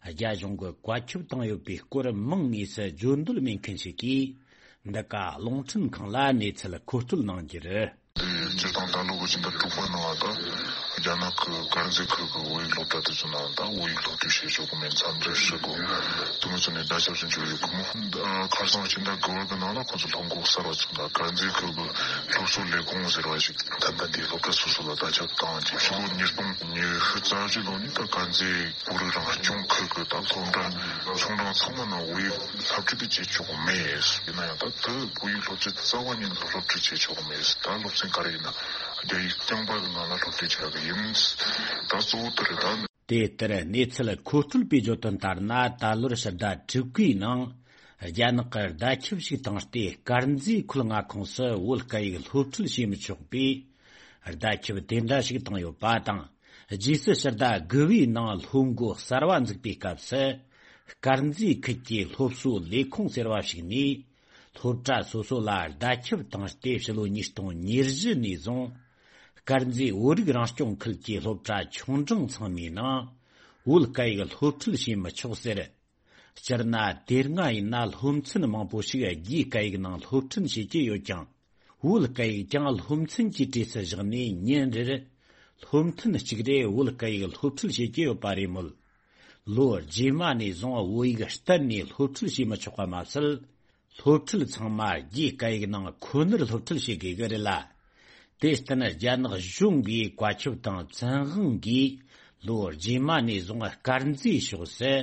རྒྱ་གཞུང་གིས་བཀའ་ཁྱབ་བཏང་ཡོད་པའི་སྐོར་མང་ངོས་སུ་བརྗོད་འདོད་མེད་མཁན་ཞིག་གིས་འདི་ག་རླུང་འཕྲིན་ཁང་ལ་གནས་ཚུལ་མཁོ་སྤྲོད་གནང་རྒྱུ་རེད། དེ་སྤྱིར་བཏང་ད་ལོ་གི་ཕྱི་ཟླ་དྲུག་པ་ནང་ད་རྒྱ་ནག་གི་དཀར་མཛེས་ཁུལ་གྱི་བོད་ཡིག་སློབ་གྲྭ་དེ་ཚོ་ནང་ད་བོད་ཡིག་སློབ་ཁྲིད་བྱེད་ཆོག་གི་མེད་མཚམས་འཇོག་ཞུ་དགོས། དེ་མོ་ཚོ་ནས་བརྡ་ཁྱབ་ཅིག་འབྱོར་ཡོད་གི་མོ། ཁ་སང་ཕྱི་ཟླ་དགུ་པ་གི་ནང་ལ་ཁོ་ཚོ་སློབ་འགོ་གསར་བ་ཚུགས་ན་དཀར་མཛེས་ཁུལ་གྱི་སློབ་གསོ་ལས་ཁུངས་ཟེར་བ་ཞིག་ད་ལྟ་འདིའི་སློབ་གྲྭ་སོ་སོ་ལ་བརྡ་ཁྱབ་བཏང་རྗེས་ཕྱི་ལོ་ཉིས་སྟོང་ཉི་ཤུ་རྩ་བཞི་ལོ་ནས་ད་དཀར་མཛེས་བོད་རིགས་རང་སྐྱོང་ཁུལ་གྱི་ད་སློབ་གྲྭ་ཆུང་འབྲིང་ཚང་མ་ནང་བོད་ཡིག་སློབ་ཁྲིད་དེ་བྱེད་ཆོག་གི་མེད། ཡིན་ན་ཡང་ད་དེ་བོད་ཡིག་སློབ་ཁྲིད་རྩ་བ་ཉིད་ནས་སློབ་ཁྲིད་བྱེད་ཆོག་གི་མེད། ད་སློབ་ཚན་ག་རེ་ཡིན་ན་རྒྱ་ཡིག་རྐྱང་པ་གི་ངང་ལ་སློབ་ཁྲིད་བྱ་གི་ཡིན། ད་གཙོ་བོ་དེ་རེད་ད། དེ་ལྟར་གནས་ཚུལ་མཁོ་སྤྲོད་པས་བརྗོད་དོན་ལྟར་ན། ད་ལོར་ཕྱི་ཟླ་དྲུག་པའི་ནང་རྒྱ་ནག་གིས་བརྡ་ཁྱབ་ཞིག་བཏང་སྟེ། དཀར་མཛེས་ཁུལ་མངའ་ཁོངས་སུ་བོད་སྐད་ཡིག་སློབ་ཁྲིད་བྱེད་མི་ཆོག་པའི་བརྡ་ཁྱབ་དེ་འདྲ་ཞིག་བཏང་ཡོད་པ་དང་། རྗེས་སུ་ཕྱི་ཟླ་དགུ་པའི་ནང་སློབ་འགོ་གསར་བ་འཛུགས་པའི་སྐབས་སུ། དཀར་མཛེས་ཁུལ་གྱི་སློབ་གསོ་ལས་ཁུངས་ཟེར་བ་ཞིག་ནས། སློབ་གྲྭ་སོ་སོ་ལ་བརྡ་ཁྱབ་བཏང་སྟེ། ཕྱི་ལོ་ཉིས་སྟོང་ཉེར་བཞི་ནས་བཟུང་། དཀར་མཛེས་བོད་རིགས་རང་སྐྱོང་ཁུལ་གྱི་སློབ་གྲྭ་ཆུང་འབྲིང་ཚང་མའི་ནང་བོད་སྐད་ཡིག་སློབ་ཁྲིད་བྱེད་མི་ཆོག་ཟེར། སྤྱིར་ན་དེ་སྔ་ཡིན་ན་སློབ་ཚན་མང་པོ་ཞིག་རྒྱའི་སྐད་ཡིག་ནང་སློབ་ཁྲིད་བྱེད་ཀྱི་ཡོད་ཀྱང་། བོད་སྐད་ཡིག་ཀྱང་སློབ་ཚན་གྱི་གྲས་སུ་བཞག་ནས། ཉིན་རེར་སློབ་ཐུན་གཅིག་རེ་བོད་སྐད་ཡིག་སློབ་ཁྲིད་བྱེད་ཀྱི་ཡོད་པ་རེད་མོད། ལོ་རྗེས་མ་ནས་བཟུང་བོད་ཡིག་གཏན་ནས་སློབ་ཁྲིད་བྱེད་མི་ཆོག་པ་མ་ཟད། སློབ་ཁྲིད་ཚང་མ་རྒྱའི་སྐད་ཡིག་ནང་ཁོ་ནར་སློབ་ཁྲིད་བྱེད་དགོས་ཀྱི་རེད་ལ། དེར་བརྟེན་རྒྱ་ནག་གཞུང་གིས་བཀའ་ཁྱབ་དང་བཙན་དབང་གིས་ལོ་རྗེས་མ་ནས་བཟུང་དཀར་མཛེས་ཕྱོགས་སུ་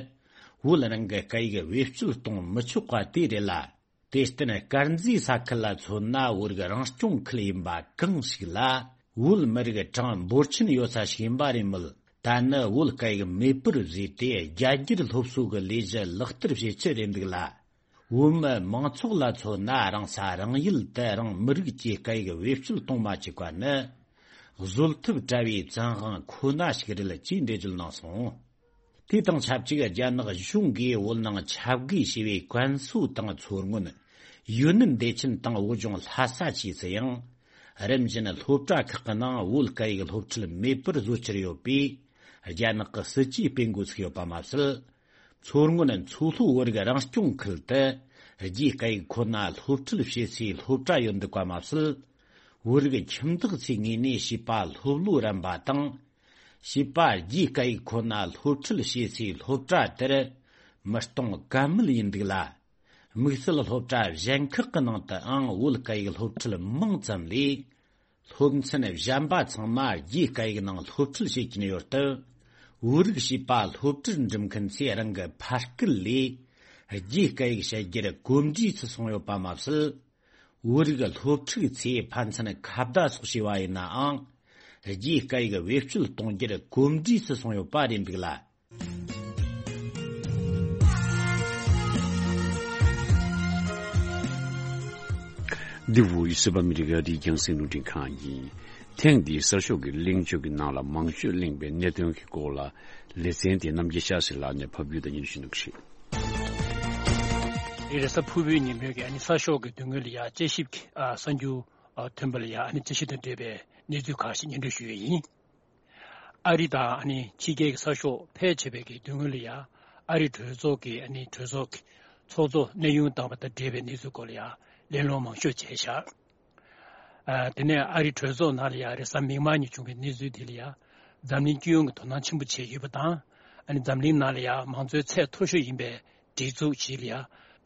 བོད་རང་གི་སྐད་ཡིག་བེད་སྤྱོད་གཏོང་མི་ཆོག་པ་དེ་རེད་ལ། དེར་བརྟེན་དཀར་མཛེས་ས་ཁུལ་ལ་མཚོན་ན། བོད་རིགས་རང་སྐྱོང་ཁུལ་ཡིན་པ་གང་ཞིག་ལ། བོད་མི་རིགས་གྲངས་འབོར་ཆེན་ཡོད་ས་ཞིག་ཡིན་པ་རེད་མོད། ད་ནི་བོད་སྐད་ཡིག་མེད་པར་བཟོས་ཏེ། རྒྱ་སྒྱུར་སློབ་གསོ་གི་ལས་གཞི་ལག་བསྟར་བྱེད་ཀྱི་རེད་འདུག་ལ། བོད་མི་མང་ཚོགས་ལ་མཚོན་ན། རང་ས་རང་ཡུལ་དུ་རང་མི་རིགས་ཀྱི་སྐད་ཡིག་བེད་སྤྱོད་གཏོང་མ་བཅུག་པ་ནི། བཟོད་ཐབས་བྲལ་བའི་བཙན་དབང་ཁོ་ན་ཞིག་རེད། ཅེས་འགྲེལ་བརྗོད་གནང་སོང་། དེ་དང་ཆབས་ཅིག་རྒྱ་ནག་གཞུང་གིས་བོད་ནང་ཆབ་དགོས་ཞེས་པའི་བཀའ་སྲོལ་དང་མཚོ་སྔོན། ཡུན་ནན་བདེ་ཆེན་དང་བོད་ལྗོངས་ལྷ་ས་བཅས་སུ་ཡང་། རིམ་བཞིན་སློབ་གྲྭ་ཁག་གི་ནང་བོད་སྐད་ཡིག་སློབ་ཁྲིད་མེད་པར་བཟོ་འཆར་ཡོད་པས། རྒྱ་ནག་གི་སྲིད་ཇུས་སྤེལ་འགོ་ཚུགས་ཡོད་པ་མ་ཟད། མཚོ་སྔོན་མཚོ་ལྷོ་བོད་རིགས་རང་སྐྱོང་ཁུལ་དུ། རྒྱའི་སྐད་ཡིག་ཁོ་ན་སློབ་ཁྲིད་བྱེད་སའི་སློབ་གྲྭ་ཡོད་འདུག་པ་མ་ཟད། བོད་རིགས་ཁྱིམ་བདག་ཚོའི་ངོས་ནས་བྱིས་པ་སློབ་ལོ་རན་པ་དང་། བྱིས་པ་རྒྱའི་སྐད་ཡིག་ཁོ་ན་སློབ་ཁྲིད་བྱེད་སའི་སློབ་གྲྭ་དེར་མི་གཏོང་ཀ་མེད་ཡིན་འདུག་ལ། དམིགས་བསལ་སློབ་གྲྭ་གཞན་ཁག་གི་ནང་དུའང་བོད་སྐད་ཡིག་སློབ་ཁྲིད་མང་ཙམ་ལས། སློབ་ཚན་གཞན་པ་ཚང་མ་རྒྱའི་སྐད་ཡིག་ནང་སློབ་ཁྲིད་བྱེད་ཀྱིན་ཡོད་སྟབས། བོད་རིགས་བྱིས་པ་སློབ་གྲྭར་འགྲིམ་མཁན་ཚོས་རང་གི་ཕ་སྐད་ལས་རྒྱའི་སྐད་ཡིག་བཤད་རྒྱུར་གོམས་འདྲིས་སུ་སོང་ཡོད་པ་མ་ཟད། བོད་རིགས་སློབ་ཕྲུག་ཚོས་ཕན་ཚུན་ཁ་བརྡ་སོགས་བྱས་པ་ཡིན་ནའང་། རྒྱའི་སྐད་ཡིག་བེད་སྤྱོད་གཏོང་རྒྱུར་གོམས་འདྲིས་སུ་སོང་ཡོད་པ་རེད་འདུག་ལ། འདི་བོད་ཡིག་གསར་པ་ཨ་མི་རི་ཀ་རིའི་རྒྱང་སྲིང་རླུང་འཕྲིན་ཁང་ཡིན། ཐེངས་འདིའི་གསར་ཤོག་གི་གླེང་བརྗོད་ཀྱི་ནང་ལ་མང་ཤོས་གླེང་བའི་གནད་དོན་གྱི་སྐོར་ལ་ལེ་ཚན་དེ་རྣམ་རྒྱལ་ཤཱ་སི་ལགས་ནས་ཕབ་སྒྱུར་དང་སྙན་ཞུ་གནང་གི་རེད། རེས་གཟའ་ཕུར་བུའི་ཉིན་མོའི་གི་ཨ་ནི་གསར་ཤོག་གི་མདུན་ངོས་ལ་ཡ་དཔྱད་ཞིབ་ཀྱི་ཨ་གསར་འགྱུར་ཨ་ཐོན་པ་ལ་ཡ་ཨ་ནི་དཔྱད་ཞིབ་དང་འབྲེལ་བའི་གནས་ཚུལ་ཁག་ཞིག་སྙན་སྒྲོན་ཞུ་ཡས་ཡིན། ཨ་རི་དང་ཨ་ནི་ཕྱི་རྒྱལ་གྱི་གསར་ཤོག་ཕལ་ཆེ་བའི་གི་མདུན་ངོས་ལ་ཡ་ཨ་རི་གྲོས་ཚོགས་ཀྱི་ཨ་ནི་གྲོས་ཚོགས་ཀྱི་ཚོགས་གཙོ་གནས་དབྱུང་བཏང་བ་དང་འབྲེལ་བའི་གནས་ཚུལ་སྐོར་ལ་ཡ་གླེང་སློང་མང་ཤོས་བྱས་བཞག་ཨ་དེ་ནས་ཨ་རི་གྲོས་ཚོགས་ནང་ལ་ཡ་རེས་གཟའ་མིག་དམར་ཉིན་བྱུང་བའི་གནས་ཚུལ་དེ་ལ་ཡ་འཛམ་གླིང་སྤྱི་ཡོངས་ཀྱི་དོ་སྣང་ཆེན་པོ་བྱས་ཡོད་པ་དང་། ཨ་ནི་འཛམ་གླིང་ནང་ལ་ཡ་མང་གཙོའི་ཚད་མཐོ་ཤོས་ཡིན་པའི་སྒྲིག་འཛུགས་ཤིག་ལ་ཡ་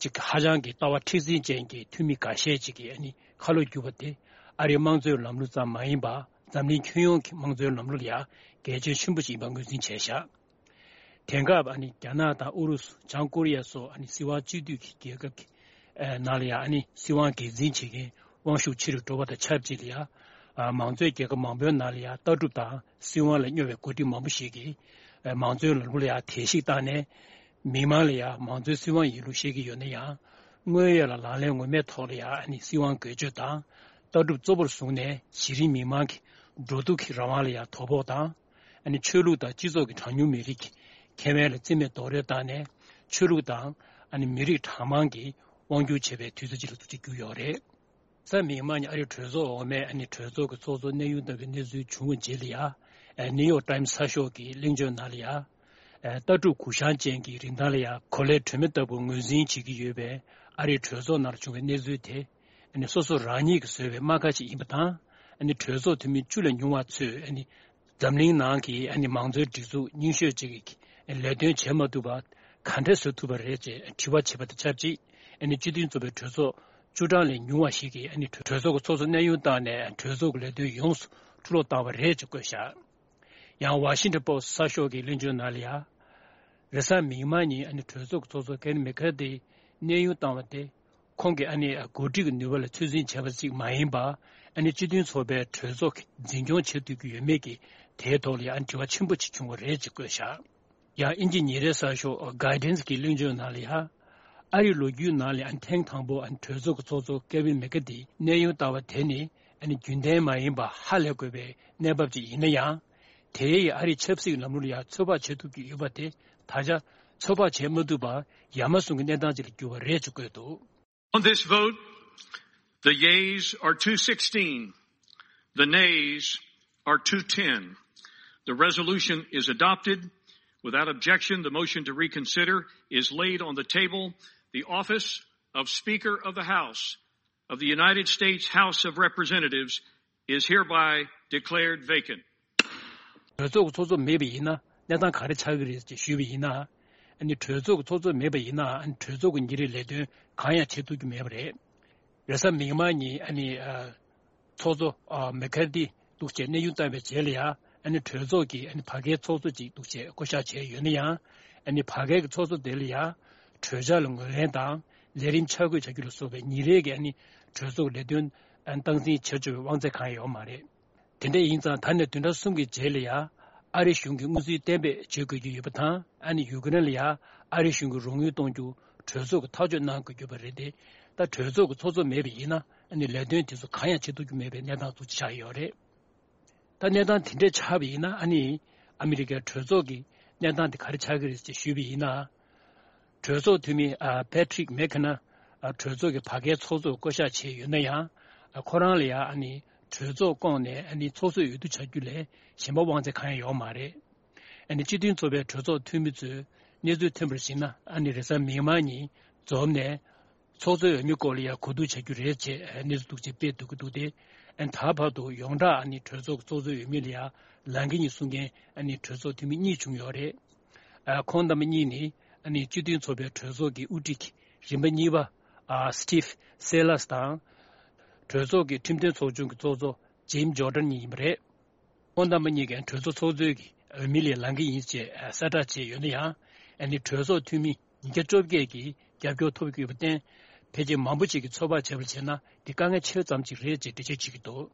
གཅིག་ཧ་ཅང་གི་ལྟ་བ་མཁྲེགས་འཛིན་ཅན་གྱི་འཐུས་མི་འགའ་ཤས་ཅིག་གིས་ཨ་ནི་ཁ་ལོ་བསྒྱུར་བ་དེ་ཨ་རིའི་དམངས་གཙོའི་ལམ་ལུགས་ཙམ་མ་ཡིན་པར་འཛམ་གླིང་ཁྱོན་ཡོངས་ཀྱི་དམངས་གཙོའི་ལམ་ལུགས་ལ་ཡ་གལ་ཆེན་ཆེན་པོ་ཞིག་ཡིན་པ་ངོས་འཛིན་བྱས་བཞག་དེང་སྐབས་ཨ་ནི་རྒྱ་ནག་དང་ཨུ་རུ་སུ་བྱང་ཀོ་རི་ཡ་སོགས་ཨ་ནི་སྲིད་དབང་གཅིག་སྡུད་ཀྱི་རྒྱལ་ཁབ་ཀྱི་ཨ་ནང་ལ་ཡང་ཨ་ནི་སྲིད་དབང་སྒེར་འཛིན་བྱེད་མཁན་དབང་ཤུགས་ཆེ་རུ་འགྲོ་བ་དང་ཆབས་ཅིག་ལ་ཡང་ཨ་མང་གཙོའི་རྒྱལ་ཁབ་མང་པོའི་ནང་ལ་ཡང་ལྟ་གྲུབ་དང་སྲིད་དབང་ལ་སྨྱོ་བའི་འགོ་ཁྲིད་མང་པོ་ཞིག་གིས་ཨ་མང་གཙོའི་ལམ་ལུགས་ལ་ཡང་དལ་བཤིག་བཏང་ནས། མི་མང་ལ་ཡང་མང་གཙོའི་སྲིད་དབང་ཡིན་ལུགས་བཤད་ཀྱི་ཡོད་ན་ཡང་། དངོས་ཡོད་ལ་ལག་ལེན་ངོ་མའི་ཐོག་ལ་ཡང་ཨ་ནི་སྲིད་དབང་འགུལ་སྐྱོད་དང་། ལྟ་གྲུབ་གཙོ་བོར་བཟུང་ནས་གཞི་རིམ་མི་མང་གི་འགྲོ་འདུག་གི་རང་དབང་ལ་ཡང་དོ་ཕོག་དང་། ཨ་ནི་ཆོས་ལུགས་དང་སྤྱི་ཚོགས་ཀྱི་གྲངས་ཉུང་མི་རིགས་ཀྱི་ཁེ་ཕན་ལ་རྩིས་མེད་རྡོག་རོལ་བཏང་ནས། ཆོས་ལུགས་དང་ཨ་ནི་མི་རིགས་གྲངས་མང་གིས་དབང་སྒྱུར་བྱེད་པའི་དུས་ཚོད་ཅིག་ལ་ཐུག་ཅིག་གྱུར་ཡོད་རེད། གཟའ་མིག་དམར་ཉིན་ཨ་རིའི་གྲོས་ཚོགས་འོག་མའི་ཨ་ནི་གྲོས་ཚོགས་ཀྱི་ཚོགས་གཙོ་གནས་དབྱུང་བཏང་བའི་གནས་ཚུལ་བྱུང་བའི་རྗེས་ལ་ཡ། ཨ་ནིའུ་ཡོག་ཊའིམ་གསར་ཤོག་གི་གླེང་བརྗོད་ནང་ལ་ཡ། ཨ་ལྟ་གྲུབ་གུ་བཤངས་ཅན་གྱི་རིན་ཐང་ལ་ཡ་གོ་ལའི་དྲོད་མེ་ལྟ་བུ་ངོས་འཛིན་བྱེད་ཀྱི་ཡོད་པའི་ཨ་རིའི་གྲོས་ཚོགས་ནང་ལ་བྱུང་བའི་གནས་ཚུལ་དེ། ཨ་ནི་སོ་སོ་རང་ཉིད་ཀྱིས་བཟོས་པའི་རྨ་ཁ་ཅིག་ཡིན་པ་དང་། ཨ་ནི་གྲོས་ཚོགས་འཐུས་མི་བཅུ་ལས་ཉུང་བ་ཚོས་ཨ་ནི་འཛམ་གླིང་ནང་གི་ཨ་ནི་མང་གཙོའི་སྒྲིག་འཛུགས་རྙིང་ཤོས་ཅིག་གི་ལས་དོན་བྱེད་མ་ཐུབ་པ་ག་འདྲས་བཟོ་ཐུབ་པ་རེད་ཅེས་དྲི་བ་བྱས་པ་དང་ཆབས་ཅིག་ཨ་ནི་སྤྱི་མཐུན་ཚོགས་པའི་གྲོས་ཚོགས་བཅུ་གྲངས་ལས་ཉུང་བ་ཞིག་གིས་ཨ་ནི་གྲོས་ཚོགས་ཀྱི་ཚོགས་གཙོ་གནས་དབྱུང་བཏང་ནས་གྲོས་ཚོགས་ཀྱི་ལས་དོན་ཡོངས་སུ་འཁྲུ་སློག་བཏང་བ་རེད་ཅེས་བཀོད་བཞག་ཡང་ཝ་ཤིང་ཊོན་པོ་སི་གསར་ཤོག་གི་གླེང་བརྗོད་ནང་ལ་ཡང་། རེས་གཟའ་མིག་དམར་ཉིན་ཨ་ནི་གྲོས་ཚོགས་ཀྱི་ཚོགས་གཙོ་ཀེ་ཝིན་མེ་ཁ་ཐི་གནས་དབྱུང་བཏང་བ་དེ། ཁོང་གིས་ཨ་ནི་འགོ་ཁྲིད་ཀྱི་ནུས་པ་ལ་ཚོད་འཛིན་བྱས་པ་ཞིག་མ་ཡིན་པར། ཨ་ནི་སྤྱི་མཐུན་ཚོགས་པའི་གྲོས་ཚོགས་ཀྱིས་འཛིན་སྐྱོང་བྱེད་ཐུབ་ཀྱི་ཡོད་མེད་ཀྱི་དེའི་ཐོག་ལ་ཡང་དྲི་བ་ཆེན་པོ་ཅིག་བྱུང་བ་རེད་ཅེས་བཀོད་བཞག་ཡང་དབྱིན་ཇི་ཉིན་རེའི་གསར་ཤོག་གྷའི་ཌེན་སི་གི་གླེང་བརྗོད་ནང་ལ་ཡང་། ཨ་རིའི་ལོ་རྒྱུས་ནང་ལ་ཨ་ནི་ཐེངས་དང་པོ་ཨ་ནི་གྲོས་ཚོགས་ཀྱི་ཚོགས་གཙོ་ཀེ་ཝིན་མེ་ཀ་ཐི་གནས་དབྱུང་བཏང་བ་དེ་ནི་ཨ་ནི་རྒྱུན་ལྡན་མ་ཡིན་པ་ཧ་ལས་དགོས་པའི་གནས་བབ་ཅིག་ཡིན་ན་ཡང་། དེའི་ཨ་རིའི་ཆབ་སྲིད་ལམ་ལུགས་ལ་ཡང་ཚོད་དཔག་བྱེད་ཐུབ་ཀྱི་ཡོད་པ་དེ་ད་ཆ་ཚོད་དཔག་བྱེད་མ་ཐུབ་པར་ཡ་མ་ཟུང་གི་གནས་སྟངས་ཅིག་ལ་གྱུར་བ་རེད་ཅེས་བཀོད་འདུག On this vote, the yeas are two sixteen, the nays are two ten. The resolution is adopted. Without objection, the motion to reconsider is laid on the table. The office of Speaker of the House of the United States House of Representatives is hereby declared vacant. གྲོས་ཚོགས་ཀྱི་ཚོགས་གཙོ་མེད་པ་ཡིན་ན་གནས་སྟངས་ག་རེ་ཆགས་ཀྱི་རེད་ཅེས་ཞུས་པ་ཡིན་ན། ཨ་ནི་གྲོས་ཚོགས་ཀྱི་ཚོགས་གཙོ་མེད་པ་ཡིན་ན་ཨ་ནི་གྲོས་ཚོགས་ཀྱི་ཉིན་རེའི་ལས་དོན་གང་ཡང་བྱེད་ཐུབ་ཀྱི་མེད་པ་རེད། རེས་གཟའ་མིག་དམར་ཉིན་ཨ་ནི་ཨ་ཚོགས་གཙོ་ཨ་མེ་ཁར་ཐི་འདུག་བྱས་གནས་དབྱུང་བཏང་བའི་རྗེས་ལ་ཡང་ཨ་ནི་གྲོས་ཚོགས་ཀྱི་ཨ་ནི་བར་བརྒལ་ཚོགས་གཙོ་ཅིག་འདུག་བྱས་བསྐོ་གཞག་བྱས་ཡོད་ན་ཡང་། ཨ་ནི་བར་བརྒལ་གྱི་ཚོགས་གཙོ་དེ་ལ་ཡང་གྲོས་འཆར་ལ་ངོས་ལེན་དང་ལས་རིམ་འཆར་འགོད་བྱ་རྒྱུ་ལ་སོགས་པའི་ཉིན་རེའི་གི་ཨ་ནི་གྲོས་ཚོགས་ལས་དོན་ཨ་ནི་སྟངས་འཛིན་བྱེད་ཆོག་པའི་དབང་ཚད་གང་ཡང་ཡོད་མ་རེད། དེ་འདྲ་ཡིན་ཙང་ད་ནས་བདུན་ཕྲག་གསུམ་གྱི་རྗེས་ལ་ཡང་ཨ་རི་གཞུང་གིས་དངུལ་རྩིས་གཏན་འབེབས་བྱེད་དགོས་ཀྱི་ཡོད་པ་དང་ཨ་ནི་ཡུ་ཀེ་རེན་ལ་ཡང་ཨ་རི་གཞུང་གིས་རོགས་དངུལ་གཏོང་རྒྱུ་གྲོས་ཚོགས་ཀྱིས་ཐག་གཅོད་གནང་དགོས་ཀྱི་ཡོད་པ་རེད་དེ། ད་གྲོས་ཚོགས་ཀྱི་ཚོགས་གཙོ་མེད་པ་ཡིན་ན་ཨ་ནི་ལས་དོན་དེ་ཚོ་གང་ཡང་བྱེད་ཐུབ་ཀྱི་མེད་པའི་གནས་སྟངས་འདུག་ཆགས་ཡོད་རེད། ད་གནས་སྟངས་དེ་འདྲས་ཆགས་པ་ཡིན་ན་ཨ་ནི་ཨ་མི་རི་ཀའི་གྲོས་ཚོགས་ཀྱི་གནས་སྟངས་དེ་ག་རེ་ཆགས་ཀྱི་རེད་ཅེས་ཞུས་པ་ཡིན་ན། གྲོས་ཚོགས་འཐུས་མི་ཨ་པེ་ཊི་རིག་མེག་ཁེ་ན་ཨ་གྲོས་ཚོགས་ཀྱི་བར་བརྒལ་ཚོགས་གཙོར་བསྐོ་གཞག་བྱས་ཡོད་ན་ཡང་། ཨ་ཁོ་རང་ལ་ཡང་ཨ་ནི་གྲོས་ཚོགས་བསྐོངས་ནས་ཨ་ནི་ཚོགས་གཙོའི་འོས་བསྡུ་བྱ་རྒྱུ་ལས་གཞན་པ་དབང་ཚད་གང་ཡང་ཡོད་མ་རེད། ཨ་ནི་སྤྱི་མཐུན་ཚོགས་པའི་གྲོས་ཚོགས་འཐུས་མི་ཚོས་གནས་ཚུལ་ཐོན་པར་གཞིགས་ན་ཨ་ནི་རེས་གཟའ་མིག་དམར་ཉིན་འཛོམས་ནས། ཚོགས་གཙོའི་འོས་མི་སྐོར་ལ་ཡང་གོ་བསྡུར་བྱ་རྒྱུ་རེད་ཅེས་གནས་ཚུལ་འདུག་ཅེས་སྤེལ་འདུག་གི་འདུག་སྟེ། ད་བར་དུ་ཡོངས་གྲགས་ཨ་ནི་གྲོས་ཚོགས་ཀྱི་ཚོགས་གཙོའི་འོས་མི་ལ་ཡང་ལངས་ཀྱི་ཡིན་གསུང་མཁན་ཨ་ནི་གྲོས་ཚོགས་འཐུས་མི་གཉིས་བྱུང་ཡོད་རེད། ཁོང་རྣམ་པ་གཉིས་ནི་ཨ་ནི་སྤྱི་མཐུན་ཚོགས་པའི་གྲོས་ཚོགས་ཀྱི་དབུ་ཁྲིད་རིམ་པ་གཉིས་པ་སི་ཊིབ་སེ་ལར་དང་། གྲོས་ཚོགས་ཀྱི་ཁྲིམས་དོན་ཚོགས་ཆུང་གི་ཚོགས་གཙོ་ཇིམ་ཇོར་ཌན་གཉིས་ཡིན་པ་རེད། ཁོང་རྣམ་པ་གཉིས་ཀྱིས་གྲོས་ཚོགས་ཚོགས་གཙོའི་གི་འོས་མི་ལས་ལངས་ཀྱི་ཡིན་ཅེས་གསལ་བསྒྲགས་བྱས་ཡོད་ན་ཡང་། ཨ་ནི་གྲོས་ཚོགས་འཐུས་མི་ཉིས་བརྒྱ་བཅོ་བརྒྱད་ཀྱིས་རྒྱབ་སྐྱོར་ཐོབ་ཀྱི་ཡོད་པར་བརྟེན། ཕལ་ཆེར་མང་པོ་ཅིག་གིས་ཚོད་དཔག་བྱས་པར་བྱས་ན་འདི་དཀའ་ངལ་ཆེ་ཙམ་ཅིག་རེད་ཅེས་འགྲེལ་བརྗོད་བྱེད་ཀྱི་འདུག་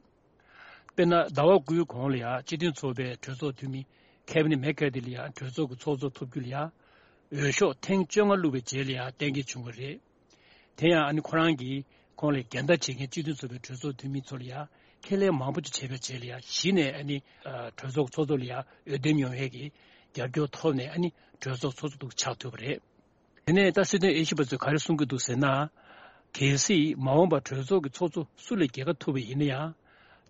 དཔེར་ན་ཟླ་བ་དགུའི་གོང་ལ་ཡང་སྤྱི་མཐུན་ཚོགས་པའི་གྲོས་ཚོགས་འཐུས་མི་ཁེ་ཝིན་མེག་ཀར་ཐི་ལ་ཡང་གྲོས་ཚོགས་ཀྱི་ཚོགས་གཙོ་ཐོབ་རྒྱུ་ལ་ཡང་འོས་ཤོག་ཐེངས་བཅོ་ལྔ་བླུགས་པའི་རྗེས་ལ་ཡང་གཏན་འཁེལ་བྱུང་བ་རེད། དེ་ཡང་ཨ་ནི་ཁོ་རང་གིས་ཁོང་ལ་འགལ་ཟླ་བྱེད་མཁན་སྤྱི་མཐུན་ཚོགས་པའི་གྲོས་ཚོགས་འཐུས་མི་ཚོ་ལ་ཡང་ ཁས་ལེན་མང་པོ་ཅིག་བྱས་པའི་རྗེས་ལ་ཡང་གཞི་ནས་ཨ་ནི་གྲོས་ཚོགས་ཚོགས་གཙོ་ལ་ཡང་འོས་འདེམས་ཡོང་ཡས་ཀྱི་རྒྱབ་སྐྱོར་ཐོབ་ནས་ཨ་ནི་གྲོས་ཚོགས་ཚོགས་གཙོ་འདུག་ཆགས་ཐུབ་པ་རེད། དེ་ནས་ད་སྲིད་དོན་དབྱེ་ཞིབ་པ་ཚོས་ག་རེ་གསུང་གི་འདུག་ཟེར་ན། གལ་སྲིད་མ་འོངས་པར་གྲོས་ཚོགས་ཀྱི་ཚོགས་གཙོ་སུ་ལ་རྒྱལ་ཁ་ཐོབ་པ་ཡིན་ན་ཡང་།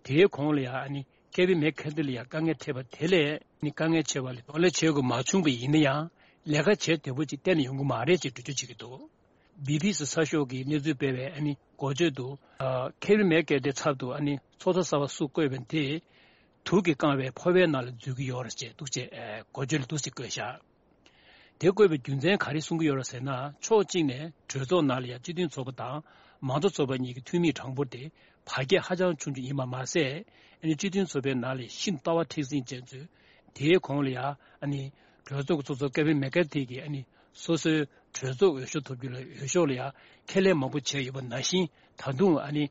དེའི་གོང་ལ་ཡང་ཨ་ནི་ཀེ་བི་མེག་ཁེ་ཐི་ལ་ཡང་དཀའ་ངལ་འཕྲད་པ་དེ་ལས་ཨ་ནི་དཀའ་ངལ་ཆེ་བ་ལས་གདོང་ལེན་བྱེད་དགོས་མ་བྱུང་པ་ཡིན་ན་ཡང་ལས་ཀ་བྱེད་བདེ་པོ་ཅིག་གཏན་ནས་ཡོང་གི་མ་རེད་ཅེས་འགྲེལ་བརྗོད་བྱེད་ཀྱི་འདུག། བི་བི་སི་གསར་ཤོག་གིས་གནས་ཚུལ་སྤེལ་བའི་ཨ་ནི་འགོ་བརྗོད་དུ། ཨ་ཀེ་བི་མེག་ཁེ་ཐི་ཚབ་ཏུ་ཨ་ནི་ཚོགས་གཙོ་གསར་པ་སུ་བསྐོས་པ་དེ་དུག་གིས་བཀང་བའི་ཕོར་པའི་ནང་ལ་འཛུལ་གྱི་ཡོད་རེད་ཅེས་འདུག་ཅེས་འགོ་བརྗོད་ལ་འདུག་ཅེས་བཀོད་བཞག། དེ་བཀོད་པའི་རྒྱུ་མཚན་ག་རེ་གསུང་གི་ཡོད་རེད་ཟེར་ན། ཕྱོགས་གཅིག་ནས་གྲོས་ཚོགས་ནང་ལ་ཡང་སྤྱི་མཐུན་ཚོགས་པ་དང་མང་གཙོ་ཚོགས་པ་གཉིས་ཀྱི་འཐུས་མིའི་གྲངས་འབོར་དེ་བར་ཁྱད་ཧ་ཅང་ཆུང་ཆུང་ཡིན་པ་མ་ཟད། ཨ་ནི་སྤྱི་མཐུན་ཚོགས་པའི་ནང་ལ་ཤིན་ཏུ་ལྟ་བ་མཁྲེགས་འཛིན་ཅན་ཚོས་དེའི་གོང་ལ་ཡང་ཨ་ནི་གྲོས་ཚོགས་ཀྱི་ཚོགས་གཙོ་ཀེ་བིན་མེ་ཀར་ཐི་གིས་ཨ་ནི་སོ་སོའི་གྲོས་ཚོགས་འོས་ཤོག་ཐོབ་རྒྱུ་ལ་འོས་ཤོག་ལ་ཡང་ཁས་ལེན་མང་པོ་བྱས་ཡོད་པ་ནང་བཞིན། ད་དུང་ཨ་ནི་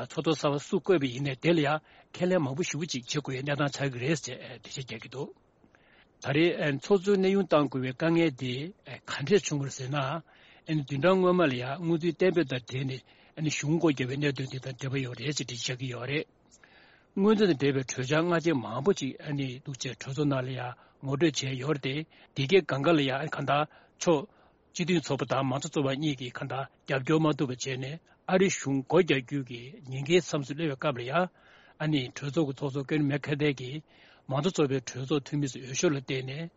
ཚོགས་གཙོ་གསར་པ་སུ་བསྐོས་པ་ཡིན་ནའི་དེ་ལ་ཡང་ཁས་ལེན་མང་པོ་ཞེ་པོ་ཅིག་བྱེད་དགོས་ཡའི་གནས་སྟངས་ཆགས་ཀྱི་རེད་ཅེས་འགྲེལ་བཤད་རྒྱག་གི་འདུག། ད་རེས་ཚོགས་གཙོའི་གནས་དབྱུང་གཏང་དགོས་པའི་དཀའ་ངལ་དེ་ག་འདྲས་བྱུང་བ་རེད་ཟེར་ན། བདུན་ཕྲག་སྔོན་མ་ལ་ཡང་སྔོན་རྩིས་གཏན་འབེབས་དང་འབྲེལ་ནས་གཞུང་སྒོ་བརྒྱབ་པའི་གནད་དོན་དེ་དང་འབྲེལ་བ་ཡོད་རེད་ཅེས་འགྲེལ་བཤད་ཀྱི་ཡོད་རེད། སྔོན་རྩིས་དང་འབྲེལ་བའི་གྲོས་འཆར་སྔ་རྗེས་མང་པོ་ཅིག་ཨ་ནི་འདུག་ཅེས་གྲོས་ཚོགས་ནང་ལ་ཡང་ངོ་སྤྲོད་བྱས་ཡོད་རེད་དེ། དེ་གའི་སྒང་ག་ལ་ཡང་གང་ལྟར་ཕྱོགས་སྤྱི་མཐུན་ཚོགས་པ་དང་མང་གཙོ་ཚོགས་པ་གཉིས་ཀྱིས་གང་ལྟར་རྒྱབ་སྐྱོར་མ་ཐུབ་པ་བྱས་ནས། ཨ་རི་གཞུང་སྒོ་རྒྱག་རྒྱུ་གི་ཉེན་ཁའི་མཚམས་སུ་སླེབས་པའི་སྐབས་ལ་ཡང་། ཨ་ནི་གྲོས་ཚོགས་ཀྱི་ཚོགས་གཙོ་ཀེ་བིན་མེ་ཁེ་ཐི་གིས་མང་གཙོ་ཚོགས་པའི་གྲོས་ཚོགས་འཐུས་མི་ཚོའི་འོས་ཤོག་ལ་བརྟེན་ནས་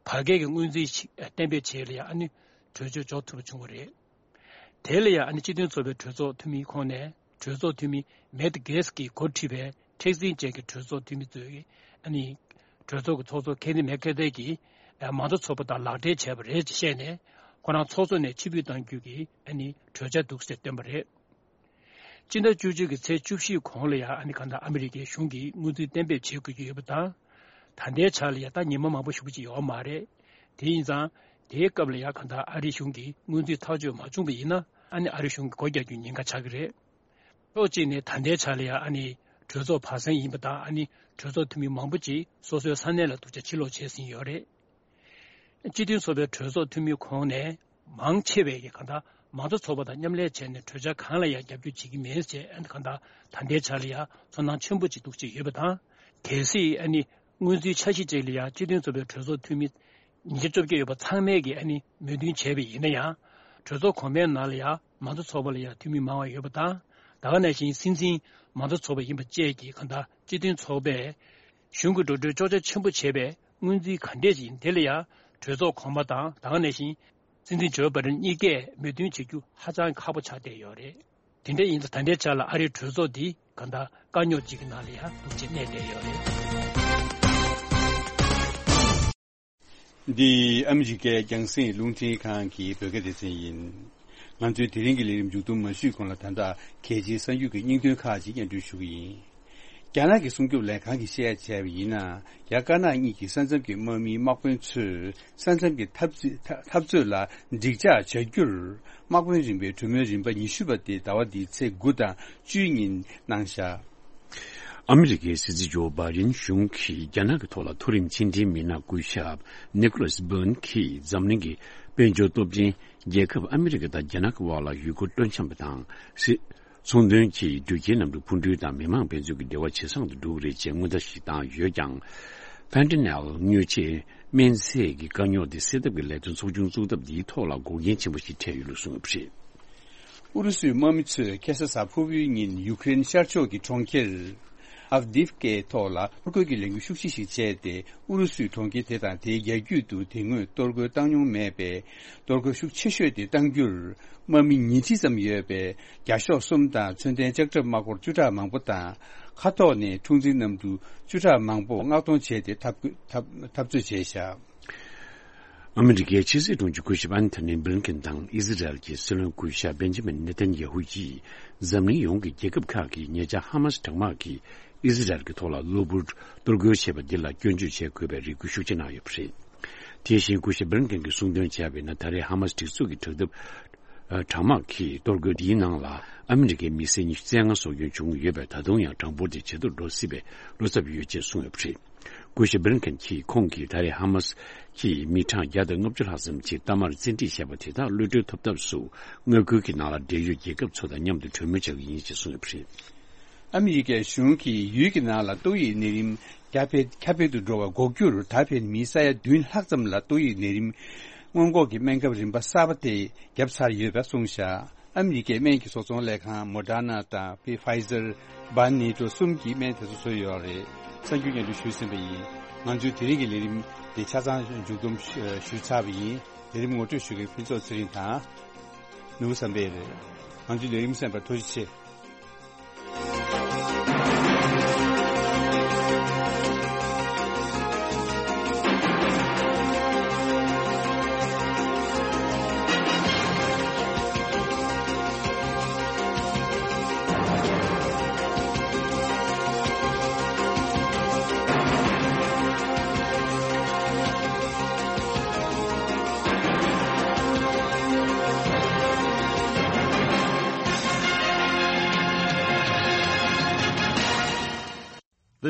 བར་བརྒལ་གྱི་སྔོན་རྩིས་ཤིག་གཏན་འབེབས་བྱས་ལ་ཡང་ཨ་ནི་གྲོས་ཆོད་འཇོག་ཐུབ་པ་བྱུང་བ་རེད། དེ་ལ་ཡང་ཨ་ནི་སྤྱི་མཐུན་ཚོགས་པའི་གྲོས་ཚོགས་འཐུས་མིའི་ཁོངས་ནས་གྲོས་ཚོགས་འཐུས་མི་མེད་གེས་ཀྱིས་འགོ་ཁྲིད་པའི་མཁྲེགས་འཛིན་ཅན་གྱི་གྲོས་ཚོགས་འཐུས་མི་ཚོས་ཨ་ནི་གྲོས་ཚོགས་ཀྱི་ཚོགས་གཙོ་ཀེ་བིན་མེ་ཁེ་ཐི་གིས་མང་གཙོ་ཚོགས་པ་དང་ལག་འབྲེལ་བྱས་པ་རེད་ཅེས་བཤད་ནས། ཁོ་རང་ཚོགས་གཙོ་ནས་ཕྱིར་འབུད་གཏང་རྒྱུ་གི་ཨ་ནི་གྲོས་འཆར་འདུག་ཟེར་བཏོན་པ་རེད། སྤྱི་ཟླ་བཅུ་གཅིག་གི་ཚེས་བཅུ་བཞི་གོང་ལ་ཡང་ཨ་ནི་གང་ལྟར་ཨ་མི་རི་ཀའི་གཞུང་གིས་སྔོན་རྩིས་གཏན་འབེབས་བྱེད་དགོས་ཀྱི་ཡོད་པ་དང་། ད་ལྟའི་ཆ་ལ་ཡང་ད་ཉི་མ་མང་པོ་ཞེ་པོ་ཅིག་ཡོད་མ་རེད། དེ་ཡིན་ཙང་། དེའི་སྐབས་ལ་ཡང་གང་ལྟར་ཨ་རི་གཞུང་གིས་སྔོན་རྩིས་ཐག་གཅོད་མ་བྱུང་བ་ཡིན་ན། ཨ་ནི་ཨ་རི་གཞུང་གིས་སྒོ་རྒྱག་རྒྱུའི་ཉེན་ཁ་ཆགས་ཀྱི་རེད། ཕྱོགས་གཅིག་ནས་ད་ལྟའི་ཆ་ལ་ཡང་ཨ་ནི་གྲོས་ཚོགས་བར་གསེང་ཡིན་པ་དང་། ཨ་ནི་གྲོས་ཚོགས་འཐུས་མི་མང་པོ་ཅིག་སོ་སོའི་ས་གནས་ལ་འདུག་ཅེས་ཕྱིར་ལོག་བྱས་ཟིན་ཡོད་རེད། སྤྱི་མཐུན་ཚོགས་པའི་གྲོས་ཚོགས་འཐུས་མིའི་ཁོངས་ནས་མང་ཆེ་བས་ཀྱིས་གང་ལྟར་མང་གཙོ་ཚོགས་པ་དང་མཉམ་ལས་བྱས་ནས་གྲོས་འཆར་གང་ལ་ཡང་རྒྱབ་སྐྱོར་བྱེད་ཀྱི་མིན་ཞེས། གང་ལྟར་ད་ལྟའི་ཆ་ལ་ཡང་ཚོར་སྣང་ཆེན་པོ་ཅིག་འདུག་ཅེས་ཡོད་པ་དང་། གལ་སྲིད་ཨ་ནི་སྔོན་རྩིས་འཆར་གཞི་ཅིག་ལ་ཡང་སྤྱི་མཐུན་ཚོགས་པའི་གྲོས་ཚོགས་འཐུས་མི་ཉིས་བརྒྱ་བཅོ་བརྒྱད་ཡོད་པ་ཚང་མས་ཀྱིས་ཨ་ནི་མོས་མཐུན་བྱས་པ་ཡིན་ན་ཡང་། གྲོས་ཚོགས་གོང་མའི་ནང་ལ་ཡང་མང་གཙོ་ཚོགས་པ་ལ་ཡང་འཐུས་མི་མང་བ་ཡོད་པ་དང་། ད་ག་ནང་བཞིན་སྲིད་འཛིན་མང་གཙོ་ཚོགས་པ་ཡིན་པ་བཅས་ཀྱིས་གང་ལྟར་སྤྱི་མཐུན་ཚོགས་པས་གཞུང་གི་འགྲོ་གྲོན་གཅོག་ཆ་ཆེན་པོ་བྱས་པའི་སྔོན་རྩིས་ག་འདྲས་ཅིག་ཡིན་དེ་ལ་ཡང་གྲོས་ཚོགས་གོང་མ་དང་ད་ག་ནང་བཞིན་སྲིད་འཛིན་ཇོ་བྷའི་ཌེན་གཉིས་ཀས་མོས་མཐུན་བྱེད་རྒྱུ་ཧ་ཅང་ཁག་པོ་ཆགས་བསྡད་ཡོད་རེད། དེ་འདྲ་ཡིན་ཙང་ད་ལྟའི་ཆ་ལ་ཨ་རིའི་གྲོས་ཚོགས་འདི་གང་ལྟར་དཀའ་རྙོག་ཅིག་གི་ནང་ལ་ཡང་འདུག་ཅེས་གནས་བསྡད་ཡོད་རེད། འདི་ཨ་མི་རི་ཀའི་རྒྱང་སྲིང་རླུང་འཕྲིན་ཁང་གི་བོད་སྐད་སྡེ་ཚན་ཡིན། ང་ཚོའི་དེ་རིང་གི་ལས་རིམ་མཇུག་བསྡོམས་མ་ཞུས་གོང་ལ། ད་ལྟ་གལ་ཆེའི་གསར་འགྱུར་གྱི་སྙིང་དོན་ཁག་ཅིག་སྙན་སྒྲོན་ཞུ་གི་ཡིན། རྒྱ་ནག་གི་སྲུང་སྐྱོབ་ལས་ཁང་གིས་བཤད་བྱས་པ་ཡིན་ན། རྒྱ་དཀར་ནག་གཉིས་ཀྱི་ས་མཚམས་ཀྱི་དམག་མིའི་དམག་དཔོན་ཚོས་ས་མཚམས་ཀྱི་འཐབ་རྩོད་འཐབ་རྩོད་ལ་འགྲིག་འཇགས་བྱ་རྒྱུར། དམག་དཔོན་རིམ་པའི་གྲོས་མོལ་རིམ་པ་ཉི་ཤུ་པ་དེ་ཟླ་བ་འདིའི་ཚེས་དགུ་དང་བཅུའི་ཉིན་གནང་བཞག། ཨ་མི་རི་ཀའི་སྲིད་འཛིན་ཇོ་བྷའི་ཌེན་གཞུང་གིས་རྒྱ་ནག་གི་ཐོག་ལ་མཐོ་རིམ་ཕྱི་འབྲེལ་མི་སྣ་སྐུ་ཞབས་ནི་ཀོ་ལཱས་སྦོན་གྱིས་འཛམ་གླིང་གི་དཔལ་འབྱོར་སྟོབས་ཆེན་རྒྱལ་ཁབ་ཨ་མི་རི་ཀ་དང་རྒྱ་ནག་གི་དབར་ལ་ཡུལ་སྐོར་སྤྲོ་འཆམ་པ་དང་། སྲིད་ཚོང་དོན་གྱིས་འགྲུལ་སྐྱེལ་གནམ་གྲུ་འཕུར་འགྲུལ་དང་མི་མང་འབད་བརྩོན་གྱི་འབྲེལ་བ་ཇེ་བཟང་དུ་འགྲོ་གི་རེད་ཅེས་མངོན་མཐོ་ཞིག་བཏང་ཡོད་ཀྱང་། ཕན་ཏ་ནེལ་དངོས་ཆས་སྨན་རྫས་ཀྱི་དཀའ་རྙོག་དེ་སེལ་ཐབས་ཀྱི་ལས་དོན་ཚོགས་ཆུང་བཙུགས་ཐབས་འདིའི་ཐོག་ལ་འགོག་རྐྱེན་ཆེན་པོ་ཞིག་འཕྲད་ཡོད་ལུགས་གསུངས་ཡོད་པ་རེད། ཨུ་རུ་སུའི་དམག་མི་ཚོས་ཁ་སང་གཟའ་ཕུར་བུའི་ཉིན་ཡུ་ཀེ་རེན་ཤར་ཕྱོགས་ཀྱི་གྲོང་ཁྱེར་ཨབ་དིབ་ཀའི་ཐོག་ལ་གཏོར་རྒོལ་གྱི་ལས་འགུལ་ཤུགས་ཆེ་ཞིག་བྱས་ཏེ། ཨུ་རུ་སུའི་གྲོང་ཁྱེར་དེ་དང་དེའི་རྒྱ་རྒྱུད་དུ་དེ་སྔོན་གཏོར་རྒོལ་བཏང་མྱོང་མེད་པའི་གཏོར་རྒོལ་ཤུགས་ཆེ་ཤོས་དེ་བཏང་རྒྱུར། དམག་མི་ཉིས་ཁྲི་ཙམ་ཡོད་པའི་རྒྱ་ཤོག་གསུམ་དང་མཚོན་ལྡན་ལྕགས་ཁྲབ་དམག་འཁོར་བཅུ་ཕྲག་མང་པོ་དང་། མཁའ་ཐོག་ནས་འཁྲུག་འཛིང་གནམ་གྲུ་བཅུ་ཕྲག་མང་པོ་མངགས་གཏོང་བྱས་ཏེ་འཐབ་འཐབ་འཐབ་རྩོད་བྱས་བཞག། ཨ་མི་རི་ཀའི་ཕྱི་སྲིད་དྲུང་ཆེ་སྐུ་ཞབས་ཨན་ཐོ་ནི་བྷི་ལིན་ཀེན་དང་ཨི་ཟི་རལ་གྱི་སྲིད་བློན་སྐུ་ཞབས་བེན་ཇི་མིན་ནེ་ཐན་ཡ་ཧུ་ཡིས་འཛམ་གླིང་ཡོངས་ཀྱི་རྒྱལ་ཁབ་ཁག་གིས་ཉེ་ཆར་ཧ་མ་སི་དྲག་དམག་གིས་ཨི་ཟི་རལ་གྱི་ཐོག་ལ་གློ་བུར་གཏོར་རྒོལ་བྱས་པ་འདི་ལ་སྐྱོན་བརྗོད་བྱེད་དགོས་པའི་རེ་སྐུལ་ཤུགས་ཆེ་གནང་ཡོད་པ་རེད། དེ་བཞིན་སྐུ་ཞབས་བྷི་ལིན་ཀེན་གྱིས་གསུངས་དོན་བྱས་པ་ཡིན་ན། ད་རེས་ཧ་མ་སི་སྒྲིག་འཛུགས་ཀྱི་དྲག་འཐབ་དྲག་དམག་གི་གཏོར་རྒོལ་འདིའི་ནང་ལ་ཨ་མི་རི་ཀའི་མི་སེར་ཉི་ཤུ་རྩ་ལྔ་སྲོག་སྐྱོན་བྱུང་ཡོད་པས། ད་དུང་ཡང་གྲངས་འབོར་དེ་ཇེ་མཐོར་འགྲོ་སྲིད་པའི་བློ་འཚབ་ཡོད་ཅེས་གསུངས་ཡོད་པ་རེད། སྐུ་ཞབས་བྷི་ལིན་ཀེན་གྱིས་ཁོང་གིས་ད་རེས་ཧ་མ་སི་ཀྱི་མི་གྲངས་བརྒྱ་དང་ལྔ་བཅུ་ལྷག་ཙམ་ཅིག་གཏའ་མར་བཙན་ཁྲིད་བྱས་པ་དེ་དག་གློད་གྲོལ་ཐོབ་ཐབས་སུ། མངའ་ཁུལ་གྱི་ནང་ལ་འབྲེལ་ཡོད་རྒྱལ་ཁབ་ཚོ་དང་མཉམ་དུ་གྲོས་མོལ་བྱ་གི་ཡིན་ཅེས་གསུངས་ཡོད་པ་རེད། ཨ་མི་རི་ཀའི་གཞུང་གིས་ཡུལ་གྱི་ནང་ལ་ཏོག་དབྱིབས་ནད་རིམས་ཁྱབ་སྤེལ་ཁྱབ་སྤེལ་དུ་འགྲོ་བ་འགོག་རྒྱུར་ད་ཕན་མི་ས་ཡ་བདུན་ལྷག་ཙམ་ལ་ཏོག་དབྱིབས་ནད་རིམས་སྔོན་འགོག་གི་སྨན་ཁབ་རིམ་པ་གསར་པ་དེ་བརྒྱབ་ཚར་ཡོད་པ་གསུངས་བཞག་ཨ་མི་རི་ཀའི་སྨན་གྱི་བཟོ་ཚོང་ལས་ཁང་མོ་ཌར་ན་དང་ཕི་ཕའི་ཛར་བྷ་ནེ་ཊོ་གསུམ་གྱིས་སྨན་དེ་ཚོ་བཟོས་ཡོད་རེད། གསར་འགྱུར་སྙན་སྒྲོན་ཞུས་ཟིན་པ་ཡིན། ང་ཚོའི་དེ་རིང་གི་ལས་རིམ་དེ་ཆ་ཚང་མཇུག་བསྡོམས་ཞུས་ཚར་བ་ཡིན། ལས་རིམ་ངོ་སྤྲོད་ཞུ་མཁན་ཕུན་ཚོགས་ཚེ་རིང་དང་། ནོར་བུ་བསམ་འཕེལ་རེད། ང་ཚོའི་ལས་རིམ་གསན་པར་ཐུགས་རྗེ་ཆེ།